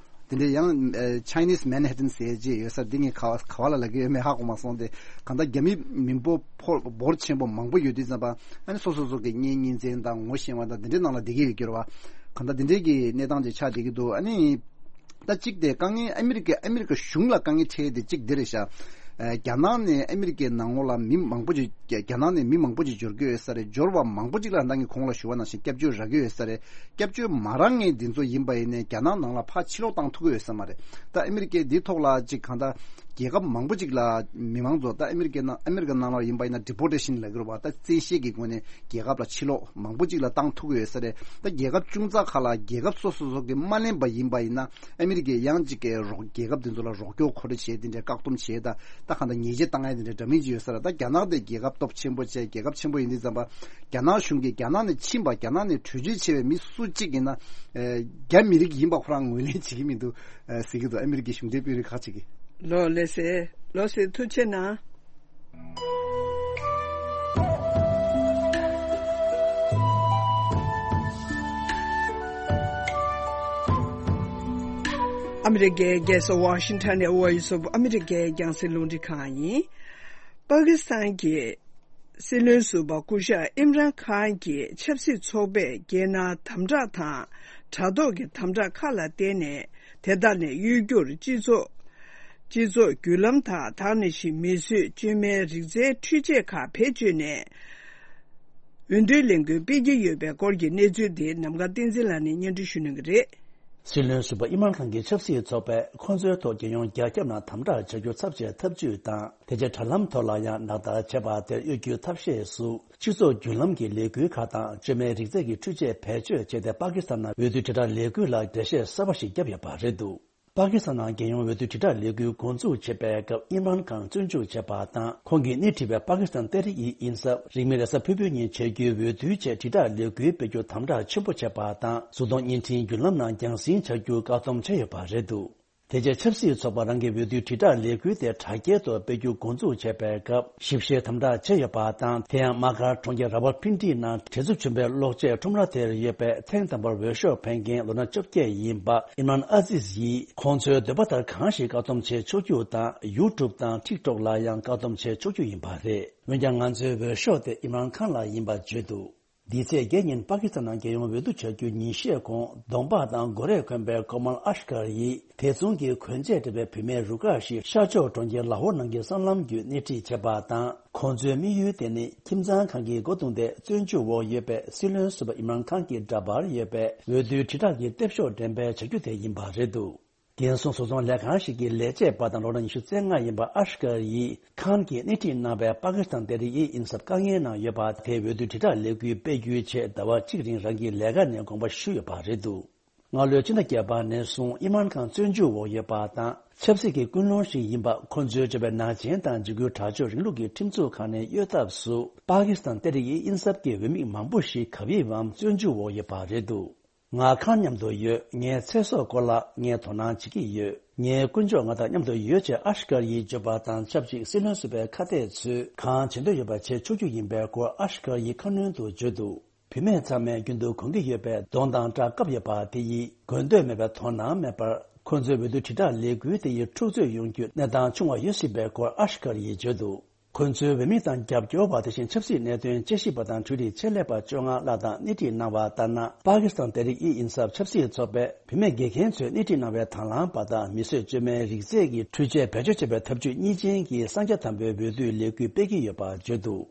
དེ་འདྲ་ཡང་ཨ་Chinese Manhattan ཟེར་ཡས་ཅིག་ཡོད་ས་རེད། འདི་ངས་ག་བ་ག་བ་ལ་ལབ་ཀྱི་ཡོད་མེད་ཧ་གོ་མ་སོང་སྟེ། གང་ལྟར་རྒྱ་མི་མི་འབོར་ཕོ་འབོར་ཆེན་པོ་མང་པོ་ཡོད་དུས་ཙམ་པ་ཨ་ནི་སོ་སོ་སོ་གི་གཉེན་ཉེ་ཚན་དང་ངོ་ཤེས་པ་དང་དེ་འདྲའི་ནང་ལ་བསྡད་ཀྱི་ཡོད་ཀྱི་རེད་བ། གང་ལྟར་དེ་འདྲའི་གི་གནས་སྟངས་ཅིག་ཆགས་བསྡད་ཀྱི་འདུག་ཨ་ནི། ད་གཅིག་དེ་དཀའ་ངལ་ཨ་མི་རི་ཀ་ཨ་མི་རི་ཀ་གཞུང་ལ་དཀའ་ངལ་འཕྲད་དེ་གཅིག་འདི་རེད་ཤག་ཨ་རྒྱ་ནག་ནས་ཨ་མི་རི་ཀའི་ནང་ལོགས་ལ་མི་མང་པོ་ཅིག་རྒྱ་རྒྱ་ནག་ནས་མི་མང་པོ་ཅིག་འབྱོར་གྱི་ཡོད་ས་རེད། འབྱོར་བ་མང་པོ་ཅིག་ལ་ད་ངས་གོང་ལ་ཞུ་བ་ནང་བཞིན་སྐྱབས་བཅོལ་རག་གི་ཡོད་ས་རེད། སྐྱབས་བཅོལ་མ་རག་མཁན་འདི་ཚོ་ཡིན་པ་ཡིན་ནའི་རྒྱ་ནག་ནང་ལ་ཕར་ཕྱིར་ལོག་བཏང་ཐུབ་ཀྱི་ཡོད་ས་མ་རེད། ད་ཨ་མི་རི་ཀས་འདིའི་ཐོག་ལ་ཅིག་གང་ལྟར་རྒྱལ་ཁབ་མང་པོ་ཅིག་ལ་མི་མང་ཚོ་ད་ཨ་མི་རི་ཀའི་ནང་ཨ་མི་རི་ཀ་ནང་ལ་ཡིན་པ་ཡིན་ན་deportation་ལབ་ཀྱི་རེད་བ། ད་བཙན་ཤེད་ཀྱི་སྒོ་ནས་རྒྱལ་ཁབ་ལ་ཕྱིར་ལོག་མང་པོ་ཅིག་ལ་བཏང་ཐུབ་ཀྱི་ཡོད་ས་རེད། ད་རྒྱལ་ཁབ་ཅུང་ཙག་ཁག་ལ་རྒྱལ་ཁབ་སོ་སོ་སོ་གིས་མ་ལེན་པ་ཡིན་པ་ཡིན་ན་ཨ་མི་རི་ཀས་ཡང་ཅིག་གི་རོགས་རྒྱལ་ཁབ་དེ་ཚོ་ལ་རོགས་སྐྱོར་གོ་སྒྲིག་བྱས། དེ་འདྲའི་བཀག་སྡོམ་བྱས། ད་ད་གང་ལྟར་ཉེས་ཆད་བཏང་ཡ་དེ་འདྲའི་འདྲ་མིན་ཅིག་ཡོད་ས་རེད། ད་རྒྱ་ནག་དེ་རྒྱལ་ཁབ་སྟོབས་ཆེན་པོ་བྱས་རྒྱལ་ཁབ་ཆེན་པོ་ཡིན་དུས་ཙམ་པ་རྒྱ་ནག་གཞུང་གིས་རྒྱ་ནག་ནས་ཕྱིན་པ་རྒྱ་ནག་ནས་བྲོས་བྱོལ་བྱས་པའི་མི་སུ་གཅིག་ཡིན་ན་ཨེ་རྒྱ་མི་རིགས་ཡིན་པ་ཁོ་རང་ངོས་ལེན་བྱེད་ཀྱི་མི་འདུག་ཨེ་ཟེར་གྱི་འདུག་ཨ་མི་རི་ཀའི་གཞུང་འབྲེལ་དཔོན་རིགས་ཁག་ཅིག་གིས། ལགས་ལགས་སེ། ལགས་སེ། ཐུགས་རྗེ་གནང་། ཨ་མི་རི་ཀའི་རྒྱལ་ས་ཝ་ཤིང་ཊོན་ནས་Voice of America་རྒྱང་སྲིང་རླུང་འཕྲིན་ཁང་ཡིན། པ་ཀི་སི་ཐན་གྱི་སྲིད་བློན་ཟུར་པ་སྐུ་ཞབས་ཨིམ་རཱན་ཁཱན་གྱིས་ཆབ་སྲིད་ཚོགས་པས་རྒྱལ་ནང་དམ་དྲག་དང་དྲ་ཐོག་གི་དམ་དྲག་ཁག་ལ་བརྟེན་ནས་དེ་དག་ནས་གཡོལ་རྒྱུར་སྤྱི་ཚོགས་སྤྱི་ཚོགས་བརྒྱུད་ལམ་དག་དང་ནང་བཞིན་མིས་བཟོས་བཅོས་མའི་རིག་རྩལ་འཕྲུལ་ཆས་ཁག་བེད་སྤྱོད་ནས་འོས་བསྡུའི་ལས་འགུལ་སྤེལ་གྱི་ཡོད་པའི་སྐོར་གྱི་གནས་ཚུལ་དེ་ནམ་མཁའ་བསྟན་འཛིན་ལགས་ནས་སྙན་སྒྲོན་ཞུ་གནང་གི་རེད། སྲིད་བློན་ཟུར་པ་ཨིམ་རཱན་ཁཱན་གྱི་ཆབ་སྲིད་ཚོགས་པས་ཁོང་ཚོའི་ཐོག་རྒྱལ་ཡོངས་རྒྱ་ཁྱབ་ནང་དམ་དྲག་བྱ་རྒྱུ་ཚབས་ཆེའི་ཐབས་ཇུས་དང་། དེ་རྗེས་དྲ་ལམ་ཐོག་ལ་ཡང་ལག་བསྟར་བྱས་པ་དེར་གཡོལ་རྒྱུའི་ཐབས་ཤེས་སུ། སྤྱི་ཚོགས་བརྒྱུད་ལམ་གྱི་ལས་འགུལ་ཁག་དང་བཅོས་མའི་རིག་རྩལ་གྱི་འཕྲུལ་ཆས་བེད་སྤྱོད་བྱས་ཏེ། པ་ཀི་སི་ཐན་ནང་འོས་བསྡུ་དྲིལ་བསྒྲགས་ལས་འགུལ་ལ་འགྲེལ་བཤད་གསར་པ་ཞིག་བརྒྱབ་ཡོད་པ་རེད་འདུག་པ་ཀི་སི་ཐན་ནང་རྒྱལ་ཡོངས་འོས་བསྡུ་དྲིལ་བསྒྲགས་ལས་འགུལ་འགོ་འཛུགས་བྱེད་པའི་སྐབས་ཨིམ་རཱན་ཁཱན་བཙོན་འཇུག་བྱས་པ་དང་། ཁོང་གིས་སྣེ་ཁྲིད་པའི་པ་ཀི་སི་ཐན་ཏེ་རི་ཡི་ཨིན་སབ་རིང་མིན་རེས་གཟའ་ཕུར་བུའི་ཉིན་བྱེད་རྒྱུའི་འོས་བསྡུའི་ཆེད་དྲིལ་བསྒྲགས་ལས་འགུལ་སྤེལ་རྒྱུ་དམ་དྲག་ཆེན་པོ་བྱས་པ་དང་། གཟུགས་མཐོང་བརྙན་འཕྲིན་བརྒྱུད་ལམ་ནང་རྒྱང་སྲིང་བྱ་རྒྱུ་བཀག་སྡོམ་བྱས་ཡོད་པ་རེད་འདུག་དེ་རྗེས་ཆབ་སྲིད་ཚོགས་པ་རང་གི་འོས་བསྡུའི་དྲིལ་བསྒྲགས་ལས་འགུལ་དེ་དྲ་རྒྱའི་ཐོག་སྤེལ་རྒྱུ་འགོ་འཛུགས་བྱས་པའི་སྐབས་ཞིབ་བཤེར་དམ་དྲག་བྱས་ཡོད་པ་དང་། དེ་ཡང་དམག་སྒར་གྲོང་ཁྱེར་ར་ཝལ་པིན་ཌི་ནང་བྲེལ་འཚུབ་ཆེན་པོའི་གློག་ཆས་ཁྲོམ་ར་དེར་ཡོད་པའི་ཐེངས་དང་པོར་འོས་ཤོག་འཕེན་མཁན་ལོ་ན་བཅོ་བརྒྱད་ཡིན་པ་ཨིམ་རཱན་ཨ་ཟིས་ཡིས་ཁོང་ཚོའི་འདོད་པ་ལྟར་གང་ཞིག་བཀག་སྡོམ་བྱེད་ཆོག་རྒྱུ་དང་། ཡུ་ཊུབ་དང་ཊིག་ཊོག་ལ་ཡང་བཀག་སྡོམ་བྱེད་ཆོག་རྒྱུ་ཡིན་པ་རེད། འོན་ཀྱང་ང་ཚོའི་འོས་ཤོག་དེ་ཨིམ་རཱན་ཁཱན་ལ་ཡིན་པ་བརྗོད་འདུག་འདིའི་ཚེས་བརྒྱད་ཉིན་པ་ཀི་སི་ཐན་ནང་རྒྱལ་ཡོངས་འོས་བསྡུ་བྱ་རྒྱུ་ཉིན་ཤས་གོང་གདོང་པགས་དང་མགོ་རས་གོན་པའི་ཀོ་མལ་ཨཤ་ཀར་ཡིས་དེ་མཚུངས་ཀྱི་གོན་ཆས་སྤྲས་པའི་བུད་མེད་རུ་ཁག་ཞིག་ཤར་ཕྱོགས་གྲོང་ཁྱེར་ལ་ཧོར་ནང་གི་སྲང་ལམ་བརྒྱུད་སྣེ་ཁྲིད་བྱས་པ་དང་། ཁོང་ཚོའི་དམིགས་ཡུལ་དེ་ནི་ཁྱིམ་ཚང་ཁང་གི་སྒོ་བརྡུངས་ཏེ་བཙོན་འཇུག་འོག་ཡོད་པའི་སྲིད་བློན་ཟུར་པ་ཨིམ་རཱན་ཁཱན་གྱི་འདྲ་པར་ཡོད་པའི་འོས་བསྡུའི་དྲིལ་བསྒྲགས་ཀྱི་ལྟེབ་ཤོག་འགྲེམས་སྤེལ་བྱ་རྒྱུ་དེ་ཡིན་པ་རེད་འདུག་རྒན་གསོ་བཟོ་ཚོང་ལས་ཁང་ཞིག་གི་ལས་བྱེད་པ་དང་ལོ་ན་ཉི་ཤུ་རྩ་ལྔ་ཡིན་པ་ཨ་ཤ་ཀར་ཡིས་ཁཱན་གྱིས་སྣེ་ཁྲིད་གནང་བའི་པ་ཀི་སི་ཐན་ཏེ་རིག་ཨི་ཨིན་སབ་དཀའ་ངལ་ནང་ཡོད་པ་དེ་འོས་བསྡུ་དྲིལ་བསྒྲགས་ལས་འགུལ་སྤེལ་རྒྱུའི་ཆེད་ཟླ་བ་གཅིག་རིང་རང་གི་ལས་ཀ་ནས་དགོངས་པ་ཞུས་ཡོད་པ་རེད་འདུག་སྔ་ལོའི་ཕྱི་ཟླ་བརྒྱད་པ་ནས་བཟུང་ཨིམ་རཱན་ཁཱན་བཙོན་འཇུག་འོག་ཡོད་པ་དང་ཆབ་སྲིད་ཀྱི་ཀུན་སློང་ཞིག་ཡིན་པ། ཁོ་ཚོས་བརྗོད་པའི་ནག་ཅན་དང་འཇིགས་སྐུལ་དྲག་སྤྱོད་རིང་ལུགས་ཀྱི་ཁྲིམས་འཛུགས་ཁང་ནས་གཡོལ་ཐབས་སུ་པ་ཀི་སི་ཐན་ཏེ་རིག་ཨི་ཨིན་སབ་ཀྱི་འོས་མི་མང་པོ་ཞིག་ག་བིར་བའམ་བཙོན་འཇུག་འོག་ཡོད་པ་རེད་འདུག་ང་ཁཱན་མཉམ་དུ་ཡོད། ངའི་ཚེ་སྲོག་སྐོར་ལ་ངས་དོ་སྣང་བྱེད་ཀྱི་ཡོད། ངའི་དཀོན་མཆོག་ང་དང་མཉམ་དུ་ཡོད་ཅེས་ཨ་ཤ་ཀར་ཡིས་བརྗོད་པ་དང་ཆབས་ཅིག་སྲིད་བློན་ཟུར་པའི་ཁ་གཏད་ཚོས་གང་བྱེད་འདོད་ཡོད་པ་བྱེད་ཆོག་རྒྱུ་ཡིན་པའི་སྐོར་ཨ་ཤ་ཀར་ཡིས་ཁ་སྣོན་དུ་བརྗོད་འདུག་བུད་མེད་ཚང་མས་རྒྱུན་དུ་གོན་གྱི་ཡོད་པའི་གདོང་དང་སྐྲ་བཀབ་ཡོད་པ་དེ་ཡིས་གོན་འདོད་མེད་པའི་དོ་སྣང་མེད་པར། ཁོ་ཚོའི་འོས་བསྡུ་དྲིལ་བསྒྲགས་ལས་འགུལ་དེ་ཡིས་འཁྲུག་རྩོད་ཡོང་རྒྱུའི་གནས་སྟངས་བྱུང་བ་ཡོད་སྲིད་པའི་སྐོར་ཨ་ཤ་ཀར་ཡིས་བརྗོད་འདུག་ཁོ་ཚོའི་འོས་མི་དང་རྒྱབ་སྐྱོར་བ། དེ་བཞིན་ཆབ་སྲིད་གནད་དོན་དཔྱད་ཞིབ་པ་དང་འཕྲུལ་རིག་ཆེད་ལས་པ་བཅོ་ལྔ་ལྷག་དང་སྣེ་ཁྲིད་གནང་བ་ལྟར་ན། པ་ཀི་སི་ཐན་ཏེ་རིག་ཨི་ཨིན་སབ་ཆབ་སྲིད་ཚོགས་པས་བུད་མེད་དགེ་རྒན་ཚོས་སྣེ་ཁྲིད་གནང་བའི་དང་བླངས་པ་དང་མི་གསོད་བཅོས་མའི་རིགས་རྫས་ཀྱི་འཕྲུལ་ཆས་བེད་སྤྱོད་བྱེད་པའི་ཐབས་ཇུས་གཉིས་ཅན་གྱི་གསང་རྒྱ་དམ་པོའི་འོས་བསྡུའི་ལས་འགུལ་སྤེལ་གྱི་ཡོད་པ་བརྗོད་འདུག་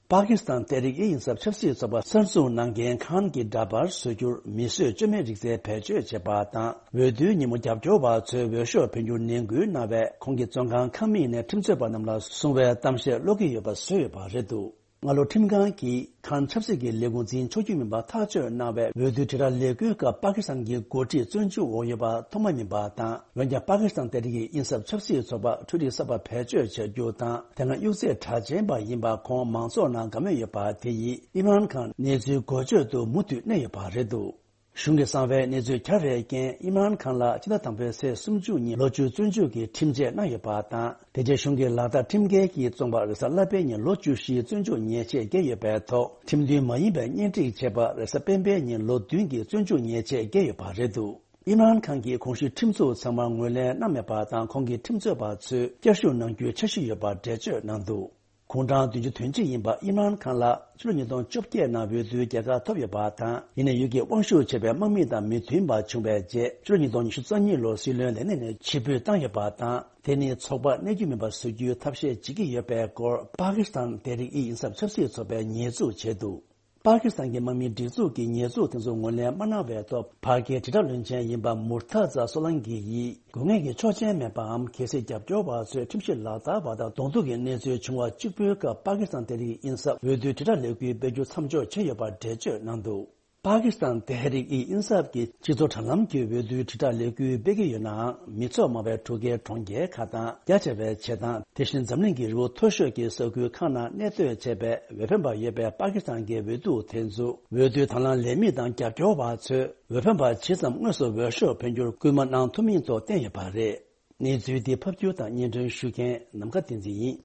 པ་ཀི་སི་ཐན་ཏེ་རིག་ཨི་ཨིན་སབ་ཆབ་སྲིད་ཚོགས་པ་གསར་འཛུགས་གནང་མཁན་ཁཱན་གྱི་འདྲ་པར་བཟོ་རྒྱུར་མི་གསོད་བཅོས་མའི་རིགས་རྫས་བེད་སྤྱོད་བྱེད་པ་དང་། འོས་བསྡུའི་ཉིན་མོ་རྒྱབ་སྐྱོར་བ་ཚོས་འོས་ཤོག་འཕེན་རྒྱུར་ནན་སྐུལ་གནང་བས། ཁོང་གིས་བཙོན་ཁང་ཁང་མིག་ནས་ཁྲིམས་རྩོད་པ་རྣམས་ལ་གསུང་བའི་གཏམ་བཤད་ཀློག་གི་ཡོད་པ་བཟོས་ཡོད་པ་རེད་འདུག་སྔ་ལོ་ཁྲིམས་ཁང་གིས་ཁཱན་ཆབ་སྲིད་ཀྱི་ལས་ཁུངས་འཛིན་ཆོག་རྒྱུ་མིན་པ་ཐག་གཅོད་གནང་བའི་འོས་བསྡུའི་དྲིལ་བསྒྲགས་ལས་འགུལ་སྐབས་པ་ཀི་སི་ཐན་གྱི་འགོ་ཁྲིད་བཙོན་འཇུག་འོག་ཡོད་པ་ཐོག་མ་ཡིན་པ་དང་། འོན་ཀྱང་པ་ཀི་སི་ཐན་ཏེ་རིག་ཨི་ཨིན་སབ་ཆབ་སྲིད་ཚོགས་པ་འཕྲུལ་རིག་གསར་པ་བེད་སྤྱོད་བྱ་རྒྱུ་དང་། དེ་སྔ་གཡུག་རྩེད་གྲགས་ཅན་པ་ཡིན་པ་ཁོང་མང་ཚོགས་ནང་དགའ་མོས་ཡོད་པ་དེ་ཡིས་ཨིམ་རཱན་ཁཱན་གནས་ཚུལ་འགོ་བརྗོད་དུ་མུ་མཐུད་གནས་ཡོད་པ་རེད་འདུག་གཞུང་གི་གསང་བའི་གནས་ཚུལ་གྱ་རེའི་རྐྱེན། ཨིམ་རཱན་ཁཱན་ལ་ཕྱི་ཟླ་དང་པོའི་ཚེས་སུམ་ཅུ་ཉིན་ལོ་བཅུ་བཙོན་འཇུག་གི་ཁྲིམས་ཆད་གནང་ཡོད་པ་དང་། དེ་རྗེས་གཞུང་གིས་ལག་བསྟར་ཁྲིམས་འགལ་གྱིས་བཙོངས་པར་རེས་གཟའ་ལྷག་པའི་ཉིན་ལོ་བཅུ་བཞིའི་བཙོན་འཇུག་ཉེས་ཆད་བཀལ་ཡོད་པའི་ཐོག་ཁྲིམས་མཐུན་མ་ཡིན་པའི་གཉེན་སྒྲིག་བྱས་པར་རེས་གཟའ་སྤེན་པའི་ཉིན་ལོ་བདུན་གྱི་བཙོན་འཇུག་ཉེས་ཆད་བཀལ་ཡོད་པ་རེད་འདུག་ཨིམ་རཱན་ཁཱན་གྱིས་གོང་ཞུས་ཁྲིམས་འཛུགས་ཚང་མར་ངོས་ལེན་གནང་མེད་པ་དང་། ཁོང་གི་ཁྲིམས་རྩོད་པ་ཚོས་བསྐྱར་ཞུ་གནང་རྒྱུའི་འཆར་གཞི་ཡོད་པར་འགྲེལ་བརྗོད་གནང་འདུག་གུང་གྲངས་བདུན་ཅུ་དོན་གཅིག་ཡིན་པ་ཨིམ་རཱན་ཁཱན་ལ་ཕྱི་ལོ་ཉིས་སྟོང་བཅོ་བརྒྱད་ནང་འོས་བསྡུའི་རྒྱལ་ཁ་ཐོབ་ཡོད་པ་དང་། ཡིན་ནའི་ཡུལ་གྱི་དབང་ཤུགས་ཆེ་བའི་དམག་མི་དང་མི་མཐུན་པ་བྱུང་བའི་རྗེས། ཕྱི་ལོ་ཉིས་སྟོང་ཉི་ཤུ་རྩ་གཉིས་ལོར་སྲིད་བློན་ལས་གནས་ནས་ཕྱིར་འབུད་བཏང་ཡོད་པ་དང་། དེ་ནི་ཚོགས་པ་གནས་རྒྱུ་མིན་པ་བཟོ་རྒྱུའི་ཐབས་ཤེས་བྱེད་ཀྱི་ཡོད་པའི་སྐོར་པ་ཀི་སི་ཐན་ཏེ་རིག་ཨི་ཨིན་སབ་ཆབ་སྲིད་ཚོགས་པས་ཉེས་འཛུགས་བྱས་འདུག་པ་ཀི་སི་ཐན་གྱི་དམག་མིའི་སྒྲིག་འཛུགས་ཀྱིས་ཉེས་འཛུགས་དེ་ཚོ་ངོས་ལེན་མ་གནང་བའི་ཐོག་བར་བརྒལ་དྲིལ་བསྒྲགས་བློན་ཆེན་ཡིན་པ་མུར་ཐ་ཛ་སོ་ལང་གི་ཡིས་དགོས་ངེས་ཀྱི་ཆོག་མཆན་མེད་པའམ། གལ་སྲིད་རྒྱབ་སྐྱོར་བ་ཚོས་ཁྲིམས་གཞི་ལག་བསྟར་བ་དང་གདོང་ཐུག་གི་གནས་ཚུལ་བྱུང་བ་གཅིག་པུའི་སྐབས་པ་ཀི་སི་ཐན་ཏེ་རིག་ཨིན་སབ་འོས་བསྡུའི་དྲིལ་བསྒྲགས་ལས་འགུལ་སྤེལ་རྒྱུ་མཚམས་འཇོག་བྱས་ཡོད་པར་འགྲེལ་བརྗོད་གནང་འདུག་པ་ཀི་སི་ཐན་ཏེ་ཧེ་རིག་ཨི་ཨིན་སབ་ཀྱིས་སྤྱི་ཚོགས་དྲ་ལམ་གྱི་འོས་བསྡུའི་དྲིལ་བསྒྲགས་ལས་འགུལ་སྤེལ་གྱི་ཡོད་ནའང་། མི་ཚོགས་མང་བའི་འགྲུལ་སྐྱེལ་གྲོང་ཁྱེར་ཁག་དང་རྒྱ་ཆེ་བའི་བྱེ་ཐང་། དེ་བཞིན་འཛམ་གླིང་གི་རི་བོ་མཐོ་ཤོས་ཀྱི་ས་ཁུལ་ཁག་ནང་གནས་སྡོད་བྱས་པའི་འོས་འཕེན་པ་ཡོད་པའི་པ་ཀི་སི་ཐན་གྱི་འོས་བསྡུ་དེ་ཚོ་འོས་བསྡུའི་དང་བླངས་ལས་མི་དང་རྒྱབ་སྐྱོར་བ་ཚོས་འོས་འཕེན་པ་ཇི་ཙམ་དངོས་སུ་འོས་ཤོག་འཕེན་རྒྱུར་སྐུལ་མ་གནང་ཐུབ་མིན་ཐོག་བསྟན་ཡོད་པ་རེད། གནས་ཚུལ་འདི་ཕབ་སྒྱུར་དང་སྙན་སྒྲོན་ཞུ་མཁན་ནམ་མཁའ་བསྟན་འཛིན་ཡིན།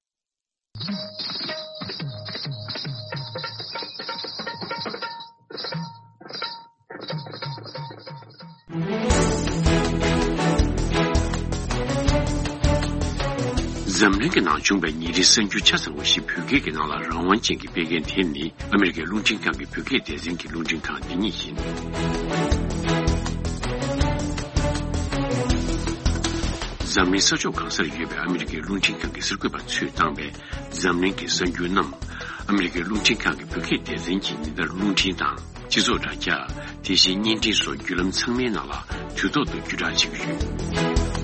འཛམ་གླིང་གི་ནང་བྱུང་བའི་ཉིན་རེའི་གསར་འགྱུར་ཆ་ཚང་བ་ཞིག་བོད་སྐད་ཀྱི་ནང་ལ་རང་དབང་ཅན་གྱིས་སྤེལ་མཁན་དེ་ནི་ཨ་མི་རི་ཀའི་རླུང་འཕྲིན་ཁང་གི་བོད་སྐད་སྡེ་ཚན་གྱི་རླུང་འཕྲིན་ཁང་འདི་ཉིད་ཡིན། འཛམ་གླིང་ས་ཕྱོགས་གང་སར་ཡོད་པའི་ཨ་མི་རི་ཀའི་རླུང་འཕྲིན་ཁང་གི་གསར་འགོད་པ་ཚོས་བཏང་བའི་འཛམ་གླིང་གི་གསར་འགྱུར་རྣམས། ཨ་མི་རི་ཀའི་རླུང་འཕྲིན་ཁང་གི་བོད་སྐད་སྡེ་ཚན་གྱིས་ཉིན་ལྟར་རླུང་འཕྲིན་དང་། སྤྱི་ཚོགས་དྲ་རྒྱ། དེ་བཞིན་བརྙན་འཕྲིན་སོགས་བརྒྱུད་ལམ་ཚང་མའི་ནང་ལ་དུས་ཐོག་ཏུ་བརྒྱུད་བསྒྲགས་བྱེད་ཀྱི་ཡོད།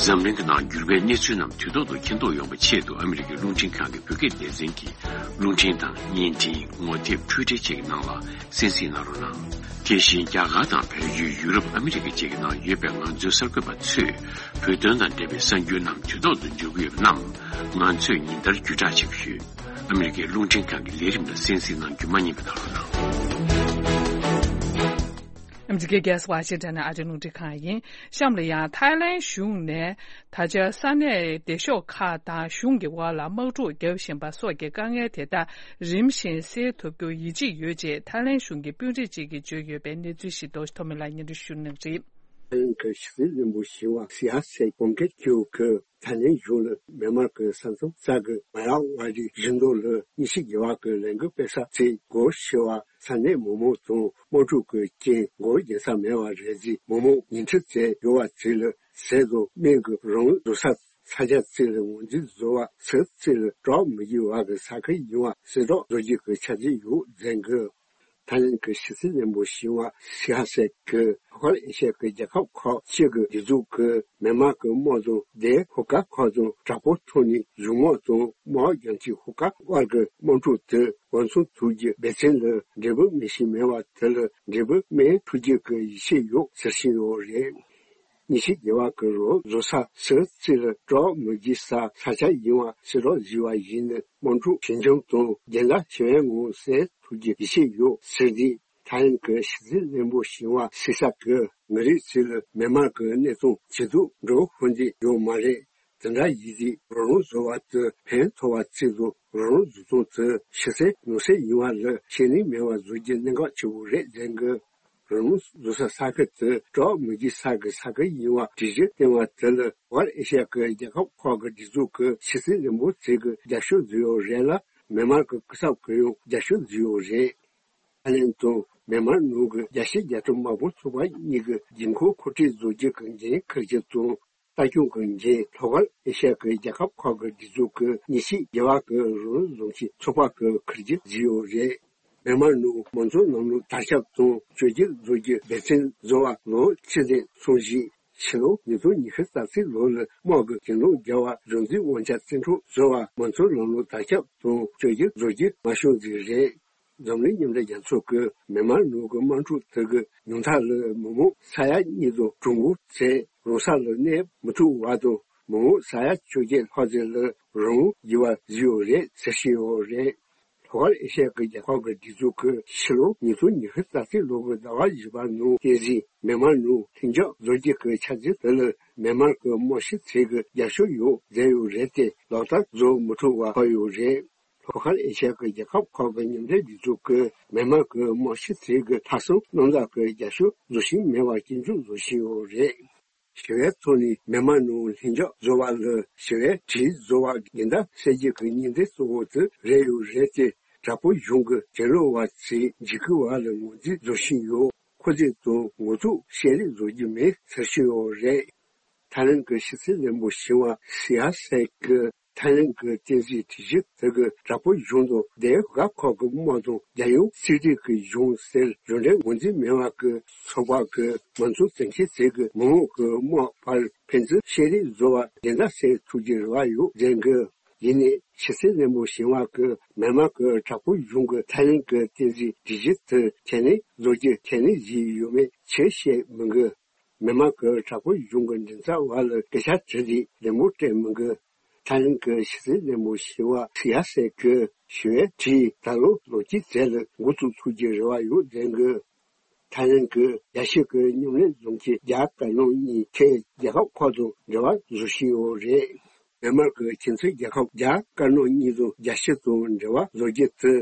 འཛམ་གླིང་གི་ནང་འགྱུར་བའི་གནས་ཚུལ་རྣམས་དུས་ཐོག་ཏུ་མཁྱེན་རྟོགས་ཡོང་བའི་ཆེད་དུ་ཨ་མི་རི་ཀའི་རླུང་འཕྲིན་ཁང་གི་བོད་སྐད་སྡེ་ཚན་གྱིས་རླུང་འཕྲིན་དང་བརྙན་འཕྲིན། ངོ་དེབ། འཕྲུལ་འཕྲིན་བཅས་ཀྱི་ནང་ལ་གསན་གཟིགས་གནང་རོགས་གནང་། དེ་བཞིན་རྒྱ་གར་དང་བལ་ཡུལ། ཡུ་རོབ། ཨ་མི་རི་ཀ་བཅས་ཀྱི་ནང་ཡོད་པའི་ང་ཚོའི་གསར་འགོད་པ་ཚོས་བོད་དོན་དང་འབྲེལ་བའི་གསར་འགྱུར་རྣམས་དུས་ཐོག་ཏུ་འབྱོར་གྱི་ཡོད་པ་རྣམས་ང་ཚོས་ཉིན་ལྟར་བརྒྱུད་བསྒྲགས་བྱེད་ཀྱི་ཡོད། ཨ་མི་རི་ཀའི་རླུང་འཕྲིན་ཁང་གི་ལས་རིམ་ལ་གསན་གཟིགས་གནང་རྒྱུ་མ་བསྙེལ་བ་གནང་རོགས་གནང་། ཨ་མི་རི་ཀའི་རྒྱལ་ས་ཝ་ཤིང་ཊོན་ནས་ཨ་རིའི་རླུང་འཕྲིན་ཁང་ཡིན། གཤམ་ལ་ཡང་ཐའི་ལེན་གཞུང་ནས་ད་ཆ་ས་གནས་སྡེ་ཤོག་ཁག་དང་གཞུང་གི་དབར་ལ་དམག་འཁྲུག་བརྒྱབ་བཞིན་པ་སོགས་ཀྱི་དཀའ་ངལ་དེ་དག་རིམ་བཞིན་སེལ་ཐུབ་རྒྱུར་ཡིད་ཆེས་ཡོད་ཅེས་ཐའི་ལེན་གཞུང་གི་དཔོན་རིགས་ཅིག་གིས་བརྗོད་ཡོད་པའི་གནས་ཚུལ་ཞིག་རྡོ་རྗེ་ཐོགས་མེད་ལགས་སྙན་སྒྲོན་ཞུ་གནང་གི་རེད། ཐའི་ལེན་གྱི་ཕྱི་སྲིད་བློན་པོ་ཞི་བ་སི་ཡ་སེ་ཀོང་ཀེ་ཁྱེའུ་གིས་ཐའི་ལེན་གཞུང་ལ་མེན་མར་གྱི་ས་མཚམས་ས་གི་མ་ཡ་ཝ་ཏི་གཞིས་མདོ་ལ་ཉི་ཤུ་བརྒྱད་པ་གི་ལས་འགུལ་སྤེལ་ས་ཚེ་སྒོ་ཕྱེ་བ། ས་གནས་མི་མང་ཚོ་དམག་འཁྲུག་གི་རྐྱེན་སྒོ་རྒྱག་ས་མེད་པ་རེད་ཟེར། མི་མང་ཉིན་ཁྲི་བཙལ་འགྲོ་བ་ཚོ་ལ་ཟས་དང་སྨན་གྱི་རང་འདུག་ས། ས་ཆ་ཚོ་ལ་ངོས་འཛིན་བཟོ་བ། ས་ཚོ་ལ་བྲག་མི་རྒྱུ་བ་གི་ས་ཁུལ་ཡིན་པ་གསལ་བསྒྲགས་བཟོ་རྒྱུ་གི་ཆ་རྐྱེན་ཡོད་ཟེར་གི། ཐའི་ལེན་གྱི་ཕྱི་སྲིད་བློན་པོ་ཞི་ཝ་སི་ཧ་སེ་གིས་ལྷོ་ཤར་ཨེ་ཤ་ཡའི་རྒྱལ་ཁབ་ཁག་ཅིག་གི་སྒྲིག་འཛུགས་ཀྱིས་མེན་མར་གྱི་དམག་དང་དེའི་ཤོག་ཁག་ཁག་དང་དྲག་པོའི་ཐོག་ནས་གཞུང་དམག་དང་དམག་རྒྱང་མཐའི་ཤོག་ཁག་དབར་གྱི་དམག་འཁྲུག་དེ་འོས་འཚམ་ཐུབ་རྒྱུའི་འབད་བརྩོན་ལ་འབྲས་བུ་སྨིན་བཞིན་མེད་པ་དེ་ལ་འབྲས་བུ་སྨིན་ཐུབ་རྒྱུ་གི་ཡིད་ཆེས་ཡོད་ཟེར་བཞིན་ཡོད་རེད། ཉི་ཤུ་བརྒྱད་པ་གི་རུ་བཟོ་ས་སི་རྩི་ལ་གྲོགས་མི་རྒྱུ་ས་ས་ཆ་ཡིན་པ་སི་རོག་བཟོས་པ་ཡིན་ན་དམག་འཁྲུག་ཞི་འཇམ་དང་རྒྱུན་ལྡན་བྱེད་པའི་ངང་སེལ་ཐུབ་རྒྱུ་ཡིད་ཆེས་ཡོད་ཟེར་དུས། ཐའི་ལེན་གྱི་ཕྱི་སྲིད་བློན་པོ་ཞི་ཝ་སི་ཧ་སེ་གིས་ང་རའི་ཚོད་ལ་མེན་མར་གྱི་གནས་སྟངས་ཇེ་སྡུག་འགྲོ་ཧོན་དེ་ཡོད་མ་རེད། དེ་འདྲ་ཡིན་དུས་རང་དབང་བཟོ་བ་དེ་ཕན་ཐོགས་པ་བརྩིས་འདུག་རང་དབང་བཟོ་སྟངས་དེ་ཕྱི་གསལ་ནང་གསལ་ཡིན་པ་ལ་ཤེས་ལས་མེད་པ་བཟོ་རྒྱུ་གནད་འགག་ཆེ་བོ་རེད་ཟེར་གི། རང་དབང་བཟོ་ས་ས་ཁུལ་དེ་གྲོགས་མི་རྒྱུ་ས་གི་ས་ཁུལ་ཡིན་པ་གྲོས་གཞི་བཏིང་བ་དེ་ལ་ལྷོ་ཤར་ཨེ་ཤ་ཡ་གི་རྒྱལ་ཁབ་ཁག་གི་སྒྲིག་འཛུགས་ཀྱི་ཕྱི་སྲིད་བློན་པོ་ཚོས་ཀྱི་རྒྱབ་སྐྱོར་བཟོས་ཡོད་རེད་ལ། མེན་མར་གྱི་སྐུ་ཚབ་ཀྱིས་ཡང་རྒྱབ་སྐྱོར་བཟོས་ཡོད་རེད། ཐའི་ལེན་དང་མེན་མར་ནང་གི་རྒྱལ་སྤྱིའི་རྒྱལ་སྤྱིའི་དམག་དཔོན་ཚོགས་པ་གཉིས་ཀྱི་དགོས་མཁོ་མཁོ་སྤྲོད་བཟོ་རྒྱུ་གི་འགན་འཁུར་རྒྱུ་དང་། ལྟ་སྐྱོང་གི་འགན་ལྷོ་ཤར་ཨེ་ཤ་ཡ་གི་རྒྱལ་ཁབ་ཁག་གི་སྒྲིག་འཛུགས་ཀྱི་ཉི་ཤུ་བརྒྱད་པ་གི་རང་དབང་བཟུང་གི་ཚོགས་པ་གིས་འཁུར་རྒྱུ་བཟོས་ཡོད་རེད། མེན་མར་ནང་མང་གཙོའི་ལམ་ལུགས་དར་ཁྱབ་དང་བཅོས་བསྒྱུར་བཟོ་རྒྱུའི་འབད་བརྩོན་བཟོ་བ་ལོ་གཅིག་རིང་སོང་རྗེས། ཕྱི་ལོ་ཉིས་སྟོང་ཉི་ཤུ་རྩ་གཅིག་ལོ་ལ་དམག་གི་གྱེན་ལོག་རྒྱག་པ་གཞུང་འཛིན་དབང་ཆ་རྩིས་སྤྲོད་བཟོ་བ་མང་གཙོའི་ལམ་ལུགས་དར་ཁྱབ་དང་བཅོས་བསྒྱུར་བཟོ་རྒྱུ་མ་བྱུང་ཟིག་རེད། འཛམ་གླིང་མཉམ་འབྲེལ་རྒྱལ་ཚོགས་ཀྱིས་མེན་མར་ནང་གི་དམག་འཁྲུག་དེ་གི་ཉུང་མཐའ་ལ་མི་མང་ས་ཡ་གཉིས་དང་གྲངས་འབོར་བཅས་རང་ས་ལ་གནས་མི་ཐུབ་པ་དང་མི་མང་ས་ཡ་བཅོ་བརྒྱད་ལྷག་ཙམ་ལ་རང་དབང་བརྒྱུད་པ་བཟོས་ཡོད་རེད་ཟེར་བཞིན་ཡོད་རེད། ལྷོ་ཤར་ཨེ་ཤ་ཡ་གི་རྒྱལ་ཁབ་ཀྱི་སྒྲིག་འཛུགས་ཀྱིས་ཕྱི་ལོ་ཉིས་སྟོང་ཉི་ཤུ་རྩ་གཅིག་ལོ་གི་ཟླ་བ་བཞི་པ་ནང་བསྟན་འཛིན་མེན་མར་ནང་ལྷིང་འཇགས་བཟོ་རྒྱུ་གི་འཆར་གཞི་དེ་ལ་མེན་མར་གྱི་དམག་སྤྱི་ཚོས་ཀྱི་རྒྱབ་སྐྱོར་ཡོད་ཟེར་ཡོད་རེད་དེ། ལག་བསྟར་བཟོ་མི་ཐུབ་པ་ཆགས་ཡོད་རེད། ལྷོ་ཤར་ཨེ་ཤ་ཡ་གི་རྒྱལ་ཁབ་ཁག་གི་མཉམ་འབྲེལ་སྒྲིག་འཛུགས་ཀྱིས་མེན་མར་གྱི་དམག་སྤྱི་ཚོས་ཀྱི་ལྷག་བསམ་རྣམ་དག་གི་རྒྱབ་སྐྱོར་བཟོ་བཞིན་མེད་པ་སྐྱོན་བརྗོད་བཟོ་བཞིན་ཡོད་རེད། ཞི་བའི་ཐོག་ནས་མེན་མར་ནང་ལྷིང་འཇགས་བཟོ་བ་ལ་ཞི་བའི་གྲོས་བཟོ་བ་འགལ་ཟླ་གསལ་རྒྱུ་གི་ཉེན་བརྡ་གཙོ་བོ་དེ་རེད་ཡོད་རེད་དེ། དྲག་པོའི་གཞུང་གི་གྱེན་ལོག་པ་ཚོས་འཇིགས་སྐུལ་བ་ལ་ངོས་འཛིན་བཟོ་བཞིན་ཡོད། ཁོ་ཚོས་དང་ངོ་ཐུག་བཤད་རེས་བཟོ་རྒྱུ་མེད་ཟེར་བཞིན་ཡོད་རེད། ཐའི་ལེན་གྱི་ཕྱི་སྲིད་བློན་པོ་ཞི་བ་སི་ཧ་སེ་གིས་ཐའི་ལེན་གྱི་བསྟན་འཛིན་སྒྲིག་གཞི་དེ་གི་དྲག་པོའི་གཞུང་དང་དེའི་རྒྱལ་ཁབ་ཁག་གི་དམག་དང་རྒྱལ་ཡོངས་སྲིད་གྲོས་ཀྱི་གཞུང་ཟེར་གཞུང་འབྲེལ་ངོས་འཛིན་མེད་པ་གི་ཚོགས་པ་གི་མང་གཙོ་འཛིན་མཁན་ཚོས་ཀྱི་མི་མང་གི་དམག་བར་ཕན་ཚུན་བཤད་རེས་བཟོ་བ་འགྲན་ཟླ་སེལ་ཐུབ་ཀྱི་རེ་བ་ཡོད་ཟེར་གི། ཡིན་ནའི་ཕྱི་སྲིད་བློན་པོ་ཞི་བ་གིས་མེན་མར་གྱི་དྲག་པོའི་གཞུང་གིས་ཐའི་ལེན་གྱི་བསྟན་འཛིན་སྒྲིག་གཞི་དེ་ཁས་ལེན་བཟོ་རྒྱུ་ཁས་ལེན་བྱས་ཡོད་མེད་ཆེས་བཤད་མི་དགོས། མེན་མར་གྱི་དྲག་པོའི་གཞུང་གི་མགྲིན་ཚབ་པ་ལ་སྐད་ཆ་དྲིས་ཏེ་ལད་མོ་སྤྲད་མི་དགོས། ཐའི་ལེན་གྱི་ཕྱི་སྲིད་བློན་པོ་ཞི་བ་སི་ཧ་སེ་གིས་ཞི་བའི་གྲོས་ད་ལོ་ལོ་དཀྱིལ་ཚེས་ལ་འགོ་བཙུགས་ཐུབ་ཀྱི་རེ་བ་ཡོད་ཟེར་གི། ཐའི་ལེན་གྱིས་རྒྱལ་སྤྱི་གི་མཉམ་ལས་བཟུང་གི་རྒྱ་དཀར་ནག་གཉིས་ཐད་རྒྱལ་ཁབ་ཁག་དང་འབྲེལ་བ་བཟོ་བཞིན་ཡོད་རེད། མེན་མར་གྱི་ཁྱིམ་མཚེས་རྒྱལ་ཁབ་རྒྱ་དཀར་ནག་གཉིས་དང་རྒྱལ་སྤྱི་དང་འབྲེལ་བ་བཟོ་རྒྱུ་དེ།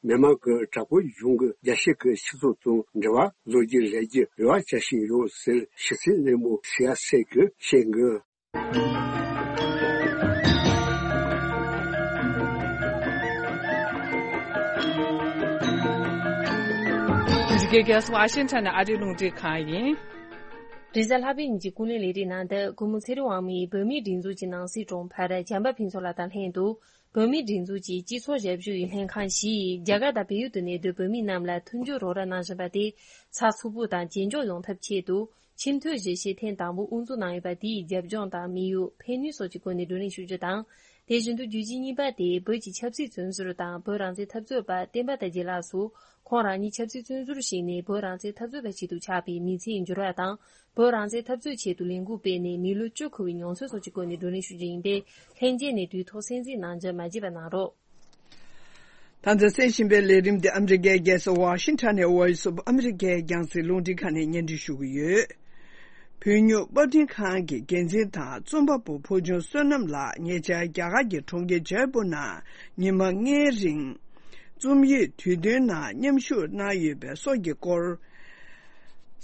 མེན་མར་གྱི་དྲག་པོའི་གཞུང་གིས་རྒྱལ་སྤྱི་གི་སྤྱི་ཚོགས་དང་འབྲེལ་བ་བཟོ་རྒྱུ་རེད་ཅེས་རེ་བ་བྱ་བཞིན་ཡོད་ཟེར་ཕྱི་སྲིད་བློན་པོ་སི་ཧ་སེ་གིས་བཤད་འདུག། འདི་གའི་རྒྱལ་ས་ཝ་ཤིང་ཊོན་ནས་ཨ་རིའི་རླུང་འཕྲིན་ཁང་ཡིན། རེས་གཟའ་ལྷག་པའི་ཉིན་གྱི་ཀུན་གླེང་ལས་རིམ་ནང་དུ་སྐུ་ངོ་ཚེ་རིང་དབང་མོས་བོད་མིའི་སྒྲིག་འཛུགས་ཀྱི་ནང་སྲིད་དྲུང་འཕར་བྱམས་པ་ཕུན་ཚོགས་ལགས་དང་ལྷན་དུ། བོད་མིའི་སྒྲིག་འཛུགས་ཀྱི་སྤྱི་ཚོགས་ཞབས་ཞུ་ཡི་ལྷན་ཁང་བཞི་ཡིས་རྒྱ་གར་དང་བལ་ཡུལ་དུ་གནས་སྡོད་བོད་མི་རྣམས་ལ་མཐུན་འགྱུར་རོགས་རམ་གནང་བཞིན་པ་དེ་ཚགས་ཚུད་པོ་དང་ཇེ་མགྱོགས་ཡོང་ཐབས་ཆེད་དུ། ཆེས་མཐོའི་བཞེད་ཆེས་ཐེངས་དང་པོ་དབུ་འཛུགས་གནང་ཡོད་པ་དེའི་རྒྱབ་ལྗོངས་དང་དམིགས་ཡུལ། ཕན་ནུས་སོགས་ཀྱི་སྐོར་ནས་བགྲོ་གླེང་ཞུ་རྒྱུ་དང་། དེ་བཞིན་དུ་བརྗོད་གཞི་གཉིས་པ་དེ་བོད་ཀྱི་ཆབ་སྲིད་བཙོན་ཟུར་དང་བོད་རང་བཙན་འཐབ་རྩོད་པ་བསྟན་པ་དར་རྒྱས་ལགས་སུ་ཁོང་རང་ཉིད་ཆབ་སྲིད་བཙོན་ཟུར་ཞིག་ནས་བོད་རང་བཙན་འཐབ་རྩོད་པ་ཞིག་ཏུ་ཆགས་པའི་མི་ཚེའི་འགྱུར་བ་དང་། བོད་རང་བཙན་འཐབ་རྩོད་ཆེད་དུ་ལས་འགུལ་སྤེལ་ནས་མི་ལོ་བཅུ་འཁོར་བའི་མྱོང་ཚོར་སོགས་ཀྱི་སྐོར་ནས་བགྲོ་གླེང་ཞུ་རྒྱུ་ཡིན་པས། ལྷན་རྒྱས་ནས་དུས་ཐོག་གསན་གཟིགས་གནང་རྒྱུ་མ་བརྗེད་པ་གནང་རོགས། ད་ལྟ་གསན་བཞིན་པའི་ལས་རིམ་འདི་ཨ་མི་རི་ཀའི་རྒྱལ་ས་ཝ་ཤིང་ཊོན་ནས་Voice of America རྒྱང་སྲིང་རླུང་འཕྲིན་ཁང་ནས་སྙན་སྒྲོན་ཞུ་གི་ཡོད། བོད་སྨྱུག་པར་སྐྲུན་ཁང་གི་འགན་འཛིན་དང་རྩོམ་པ་པོ་བུ་ཆུང་བསོད་ནམས་ལགས་ཉེ་ཆར་རྒྱ་གར་གྱི་གྲོང་ཁྱེར་ཇའི་པུར་ནང་ཉི་མ་ལྔའི་རིང་རྩོམ་ཡིག་དུས་སྟོན་ནང་མཉམ་ཞུགས་གནང་ཡོད་པའི་སྲོག་གི་སྐོར།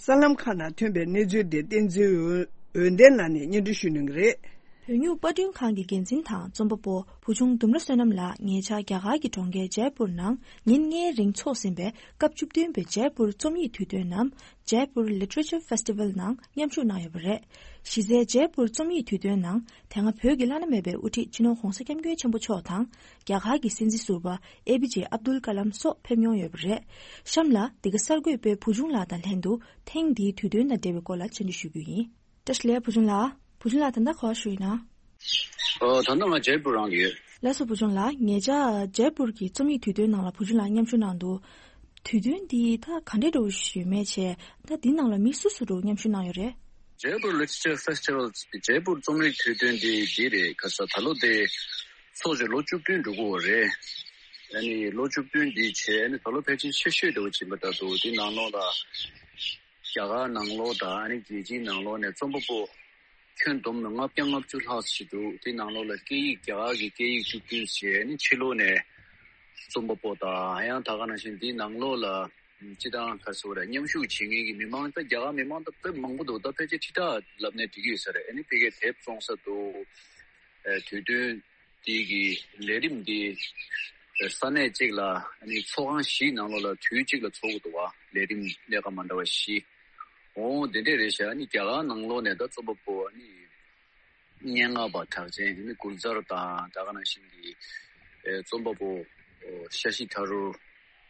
གསར་ལམ་ཁག་ནང་ཐོན་པའི་གནས་ཚུལ་དེ་བསྟན་འཛིན་འོད་ལྡན་ལགས་ནས་སྙན་སྒྲོན་ཞུ་གནང་གི་རེད། བོད་སྨྱུག་པར་སྐྲུན་ཁང་གི་འགན་འཛིན་དང་རྩོམ་པ་པོ་བུ་ཆུང་ལྡུམ་ར་བསོད་ནམས་ལགས་ཉེ་ཆར་རྒྱ་གར་གྱི་གྲོང་ཁྱེར་ཇའི་པུར་ནང་ཉིན་ལྔའི་རིང་འཚོགས་ཟིན་པའི་སྐབས་བཅུ་བདུན་པའི་ཇའི་པུར་རྩོམ་ཡིག་དུས་སྟོན་ནམ། Jaipur Literature Festival ནང་མཉམ་ཞུགས་གནང་ཡོད་པ་རེད། གཞི་རྩའི་ཇེ་པུར་རྩོམ་ཡིག་དུས་སྟོན་ནང་དེ་སྔ་བོད་ཀྱི་བླ་ན་མེད་པའི་དབུ་ཁྲིད་སྤྱི་ནོར་༧གོང་ས་༧སྐྱབས་མགོན་ཆེན་པོ་མཆོག་དང་རྒྱ་གར་གྱི་སྲིད་འཛིན་ཟུར་པ་ཨེ་པི་ཇེ་ཨབ་དུལ་ཀ་ལམ་སོགས་ཕེབས་མྱོང་ཡོད་པ་རེད། གཤམ་ལ་འདི་ག་གསར་འགོད་པས་བུ་ཆུང་ལགས་དང་ལྷན་དུ་ཐེངས་འདིའི་དུས་སྟོན་དང་འབྲེལ་བའི་སྐོར་ལ་བཅར་འདྲི་ཞུ་རྒྱུ་ཡིན། བཀྲ་ཤིས་བདེ་ལེགས་བུ་ཆུང་ལགས། བུ་ཆུང་ལགས་ད་ལྟ་ག་པར་བཞུགས་ཡོད་ན། ཨོ། ད་ལྟ་ང་ཇེ་པུར་རང་ཡོད། ལགས་སོ། བུ་ཆུང་ལགས། ཉེ་ཆར་ཇེ་པུར་གྱི་རྩོམ་ཡིག་དུས་སྟོན་ནང་ལ་བུ་ཆུང་ལགས་མཉམ་ཞུགས་གནང་འདུག་དུས་སྟོན་འདི་ད་ག་འདྲས་འདྲ་བོ་ཞིག་ཡོད་མེད་བྱས། ད་འདི་ནང་ལ་མི་སུ་སུ་འདྲ་བོ་མཉམ་ཞུགས་གནང་ཡོད་རེད། ཇེ་པུར་ལི་ཊི་རེ་ཅར་ཕེ་སི་ཊི་ཝལ། ཇེ་པུར་རྩོམ་རིག་དུས་སྟོན་འདི་འདི་རེད། ཁ་ས་ད་ལོ་དེ་ཚོགས་བྱས་ལོ་བཅུ་བདུན་འགྲོ་གི་ཡོད་རེད། ཨ་ནི་ལོ་བཅུ་བདུན་འདི་བྱས། ཨ་ནི་ད་ལོ་ཕལ་ཆེར་ཆེ་ཤོས་འདྲ་བོ་ཅིག་ཡིན་པ་འདྲ་འདུག་དེ་ནང་ལོགས་ལ་རྒྱ་གར་ནང་ལོགས་དང་ཨ་ནི་རྒྱལ་སྤྱིའི་ནང་ལོགས་ནས་རྩོམ་པ་པོ་ཁྱོན་བསྡོམས་ན་ལྔ་བརྒྱ་ལྔ་བཅུ་ལྷག་ཞིག་འདུག་དེ་ནང་ལོགས་ལ་སྐད་ཡིག་རྒྱ་གར་གྱི་སྐད་ཡིག་བཅུ་བདུན་བྱས། ཨ་ནི་ཕྱི་ལོགས་ནས་རྩོམ་པ་པོ་དང་། ཡང་ད་ག་ནང་བཞིན་དེའི་ནང་ལོགས་ལ་སྤྱི་བཏང་ག་རེ་ཟེར་དགོས་རེད། མཉམ་ཞུགས་བྱེད་མཁན་གྱི་མི་མང་ད་རྒྱ་གར་མི་མང་ད་དཔེ་མང་པོ་འདུག་ད་ཕལ་ཆེར་ཁྲི་ཕྲག་ལབ་ནས་འགྲིག་གི་ཡོད་ས་རེད། ཨ་ནི་ཕ་གིར་དེབ་བཙོང་ས་འདུག་ཨེ། དུས་སྟོན་དེ་གི་ལས་རིམ་འདི་ས་གནས་གཅིག་ལ་ཨ་ནི་ཚོགས་ཁང་བཞིའི་ནང་ལོགས་ལ་དུས་གཅིག་ལ་ཚོགས་ཀྱི་འདུག་བ། ལས་རིམ་ལས་ཀ་མ་འདྲ་བ་བཞི། འོ་དེ་འདྲས་རེད་ཤག་ཨ་ནི་རྒྱ་གར་ནང་ལོགས་ནས་ད་རྩོམ་པ་པོ་ཨ་ནི་སྙན་ངག་པ་གྲགས་ཅན་ཨ་ནི་གུལ་ཛར་དང་། ད་ག་ནང་བཞིན་གྱི་ཨེ། རྩོམ་པ་པོ་ཨོ། ཤ་ཤི་ཐ་རུར།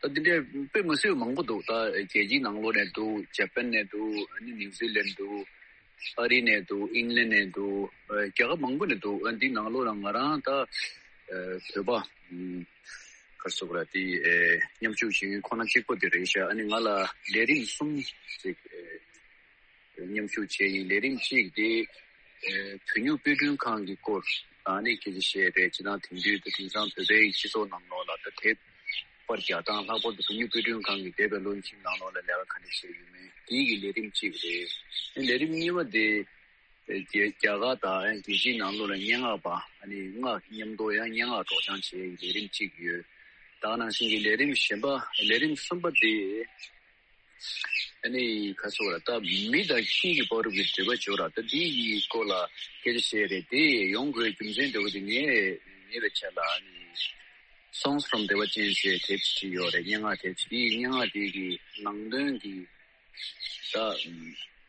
ད་འདི་འདྲའི་དཔེ་མི་སྲིད་མང་པོ་འདུག་ད་རྒྱལ་སྤྱིའི་ནང་ལོགས་ནས་འདུག་ཇ་པན་ནས་འདུག་ཨ་ནི་ནིའུ་ཛི་ལན་འདུག་ཨ་རི་ནས་འདུག་ཨིང་ལན་ནས་འདུག་ཨ། རྒྱ་གར་མང་པོ་ནས་འདུག་ཨ། འདི་ནང་ལོགས་ལ་ང་རང་ད་ཨ། བོད་པ་ཨམ། ག་རེ་ཟེར་དགོས་རེད། དེ་ཨ། མཉམ་ཞུགས་བྱེད་མཁན་ཁོ་ན་གཅིག་པོ་དེ་རེད་ཤག་ཨ་ནི་ང་ལ་ལས་རིམ་གསུམ་ཅིག་ཨ། མཉམ་ཞུགས་བྱས་ཡིན། ལས་རིམ་གཅིག་དེ་ཨ། བོད་སྨྱུག་དཔེ་སྐྲུན་ཁང་གི་སྐོར་ཨ་ནི་སྐད་ཆ་བཤད་རེད། སྤྱིར་བཏང་དེང་དུས་དེ་དེང་སང་བོད་པའི་སྤྱི་ཚོགས་ནང་ལོགས་ལ་ད་དེབ་པར་རྒྱག་སྟངས། ལྷག་པར་དུ་བོད་སྨྱུག་དཔེ་སྐྲུན་ཁང་གི་འདས་པའི་ལོ་གཉིས་ནང་ལོགས་ལ་ལས་ཀ་ག་འདྲ་བྱས་ཡོད་མེད། དེའི་གི་ལས་རིམ་གཅིག་རེད། ལས་རིམ་གཉིས་པ་དེ་ཨ། རྒྱ་རྒྱ་གར་དང་ཨ། རྒྱལ་སྤྱིའི་ནང་ལོགས་ལ་སྙན་ངག་པ་ཨ་ནི་སྔགས་མཉམ་དུ་ཡང་སྙན་ངག་སྒྲོག་སྦྱང་བྱེད་ཡའི་ལས་རིམ་གཅིག་ཡོད། ད་ག་ནང་བཞིན་གྱི་ལས་རིམ་གཞན་པ། ལས་རིམ་གསུམ་པ་དེ། ཨ་ནི་ག་རེ་ཟེར་དགོས་རེད། ད་མི་དང་ཁྱི་ཡི་བར་གྱི་འབྲེལ་བ་བརྗོད་ར། ད་འདི་ཡི་སྐོར་ལ་སྐད་ཆ་བཤད་རེད། དེ་ཡོང་དགོས་རྒྱུ་མཚན་འདྲ་བོ་དེ་ངས་ངེས་པའི་ཆ་ལ་ཨ་ནི་Songs from Deva Chain ཞེས་དེབ་ཅིག་ཡོད་རེད། སྙན་ངག་དེབ་ཅིག་དེའི་སྙན་ངག་དེ་གི་ནང་དོན་གྱི་ད་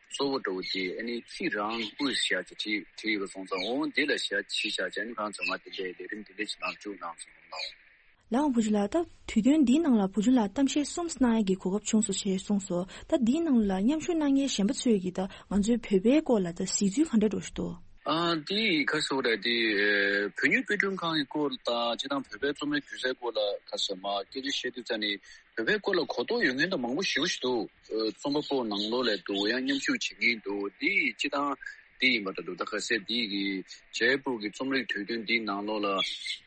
གཙོ་བོ་འདྲ་བོ་དེ་ཨ་ནི་ཁྱི་རང་དབུས་ཞེས་བྱ་བྲིས་བྲིས་ཡོད་པ་སོང་ཙང་། འོ་འདི་ལ་ཞེས་བྲིས་བཞག་ཅིང་། ཨ་ནི་གང་ཚང་མ་དེ་འདྲའི་ལས་རིམ་དེ་འདྲ་ཞིག་ནང་བཅུག་གནང་སོང་ལགས། ལགས་འོང་། བུ་ཆུང་ལགས། ད་དུས་སྟོན་འདིའི་ནང་ལ་བུ་ཆུང་ལགས་གཏམ་བཤད་གསུམ་གནང་ཡས་ཀྱི་གོ་སྐབས་བྱུང་སོང་ཞེས་གསུངས་སོང་། ད་འདིའི་ནང་ལ་མཉམ་ཞུགས་གནང་མཁན་གཞན་པ་ཚོས་ཀྱིས་ད་ང་ཚོའི་བོད་པའི་སྐོར་ལ་ད་གཟིགས་ཚུལ་ག་འདྲ་འདྲ་ཞིག་འདུག་ཨ། འདི་ག་རེ་ཟེར་དགོས་རེད། འདི་ཨ། བོད་སྨྱུག་དཔེ་སྐྲུན་ཁང་གི་སྐོར་དང་། སྤྱིར་བཏང་བོད་པའི་རྩོམ་རིག་སྒྱུ་རྩལ་སྐོར་ལ་ག་རེ་ཟེར། མར་སྐད་ཆ་བཤད་དུས་ཙ་ནས་བོད་པའི་སྐོར་ལ་གོ་རྟོགས་ཡོད་མཁན་ད་མང་པོ་ཞེ་པོ་ཞིག་འདུག་ཨ། རྩོམ་པ་པོ་ནང་ལོགས་ལ་འདུག་ཡང་མཉམ་ཞུགས་བྱེད་མཁན་འདུག་འདི་སྤྱིར་བཏང་འདི་ཡིན་པ་འདྲ་འདུག་ད་ག་ཚོད་འདི་གི་ཇེ་པུར་གྱི་རྩོམ་རིག་དུས་སྟོན་འདིའི་ནང་ལོགས་ལ་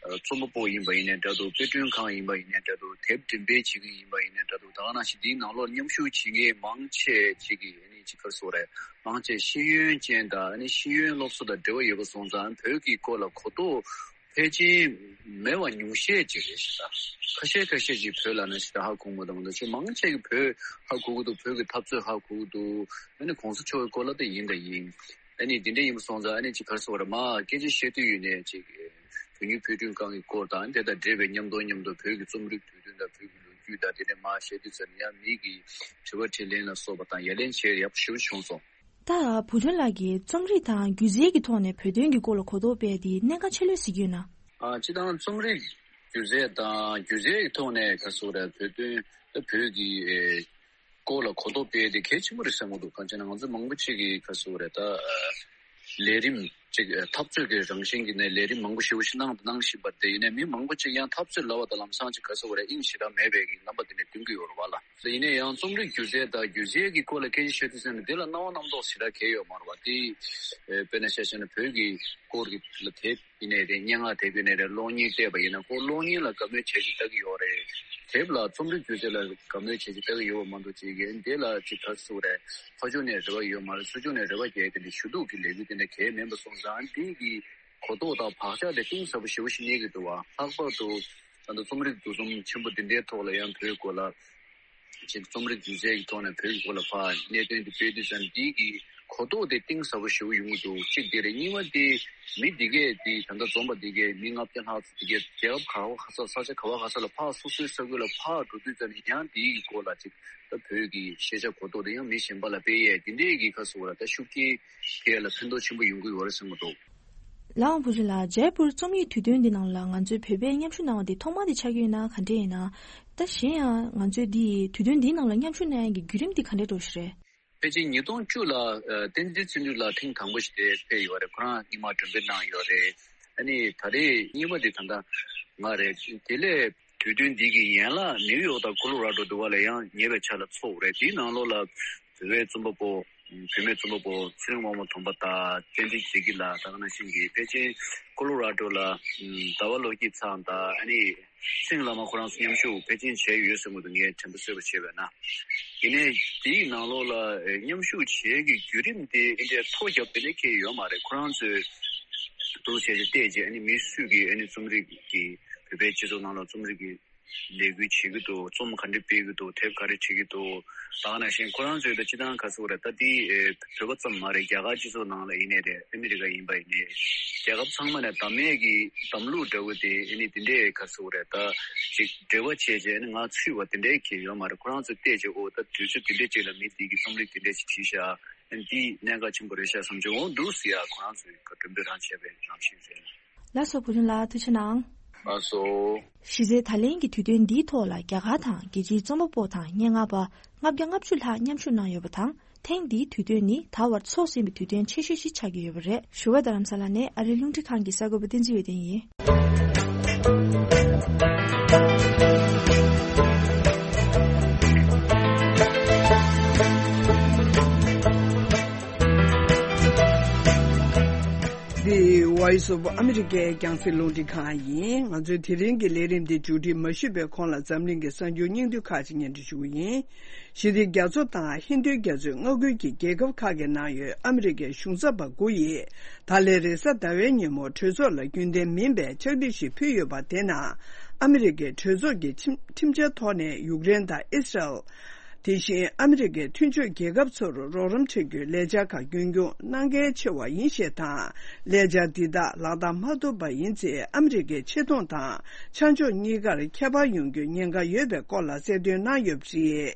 ཨ། རྩོམ་པ་པོ་ཡིན་པ་ཡིན་ནའི་འདྲ་འདུག་དཔེ་སྐྲུན་ཁང་ཡིན་པ་ཡིན་ནའི་འདྲ་འདུག་དེབ་འགྲེམས་སྤེལ་བྱེད་མཁན་ཡིན་པ་ཡིན་ནའི་འདྲ་འདུག་ད་ག་ནང་བཞིན་འདིའི་ནང་ལོགས་མཉམ་ཞུགས་བྱེད་མཁན་མང་ཆེ་ཅིག་གིས་ཨ་ནི་ཅིག་ག་རེ་ཟེར་དགོས་རེད། མང་ཆེ་ཤེས་ཡོན་ཅན་དང་། ཨ་ནི་ཤེས་ཡོན་སློབ་གསོ་དང་འབྲེལ་བ་ཡོད་པ་སོང་ཙང་བོད་ཀྱི་སྐོར་ལ་གོ་རྟོགས་ཕལ་ཆེར་མེད་པ་ཉུང་ཤས་ཅིག་རེད་ཤག་ད་ཁ་ཤས་ཁ་ཤས་ཅིག་བོད་ལ་ན་ཞིག་ད་ཧ་གོ་མ་ཐུབ་མ་གཏོགས། ཅིག་མང་ཆེ་གིས་བོད་ཧ་གོ་གི་འདུག་བོད་ཀྱི་འཐབ་རྩོད་ཧ་གོ་གི་འདུག་ཨ་ནི་གོང་ས་མཆོག་གི་སྐོར་ལ་ད་ཡིན་ད་ཡིན། ཨ་ནི་འདི་འདྲ་ཡིན་པ་སོང་ཙང་། ཨ་ནི་ཅིག་ག་རེ་ཟེར་དགོས་རེད། མར་སྐད་ཆ་བཤད་དུས་ཡོད་ནའི་ཅིག་བོད་སྨྱུག་དཔེ་སྐྲུན་ཁང་གི་སྐོར་དང་། དེ་དང་འབྲེལ་བའི་མཉམ་དུ་མཉམ་དུ་བོད་ཀྱི་རྩོམ་རིག་དུས་སྟོན་དང་བོད་ཀྱི་ལོ་རྒྱུས་དང་དེ་འདྲ་མར་བཤད་དུས་ཙ་ནས་ཡང་མི་གིས་དྲི་བ་དྲིས་ལན་ལ་སོགས་པ་དང་ཡ་ལན་བྱེད་ཡག་པོ་ཞེ་པོ་བྱུང་སོང་། ད་བུ་ཆུང་ལགས་ཀྱིས་རྩོམ་རིག་དང་སྒྱུ་རྩལ་གྱི་ཐོག་ནས་བོད་དོན་གྱི་སྐོར་ལ་གོ་རྟོགས་སྤེལ་ཏེ་གནད་འགག་ཆེ་ལོས་གཟིགས་ཀྱི་ཡོད་ན། ཨ། སྤྱིར་བཏང་རྩོམ་རིག་སྒྱུ་རྩལ་དང་སྒྱུ་རྩལ་གྱི་ཐོག་ནས་ག་རེ་ཟེར་དགོས་རེད། བོད་དོན་ད་བོད་ཀྱི་ཨེ། སྐོར་ལ་གོ་རྟོགས་སྤེལ་ཏེ་གལ་ཆེན་པོ་རེད་བསམ་གྱི་འདུག་གང་ཅི་ན་ང་ཚོ་མང་པོ་ཅིག་གིས་ག་རེ་ཟེར་དགོས་རེད། ད་ཨ། ལས་རིམ་ཅིག་འཐབ་རྩོད་ཀྱི་རང་བཞིན་གྱི་ནས་ལས་རིམ་མང་པོ་ཞེ་པོ་ཞིག་གནང་གནང་བཞིན་པ་དེ་ཡིན་ནའི་མི་མང་པོ་ཅིག་ཡང་འཐབ་རྩོད་ལབ་པ་དང་ལམ་སང་ཅིག་ག་རེ་ཟེར་དགོས་རེད། དབྱིངས་ཞེ་དྲག་མེད་པའི་གི་རྣམ་པ་དེ་ནས་སྟོན་གྱི་ཡོད་རེད་བ་ལ། དེ་ཡིན་ནའི་ཡང་རྩོམ་རིག་སྒྱུ་རྩལ་དང་སྒྱུ་རྩལ་གྱི་སྐོར་ལ་སྐད་ཆ་ཤོད་དུས་ཙམ་ནས་དེ་ལ་སྣང་བ་རྣམ་རྟོག་ཞེ་དྲག་གང་ཡང་ཡོད་མ་རེད་བ། དེ་ཨེ། དཔེར་ན་ཆ་བཞག་ན་བོད་ཀྱི་སྐོར་གྱི་ལ་དེབ་ཡིན་ནའི་རེད། སྙན་ངག་དེབ་ཡིན་ནའི་རེད། གློག་བརྙན་བལྟས་པ་ཡིན་ན་ཁོ་གློག་བརྙན་ལ་དགའ་མོས་བྱས་ཅིག་ལྟ་གི་ཡོད་རེད། དེབ་ལ་རྩོམ་རིག་སྒྱུ་རྩལ་ལ་དགའ་མོས་བྱས་ཅིག་ལྟ་གི་ཡོད་པ་མ་གཏོགས་ཅིག་གིས་འདི་ལ་ཅིག་ག་རེ་ཟེར་དགོས་རེད། ཕར་ཕྱོགས་ནས་རེ་བ་ཡོད་མ་རེད། ཚུར་ཕྱོགས་ནས་རེ་བ་རྒྱག་གི་འདི་ཞུ་གཏུག་གི་ལས་འགུལ་དེ་འདྲ་གང་ཡང་མིན་པ་སོང་ཙང་། འདི་གི་གོ་རྟོགས་དང་བག་ཆགས་དེ་གཏིང་ཟབ་པོ་ཞེ་པོ་ཞིག་རྙེད་ཀྱི་འདུག་བ། ལྷག་པར་དུ་ད་ལྟ་རྩོམ་རིག་འདུ་འཛོམས་ཆེན་པོ་འདི་འདྲའི་ཐོག་ལ་ཡང་བོད་སྐོར་ལ་ཅིག་རྩོམ་རིག་སྒྱུ་རྩལ་གྱི་ཐོག་ནས་བོད་ཀྱི་སྐོར་ལ་ཕར་གནད་དོན་འདི་སྤེལ་དུས་ཙམ་འདི་གི་ གོ་རྟོགས་དེ་གཏིང་ཟབ་པོ་ཞེ་པོ་ཡོང་གི་འདུག་གཅིག་དེ་རེད། གཉིས་པ་དེ་མི་འདི་གས་དེ་ད་ལྟ་འཛོམས་པ་འདི་གས་མི་ལྔ་བརྒྱ་ལྷག་ཙམ་འདི་གས་རྒྱལ་ཁབ་ག་བ་ག་ས་ས་ཆ་ག་བ་ག་ས་ལ་ཕར་སོ་སོའི་ས་ཁུལ་ལ་ཕར་འགྲོ་དུས་ཙམ་ནས་ཡང་དེའི་གི་སྐོར་ལ་ཅིག་ད་བོད་ཀྱི་ཤེས་བྱ་གོ་རྟོགས་དེ་ཡང་མི་གཞན་པ་ལ་སྤེལ་ཡས་དེ་འདྲས་ཀྱི་ཁ་གསོ་བ་ལ་ད་ཤུགས་རྐྱེན་དེ་ལ་ཕན་ཐོགས་ཆེན་པོ་ཡོང་གི་ཡོད་རེད་བསམ་གྱི་འདུག་ལའང་བུ་ཆུ་ལགས། ཇའི་པུར་རྩོམ་ཡིག་དུས་སྟོན་འདི་ནང་ལ་ང་ཚོས་བོད་པས་མཉམ་ཞུགས་གནང་བ་འདི་ཐོག་མ་དེ་ཆགས་ཀྱི་ཡོད་ན་ག་འདྲས་ཡིན་ན། ད་གཞན་ཡང་ང་ཚོས་འདི་དུས་སྟོན་འདིའི་ནང་ལ་མཉམ་ཞུགས་གནང་ཡག་གི་བརྒྱུད་རིམ་འདི་ག་འདྲས་འགྲོ་བཞིན་རེད། ཕལ་ཆེར་ཉིས་སྟོང་བཅུ་ལ་ཨ་བསྟན་འཛིན་བརྩོན་འགྲུས་ལགས་ཐེངས་དང་པོ་ཞིག་དེ་ཕེབས་ཡོད་རེད། ཁོ་རང་སྔོན་མ་མགྲོན་འབོད་གནང་ཡོད་རེད། ཨ་ནི་ད་རེས་གཉིས་པ་དེ་ད་ལྟ་ང་རེད། དེ་ལས་དུས་སྟོན་འདི་གི་ཡན་ལག་ནིའུ་ཡོག་དང་ཀོ་ལོ་ར་ཌོ་དུ་བ་ལ་ཡང་ཉེ་བའི་ཆར་ལ་ཚོགས་རེད། དེའི་ནང་ལོགས་ལ་བོད་པའི་རྩོམ་པ་པོ། བུད་མེད་རྩོམ་པ་པོ་ཚེ་རིང་དབང་མོ་དོམ་པ་དང་བསྟན་འཛིན་བདེ་སྐྱིད་ལགས་དང་ནང་བཞིན་གྱི་ཕལ་ཆེར་ཀོ་ལོ་ར་ཌོ་ལ་ཟླ་བ་ལོ་སྐྱིད་ཚང་དང་ཨ་ནི་སེང་བླ་མ་ཁོ་རང་ཚོ་མཉམ་ཞུགས་ཕལ་ཆེར་བྱས་ཡོད་ཟེར་མོད། ངས་དྲན་པ་གསོས་པ་བྱས་པས་ན། ཡིན་ནའི་དེའི་ནང་ལོགས་ལ་མཉམ་ཞུགས་བྱེད་ཀྱི་བརྒྱུད་རིམ་དེ་ཨེ་འདྲའི་ཐོ་རྒྱབ་དེ་ནས་ཁེལ་ཡོད་མ་རེད། ཁོ་རང་ཚོས་འདུག་བྱས་བྱས་བལྟས་རྗེས་ཨ་ནི་མི་སུས་ཀྱིས་ཨ་ནི་རྩོམ་རིག་གི་བོད་པའི་སྤྱི་ཚོགས་ནང་ལ་རྩོམ་རིག་གི་ལས་འགུལ་བྱེད་ཀྱི་འདུག་རྩོམ་ག་འདྲ་སྤེལ་གྱི་འདུག་དེབ་ག་རེ་བྲིས་ཀྱི་འདུག་ད་ག་ནང་བཞིན་ཁོ་རང་ཚོའི་ད་སྤྱི་བཏང་ག་ཟེར་དགོས་རེད། ད་འདི་ཨེ་བོད་པ་ཙམ་མ་རེད། རྒྱ་གར་སྤྱི་ཚོགས་ནང་ལ་ཡིན་ནའི་རེད། ཨ་མི་རི་ཀ་ཡིན་པ་ཡིན་ནའི་རྒྱལ་ཁབ་ཚང་མ་ནས་བདམས་མས་ཀྱི་བདམས་ལུགས་འདྲ་བོ་དེ་ཨ་ནི་དེ་འདྲའི་ག་ཟེར་དགོས་རེད། ད་ཅིག་འབྲེལ་བ་བྱས་རྗེས་ཨ་ནི་ང་ཚུད་པ་དེ་འདྲའི་གི་ཡོད་མ་རེད། ཁོ་རང་ཚོས་བལྟས་རྗེས་ཨོ་ད་དུས་ཚོད་དེ་འདྲའི་ཅིག་ལ་མི་འདི་གི་རྩོམ་རིག་དེ་འདྲའི་ཅིག་བྲིས་ཤག་ཨ་ནི་འདི་གནད་འགག་ཆེན་པོ་རེད་ཤག་བསམ་བྱུང་། འོ་འདུག་ཟེར་ཡ་ཁོ་རང་ཚོས་ག་མགྲོན་འབོད་རང་བྱས་པའི་རང་བཞིན་རེད། ལགས་སོ། བུ་ཆུང་ལགས་ཐུགས་རྗེ་གནང་། ལགས་སོ། གཞི་རྩའི་ད་ལན་གྱི་དུས་སྟོན་འདིའི་ཐོག་ལ་རྒྱ་གར་དང་རྒྱལ་སྤྱིའི་རྩོམ་པ་པོ་དང་སྙན་ངག་པ་ལྔ་བརྒྱ་ལྔ་བཅུ་ལྷག་མཉམ་ཞུགས་གནང་ཡོད་པ་དང་། ཐེངས་འདིའི་དུས་སྟོན་ནི་ད་བར་ཚོགས་ཟིན་པའི་དུས་སྟོན་ཆེ་ཤོས་ཤིག་ཆགས་ཀྱི་ཡོད་པ་རེད། བཞུགས་སྒར་རྡ་རམ་ས་ལ་ནས་ཨ་རིའི་རླུང་འཕྲིན་ཁང་གི་གསར་འགོད་པ་བསྟན་འཛིན་འོད་ལྡན་ཡིན། འདི་Voice of America རྒྱང་སྲིང་རླུང་འཕྲིན་ཁང་ཡིན། ང་ཚོའི་དེ་རིང་གི་ལས་རིམ་འདི་མཇུག་སྒྲིལ་མ་ཞུས་པའི་གོང་ལ་འཛམ་གླིང་གི་གསར་འགྱུར་སྙིང་བསྡུས་ཁག་ཅིག་སྙན་སྒྲོན་ཞུ་གི་ཡིན། ཞི་བདེ་རྒྱ་མཚོ་དང་ཧིན་རྡུའི་རྒྱ་མཚོའི་མངའ་ཁུལ་གྱི་རྒྱལ་ཁབ་ཁག་གི་ནང་ཡོད་ཨ་མི་རི་ཀའི་གཞུང་ཚབ་པ་དགུ་ཡིས་ད་ལན་རེས་གཟའ་ཟླ་བའི་ཉིན་མོ་གྲོས་ཚོགས་ལ་རྒྱུན་ལྡན་མིན་པའི་ཕྱག་བྲིས་ཤིག་ཕུལ་ཡོད་པ། དེ་ནང་ཨ་མི་རི་ཀའི་གྲོས་ཚོགས་ཀྱི་ཁྲིམས་ཁྲིམས་འཆར་ཐོག་ནས་ཡུཀ་རེན་དང་ཨི་སི་རལ། དེ་བཞིན་ཨ་མི་རི་ཀའི་མཐུན་ཕྱོགས་རྒྱལ་ཁབ་ཚོར་རོགས་རམ་སྤྲད་རྒྱུའི་ལས་འཆར་ཁག་རྒྱུན་འཁྱོངས་གནང་གལ་ཆེ་བ་ཡིན་ཞེས་དང་། ལས་འཆར་འདི་དག་ལག་བསྟར་མ་ཐུབ་པ་ཡིན་ཚེ་ཨ་མི་རི་ཀའི་ཆེ་མཐོང་དང་ཆ་འཇོག་གཉིས་ཀར་ཁྱད་པར་ཡོང་རྒྱུའི་ཉེན་ཁ་ཡོད་པའི་སྐོར་ལ་གསལ་སྟོན་གནང་ཡོད་པ་རེད།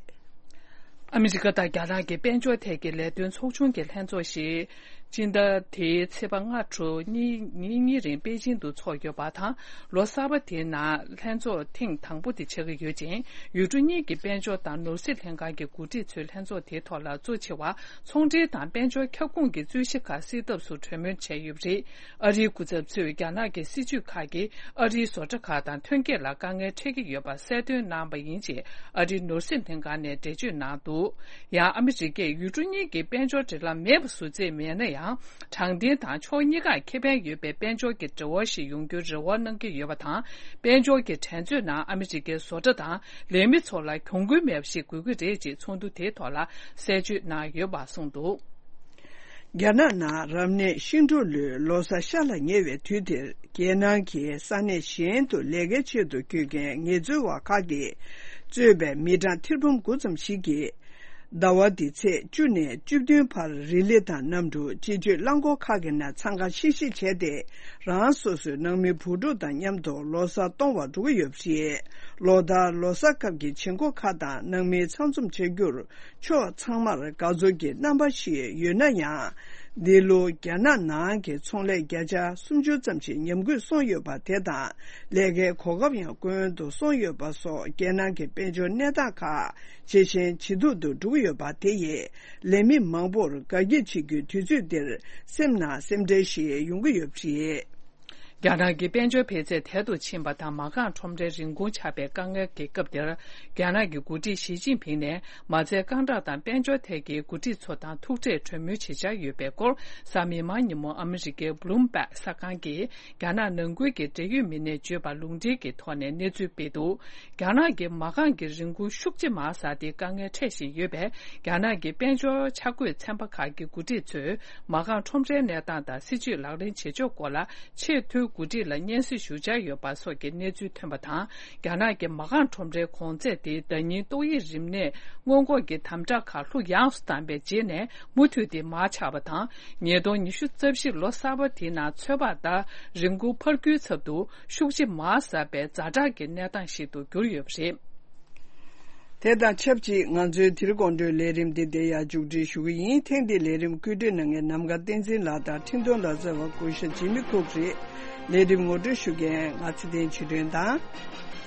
ཨ་མི་རི་ཀ་དང་རྒྱ་ནག་གི་དཔལ་འབྱོར་ཐད་ཀྱི་ལས་དོན་ཚོགས་ཆུང་གི་ལྷན་ཚོགས་ཤིག་སྤྱི་ཟླ་དེའི་ཚེས་པ་ལྔ་དྲུག་གཉིས་ཉིན་གཉིས་རིང་པེ་ཅིང་དུ་འཚོགས་ཡོད་པ་དང་། ལོ་གསར་པ་དེའི་ནང་ལྷན་ཚོགས་ཐེངས་དང་པོ་དེ་ཆགས་ཀྱི་ཡོད་ཅིང་། ཡུལ་གྲུ་གཉིས་ཀྱི་དཔལ་འབྱོར་དང་ནོར་སྲིད་ལྷན་ཁང་གི་འགོ་ཁྲིད་ཚོས་ལྷན་ཚོགས་དེའི་ཐོག་ལ་གཙོ་ཆེ་བ་ཚོང་འབྲེལ་དང་དཔལ་འབྱོར་ཁྱབ་ཁོངས་ཀྱི་རྩོད་གཞི་ཁག་སེལ་ཐབས་སུ་གྲོས་མོལ་བྱས་ཡོད་པ་རེད། ཨ་རིའི་སྐུ་ཚབ་ཚོས་རྒྱ་ནག་གི་སྲིད་ཇུས་ཁག་གིས་ཨ་རིའི་བཟོ་གྲྭ་ཁག་དང་ཐོན་སྐྱེད་ལ་དཀའ་ངལ་འཕྲད་ཀྱི་ཡོད་པ་གསལ་སྟོན་གནང་བ་ཡིན་ཅེས་ཨ་རིའི་ནོར་སྲིད་ལྷན་ཁང་ནས་འགྲེལ་བརྗོད་གནང་འདུག་ཡང་ཨ་མི་རི་ཀས་ཡུལ་གྲུ་གཉིས་ཀྱི་དཔལ་འབྱོར་འབྲེལ་ལམ་མེད་པ་བཟོ་རྩིས་མེད་ན་ཡང་། དྲང་བདེན་དང་ཕྱོགས་གཉིས་ཀར་ཁེ་ཕན་ཡོད་པའི་དཔལ་འབྱོར་གྱི་འབྲེལ་བ་ཞིག་ཡོང་རྒྱུར་རེ་བ་གནང་གི་ཡོད་པ་དང་། དཔལ་འབྱོར་གྱི་འགྲན་རྩོད་ནང་ཨ་མི་རི་ཀའི་བཟོ་གྲྭ་དང་ལས་མི་ཚོ་ལ་གྱོང་གུན་མེད་པ་ཞིག་དགོས་ཀྱི་རེད་ཅེས་ཚོགས་འདུ་དེའི་ཐོག་ལ་གསལ་བརྗོད་གནང་ཡོད་པ་གསུངས་འདུག་རྒྱ་ནག་ནང་རབ་གནས་ཤིང་འབྲུག་ལོའི་ལོ་གསར་ཤར་ལ་ཉེ་བའི་དུས་དེར། རྒྱལ་ནང་གི་ས་གནས་གཞན་དུ་ལས་ཀའི་ཆེད་དུ་བསྐྱོད་མཁན་ངལ་རྩོལ་བ་ཁག་གིས་གཙོས་པའི་མི་གྲངས་ཐེར་འབུམ་དགུ་ཙམ་ཞིག་གིས། ཟླ་བ་འདིའི་ཚེས་བཅུ་ནས་བཅུ་བདུན་བར་རི་ལི་དང་གནམ་གྲུ། སྤྱི་སྤྱོད་རླངས་འཁོར་ཁག་གི་ནང་འཚང་ཁ་ཤིག་ཤིག་བྱས་ཏེ། རང་སོ་སོའི་ནང་མི་བུ་ཕྲུག་དང་མཉམ་དུ་ལོ་གསར་གཏོང་བར་འགྲོ་གི་ཡོད་པ་རེད། ལོ་ལྟར་ལོ་གསར་སྐབས་ཀྱི་བྱེད་སྒོ་ཁག་དང་ནང་མི་ཚང་འཛོམས་བྱ་རྒྱུར། ཕྱོགས་ཚང་མར་དགའ་ཚོར་གྱི་རྣམ་པ་ཞིག་ཡོད་ན་ཡང་། འདི་ལོ་རྒྱ་ནག་ནང་གི་ཚོང་ལས་བརྒྱ་ཆ་སུམ་ཅུ་ཙམ་ཞིག་ཉམས་རྒུད་སོང་ཡོད་པ་དེ་དང་། ལས་ཀའི་གོ་སྐབས་ཡང་སྐྱོན་དུ་སོང་ཡོད་པ་སོགས་རྒྱལ་ནང་གི་དཔལ་འབྱོར་གནས་སྟངས་ཁག་ཇེ་ཞན་ཇེ་སྡུག་ཏུ་འགྲོ་གི་ཡོད་པ་དེ་ཡིས་ལས་མི་མང་པོར་དགའ་སྐྱིད་བྱེད་རྒྱུའི་དུས་ཚོད་འདིར་སེམས་ནང་སེམས་ཁྲལ་ཞིག་ཡོང་གི་ཡོད་པ་རེད། རྒྱ་ནག་གི་དཔལ་འབྱོར་འཕེལ་ཚད་དལ་དུ་ཕྱིན་པ་དང་མ་རྐང་ཁྲོམ་རའི་རིན་གོང་ཆག་པའི་དཀའ་ངལ་གྱི་སྐབས་འདིར། རྒྱ་ནག་གི་འགོ་ཁྲིད་ཞི་ཅིན་ཕིང་ནས་མ་རྩའི་རྐང་གྲངས་དང་དཔལ་འབྱོར་ཐད་ཀྱི་འགོ་ཁྲིད་ཚོ་དང་ཐུག་འཕྲད་གྲོས་མོལ་བྱེད་འཆར་ཡོད་པའི་སྐོར། གཟའ་མིག་དམར་ཉིན་མོ་ཨ་མི་རི་ཀའི་Bloomberg གསར་ཁང་གིས་རྒྱ་ནག་ནང་ཁུལ་གྱི་འབྲེལ་ཡོད་མི་སྣས་བརྗོད་པ་ལུང་འདྲེན་གྱི་ཐོག་ནས་གནས་ཚུལ་སྤེལ་འདུག་རྒྱ་ནག་གི་མ་རྐང་གི་རིན་གོང་ཤུགས་ཆེ་མར་ཟགས་ཏེ་དཀའ་ངལ་འཕྲད་བཞིན་ཡོད་པས། རྒྱ་ནག་གི་དཔལ་འབྱོར་འཆར་འགོད་ཚན་པ་ཁག་གི་འགོ་ཁྲིད་ཚོས་མ་རྐང་ཁྲོམ་རའི་གནས་སྟངས་དང་སྲིད་ཇུས་ལག་ལེན་བྱེད་ཕྱོགས་སྐོར་ལ་ཆེས་མཐོའི་ འགོ་ཁྲིད་ལ་སྙན་སེང་ཞུ་འཆར་ཡོད་པ་སོགས་ཀྱི་གནས་ཚུལ་ཐོན་པ་དང་། རྒྱ་ནག་གི་མ་རྐང་ཁྲོམ་རའི་གོང་ཚད་དེ་ཟླ་ཉིན་ཏོག་དབྱིབས་རིམས་ནད་སྔོན་འགོག་གི་དམ་དྲག་ཁག་ལྷུག་ཡངས་སུ་བཏང་པའི་རྗེས་ནས་མུ་མཐུད་དེ་མར་ཆག་པ་དང་། ཉིས་སྟོང་ཉི་ཤུ་རྩ་བཞི་ལོ་གསར་པ་དེའི་ནང་ཚོད་དཔག་ལྟར་རིན་གོང་འཕར་རྒྱུའི་ཚབ་ཏུ་ཤུགས་ཆེ་མར་ཟག་པའི་ཛ་དྲག་གི་གནས་སྟངས་ཤིག་ཏུ་གྱུར་ཡོད་པ་རེད། དེ་དང་ཆབས་ཅིག་ང་ཚོའི་དེ་རིང་དགོང་དྲོའི་ལས་རིམ་འདི་འདིར་ཡང་མཇུག་སྒྲིལ་ཞུ་གི་ཡིན། ཐེངས་འདིའི་ལས་རིམ་བཀོད་སྒྲིག་གནང་མཁན་ནམ་མཁའ་བསྟན་འཛིན་ལགས་དང་འཕྲིན་གཏོང་ལག་རྩལ་བ་སྐུ་ཞབས་ཇི་མི་ཁུག་རེད། ལས་རིམ་ངོ་སྤྲོད་ཞུ་མཁན་ང་ཚེ་བརྟན་ཆོས་སྒྲོན་དང་།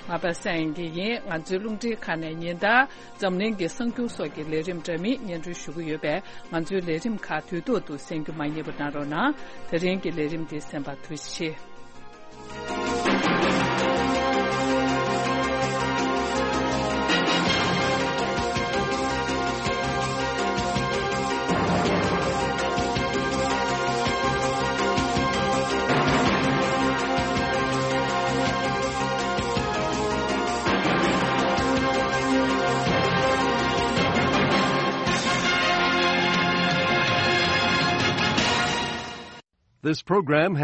ང་པ་སངས་དབྱངས་སྐྱིད་ཡིན། ང་ཚོའི་རླུང་འཕྲིན་ཁང་ནས་ཉིན་ལྟར་འཛམ་གླིང་གི་གསར་འགྱུར་སོགས་ཀྱི་ལས་རིམ་འདྲ་མིན་སྙན་སྒྲོན་ཞུ་གི་ཡོད་པས། ང་ཚོའི་ལས་རིམ་ཁག་དུས་ཐོག་ཏུ་གསན་རྒྱུ་མ་བསྙེལ་བ་གནང་རོགས་གནང་། དེ་རིང་གི་ལས་རིམ་འདི་གསན་པར་ཐུགས་རྗེ་ཆེ། This program